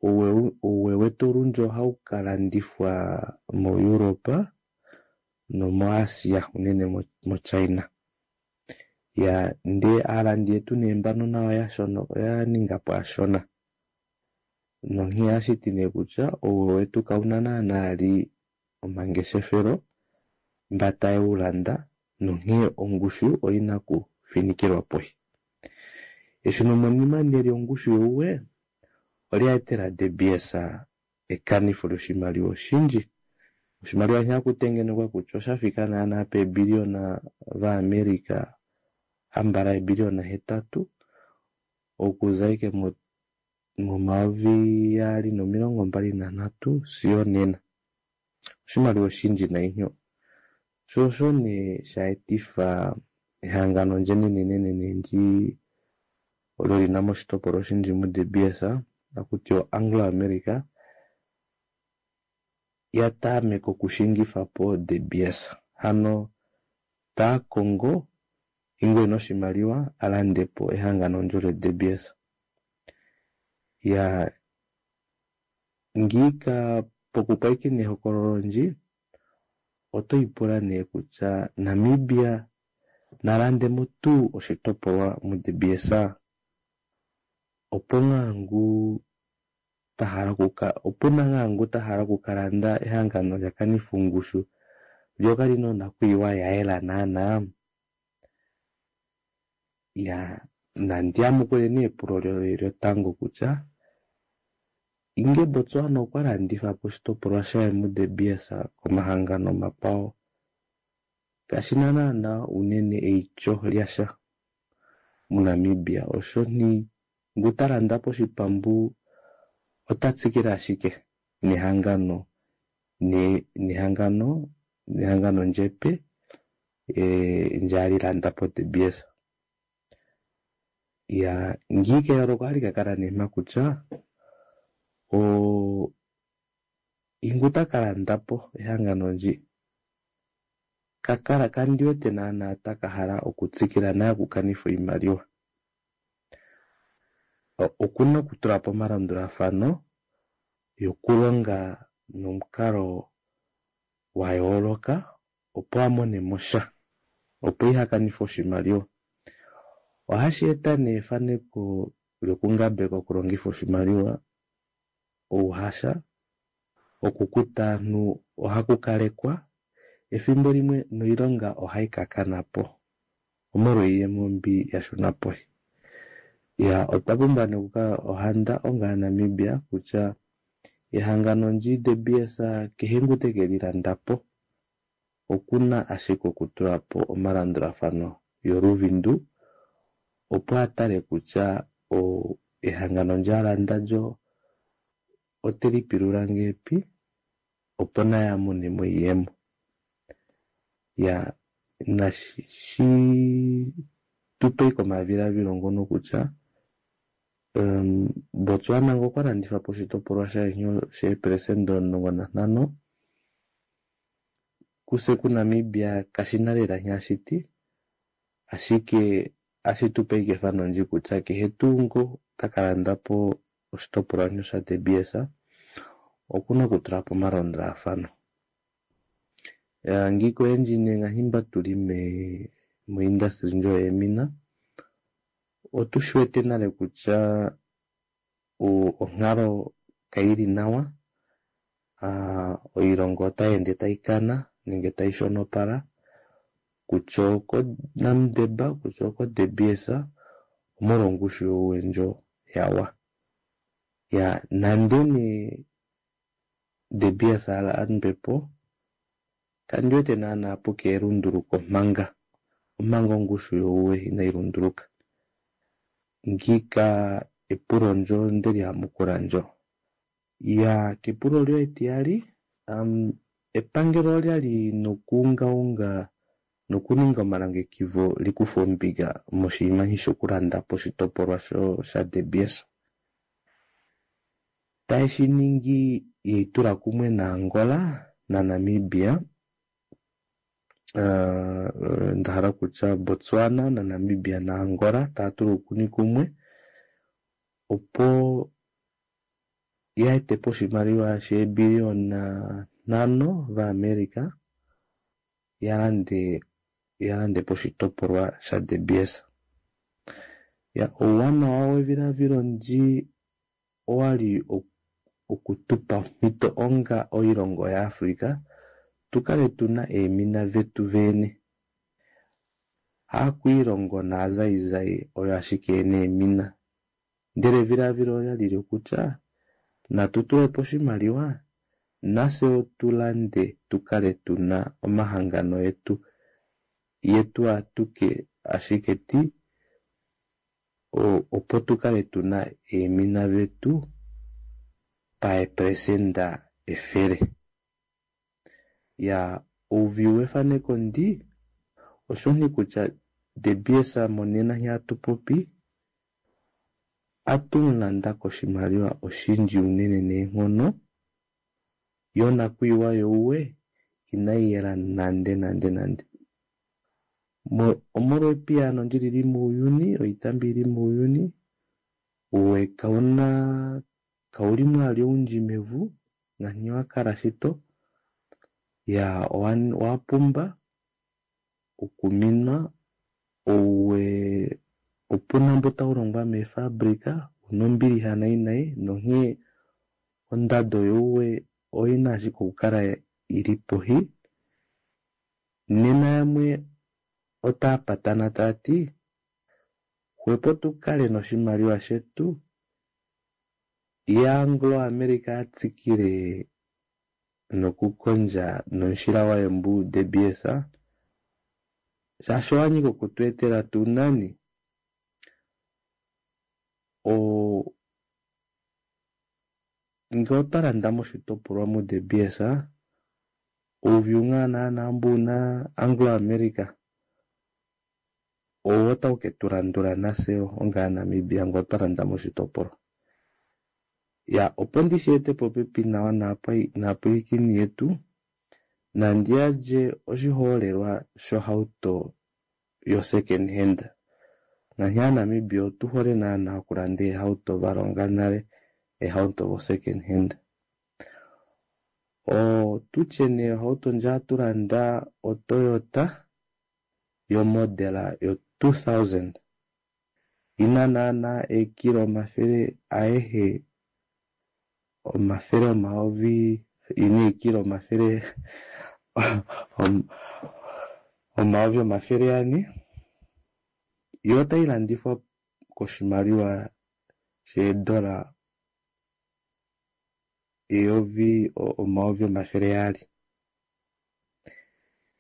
Uuwe wetu olundji ohau ka landithwa moEurope nomoAsia unene moChina. Ya ndee aalandi yetu nee mbano nayo yashona oya ninga po ashona. Nonkene ohashi ti nee kutya uuwe wetu kauna naanaa li omangeshefelo mba taye wu landa nonkene ongushu oyina okufinikilwa pohi. Eshunomonima nee lyongushu youwe olya etela De Beers ekanitho lyoshimaliwa oshindji. Oshimaliwa sha kutengenekwa kutya osha fika naanaa peebiliona vaAmerica ambala eebiliona 8 okuza ike mo2023 sigo nena. Oshimaliwa oshindji nainyo. Sho osho nee sha etifa ehangano ndjenenenene ndi olyo lina moshitopolwa oshindji mu De Beers akuti o Anglo America ya tameka okushingifa po De Beers. Hano taa kongo ingwe noshimaliwa alande po ehangano ndjo lyo De Beers. Ya ngiika pokupwayikina ehokololo ndji oto ipula nee kutya Namibia nalande mo tuu oshitopolwa mu De Beers opo ngaa ngu tahala okuka, opuna ngaa ngu tahala okukalanda ehangano lya kanitha ongushu lyo kalina onakuyiwa ya yela naanaa. Ya nandi yamukule nee epulo lyotango kutya inge Botswana okwa landitha po oshitopolwa shaye mu De Beers komahangano omakwawo kashina naanaa unene eityo lyasha muNamibia osho ni ngu ta landa po oshipambu ota tsikile ashike nehangano nehangano nehangano ndjepe ndje ali landa po De Beers. Ya ngiika eyooloko ohali ka kala nee mpa kutya ingu ta ka landa po ehangano ndji kakala kandi wete naanaa taka hala okutsikila naye okukanitha oimaliwa. Okuna okutula po omalandulathano yokulonga nomukalo wa yooloka opo a mone mo sha, opo iha kanithe oshimaliwa. Ohashi eta nee efaneko lyokungambeka okulongitha oshimaliwa ouhasha, okukuta aantu ohaku kalekwa efimbo limwe noilonga ohayi ka kana po omolwa oiyemo mbi ya shuna poshi. Ya otwa pumbwa nee okukala ohanda onga Namibia kutya ehangano ndji De Beers kehe ngu teke li landa po okuna ashike okutula po omalandulathano yoluvindu opo a tale kutya ehangano ndji a landa lyo oteli pilula ngepi opo naye a mone mo iiyemo. Ya nashi shi tupe komadhiladhilo ngono kutya Botswana ngo okwa landitha po oshitopolwa shaye sheepelesenda 15 kuse kuNamibia kashina lela nghashiti ashike ashitupe ike efano ndji kutya kehe tuu ngo taka landa po oshitopolwa sha De Beers okuna okutula po omalandulathano. Ngiika oyendji nee ngaashi mba tuli mo-industry ndjo yeemina otu shi wete nale kutya onkalo Kaili nawa. Oilonga otai ende taikana nenge taishonopala kutya oko Namdeb kutya oko De Beers omolwa ongushu youwe ndjo yawa. Ya nande nee De Beers alandwepo kandiwete naana puke elunduluko manga omanga ongushu youwe inai lunduluka. Ngiika epulo ndjo ndeli yamukula ndjo. Ya kepulo lyoye etiyali epangelo olyali nokuungaunga nokuninga omalongekido likufe ombinga moshinima shokulanda po oshitopolwa sha De Beers. Taye shi yeitula kumwe naAngola naNamibia ndahala kutya Botswana naNamibia naAngola taya tula uukuni kumwe opo ya ete po oshimaliwa sheebiliyona 5 vaAmerica ya lande po oshitopolwa shaDe Beers. Ya ouwanawa wevilavilo ndji owali okutupa omhito onga oilongo yaAfrica tukale tuna eemina vetu vene. Haakwiilongo naazaizai oyo ashike yena eemina. Ndele evilavilo olyali kutya natu tulepo oshimaliwa nafye otulande tukale tuna omahangano etu yetu atuke ashike ti opo tukale tuna eemina vetu paepresenda 100. Ya ouvi wefaneko ndi oshoni kutya De Beers monena nghee hatu popi atumulanda koshimaliwa oshindji unene neenghono yo nakwiiwa youwe inai yela nande nande nande. Omolwa epiyaano ndi lili muuyuni, oitambi ili muuyuni, uwe kauna kauli mwali oundji mevu ngaashi wakala shito ya owapumba okuminwa ouwe opuna mbo taulongwa meefabrika una ombilixa nai nai nonghee ondado youwe oina ashike okukala ili poshi. Nena yamwe otaa patana taati xwepo tukale noshimaliwa shetu ya Anglo America atsikile nokukondja nomushila waye mbu De Beers shaashi owanyika okutweetela tuu nani ngee otwa landa moshitopolwa mu De Beers ouviu ngaa naana mbu una Anglo America owo otau ketu landula nafye onga Namibia ngee otwa landa moshitopolwa. Ya opo ndishi ete popepi nawa naapwilikini yetu nandi yandje oshiholelwa shohauto yo second hand. Ngaashi aaNamibia otu hole naana okulanda eehauto valonga nale eehauto vo second hand. Otutye nee ohauto ndji hatulanda oToyota yomodela yo 2000 ina naana eekilo 100 ayehe 100 000 ina eekilo 400 400 yo otai landifwa koshimaliwa sheedola 1200 000.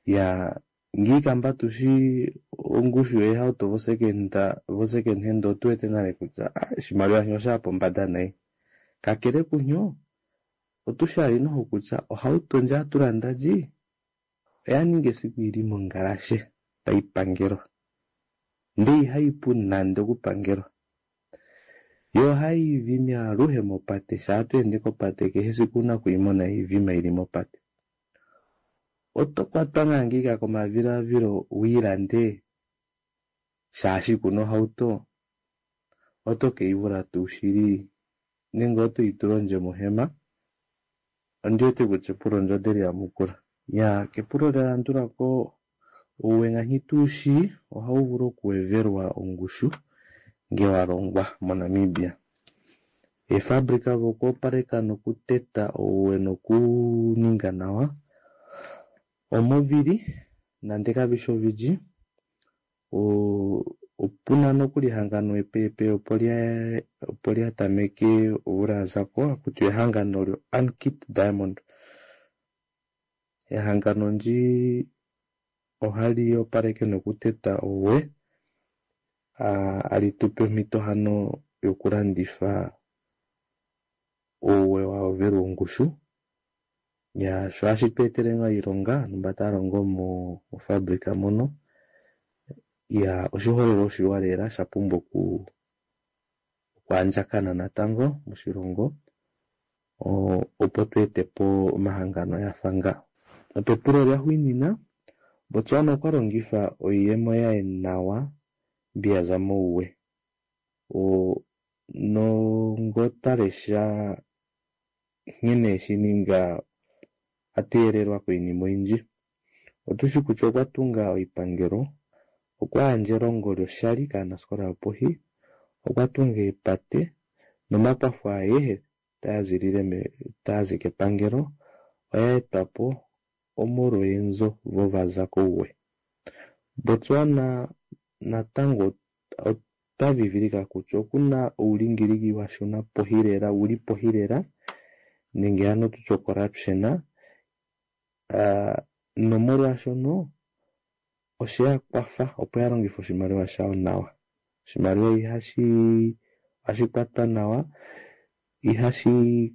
Ya ngiika mba tushi ongushu yeehauto vo second hand otu wete nale kutya oshimaliwa shino oshaya pombada nai. Kakele kunyo otushali noho kutya ohauto ndji hatulanda ndji oya ninga esiku ili mongalashe tayi pangelwa ndele ihayi pu nande okupangelwa. Yo ohayi vimi aluhe mopate shaa to ende kopate kehe esiku una okuyimona ivima ili mopate. Oto kwatwa ngaa ngiika komavilavilo wiilande shaashi kuna ohauto oto keivula tuu shili nenge oto itula ondje mohema. Ondi wete kutya epulo ndjo ondeli yamukula. Ya kepulo lya landulako ouwe ngaashi tuushi ohau vulu okuwevelwa ongushu ngee walongwa moNamibia. Eefabrika vokuopaleka nokuteta ouwe nokuninga nawa omovili nande kavishi ovindji. Opuna nokuli ehangano epeepe opo lyatameke omvula yazako hakutiwa ehangano lyo Ankit Diamond. Ehangano ndi ohali opaleke nokuteta ouwe, hali tupe omhito hano yokulandifa ouwe wayovelwa ongushu. Sho ohashi tu etele ngaa oilonga ovanhu mba tava longo mofabrika mono. Oshiholelwa oshiwa lela shapumbwa okwaandjakana natango moshilongo opo tu etepo omahangano afa nga. Nopepulo laxuuninwa, Botswana okwa longifa oiyemo yaye nawa mbi yaza mouwe. Nongo twalesha nghene eshininga atuyeelelwa koinima oyindji. Otushi kutya okwa tunga oipangelo, okwa yandja elongo loshali kaanafikola yoposhi, okwa tunga eepate nomakwafo ayehe taazi kepangelo oyaetwapo omolwa eenzo vo vaza kouwe. Botswana natango otwavivilika kutya okuna oulingilingi washuna poshi lela, uli poshi lela nenge hano tutye corruption, nomolwaashono osheya kwafa opo yalongife oshimaliwa shayo nawa. Oshimaliwa ihashi kwatwa nawa, ihashi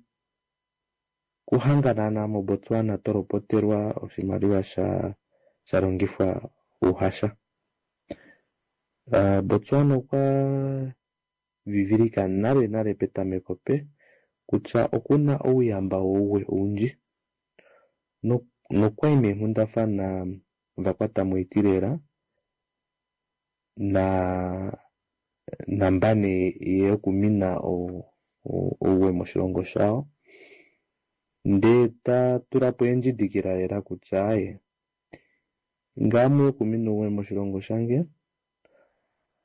kuhanga naana moBotswana tolopotelwa oshimaliwa shalongifwa ouhasha. Botswana okwa vivilika nale nale petameko pe kutya okuna ouyamba wouwe oundji nokwai meenghundafana vakwata moiti lela nambane yokumina ouwe moshilongo shawo, ndee tatulapo eendjidikila lela kutya aaye ngame okumina ouwe moshilongo shange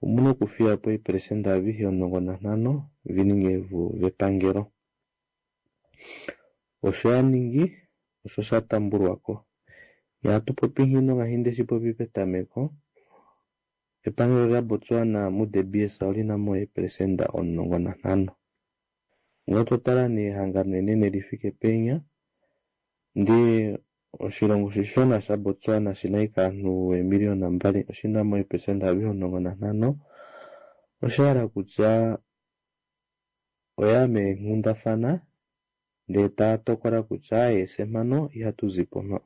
omuna okufiyapo eepelesenda avihe 15 vininge vepangelo. Osho yaningi osho shatambulwako. Ihatu popi nghino ngaashi ndeshipopi petameko, epangelo laBotswana muDe Beers olina mo eepelesenda 15. Ngee totala nee ehangano enene lifike penya, ndee oshilongo shishona shaBotswana shina ashike ovanhu eemiliyona 2 oshina mo eepelesenda avihe 15, oshahala kutya oya meenghundafana ndee taya tokola kutya aaye fye mpano ihatu zipo mpa.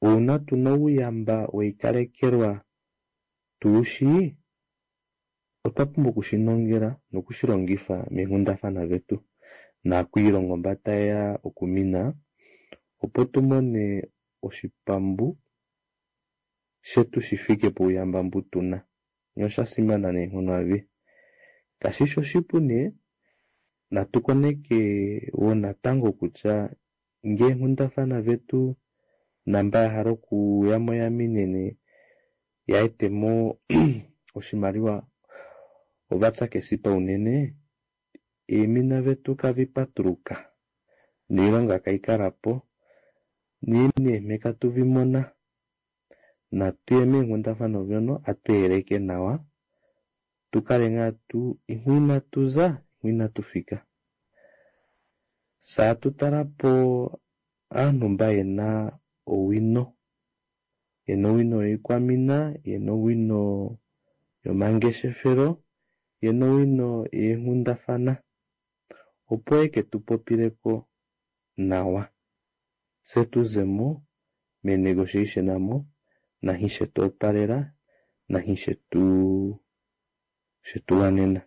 Uuna tuna ouyamba weikalekelwa tuushi, otwa pumbwa okushinongela nokushilongifa meenghundafana vetu naakwiilongo mba tayeya okumina, opo tumone oshipambu shetu shifike pouyamba mbu tuna. Nosha simana neenghono avi. Kashishi oshipu nee, natu koneke wo natango kutya ngee eenghundafana vetu namba yahala okuyamo yaminene yaetemo oshimaliwa ovatya kesipa unene, eemina vetu kavipatuluka noilonga kaikalapo neemheka tuvimona. Natuye meenghundafana vyono atweeleke nawa tukale ngaa tu imwe inatuza imwe inatufika. Saa tutalapo aanhu mba yena owino, yena owino yoikwamina, yena owino yomangeshefelo, yena owino yeenghundafana, opo eke tupopileko nawa fye tuzemo meenegotiation amo nanhi shetu opalela nanhi shetu wanena.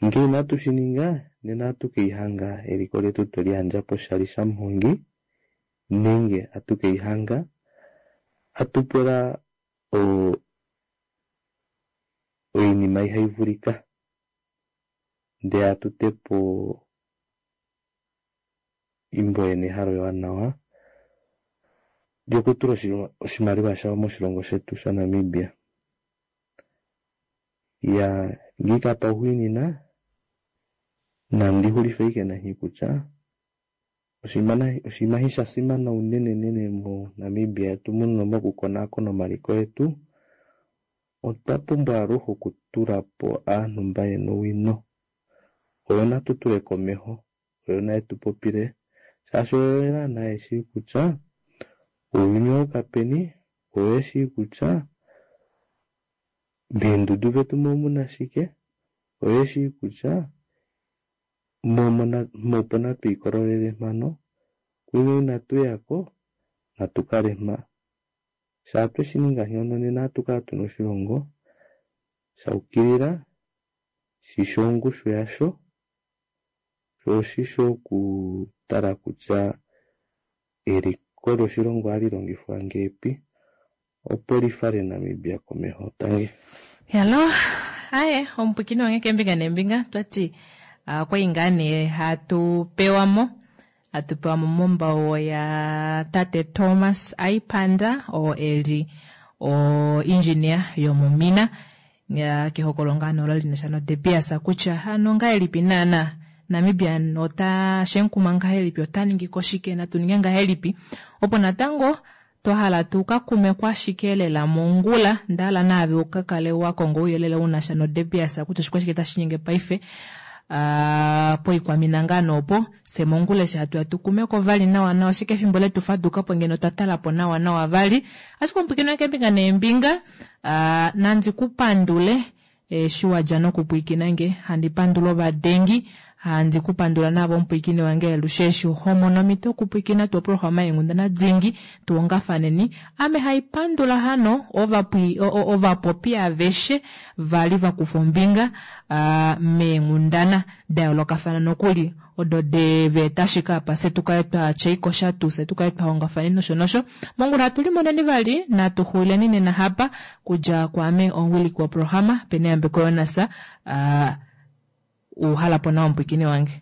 Ngee inatu shininga nena ohatu keihanga eliko letu tweliyandja poshali shamuhongi nenge atu keihanga atupula oinima ihaivulika ndee atutepo imbo yena ehalo ewanawa lyokutula oshimaliwa shawo moshilongo shetu shaNamibia. Ya ngiika pauxuuninwa, nandi xulife ashike nanhi kutya oshinima eshi sha fimana unenenene moNamibia yetu muno mokukonaakona omaliko etu, otwa pumbwa aluhe okutula po aanhu mba yena owino. Oyo natu tule komeho, oyo naye tu popile, shaashi oyo naana yeshii kutya ounyuni owayuka peni, oyo yeshii kutya meendudu vetu omuna shike, oyo yeshii kutya opo natwiikololele mhano, kwinya inatu yako, natu kale mha. Shaa tweshininga nghono nena ohatu kala tuna oshilongo shaukilila, shishi ongushu yasho, sho oshishi okutala kutya eliko loshilongo ohali longifwa ngeepi opo lifale Namibia komeho. Tangi. Hello, aye omupwikini wange keembinga neembinga twati okwali ngaa nee hatu pewa mo hatu pewa mo mombauo ya tate Thomas Aipanda oo eli o engineer yomomina kehokolo ngaa nee olo linasha no De Beers kutya hano ngahelipi naana Namibia ota shenkuma ngahelipi ota ningi ko shike natu ninge ngahelipi opo natango twa hala tu ka kumeko ashike lela mongula nda hala naave u ka kale wa konga ouyelele u na sha noDe Beers kutya oshikwashike tashi nyenge paife uh, poikwamina ngaa noopo fye mongula eshi hatu ya tu kumeko vali nawa nawa ashike efimbo letu faduka po ngeno twa tala po nawa nawa vali ashike omupwikini wange keembinga neembinga uh, nandi ku pandule Eshi wa dja nokupwiikina nge, handi pandula ovadengi, handi ku pandula naave omupwiikini wange alushe eshi ho mono omhito yokupwiikina tuu oprograma yeenghundana dingi, tuongafaneni. Ame hai pandula hano ovapwi, ovapopi aveshe va li va kufa ombinga meenghundana da yoolokafana nokuli odo de va eta ashike apa fye tu kale twa tya ikosha tuu fye tu kale twa hongafaneni nosho nosho. Mongula hatu limoneni vali, natu xuuleni nena hapa kudja kwaame omuwiliki woprograma Peneyambeko Jonas. Uh, uhala po nawa omupwikini wange.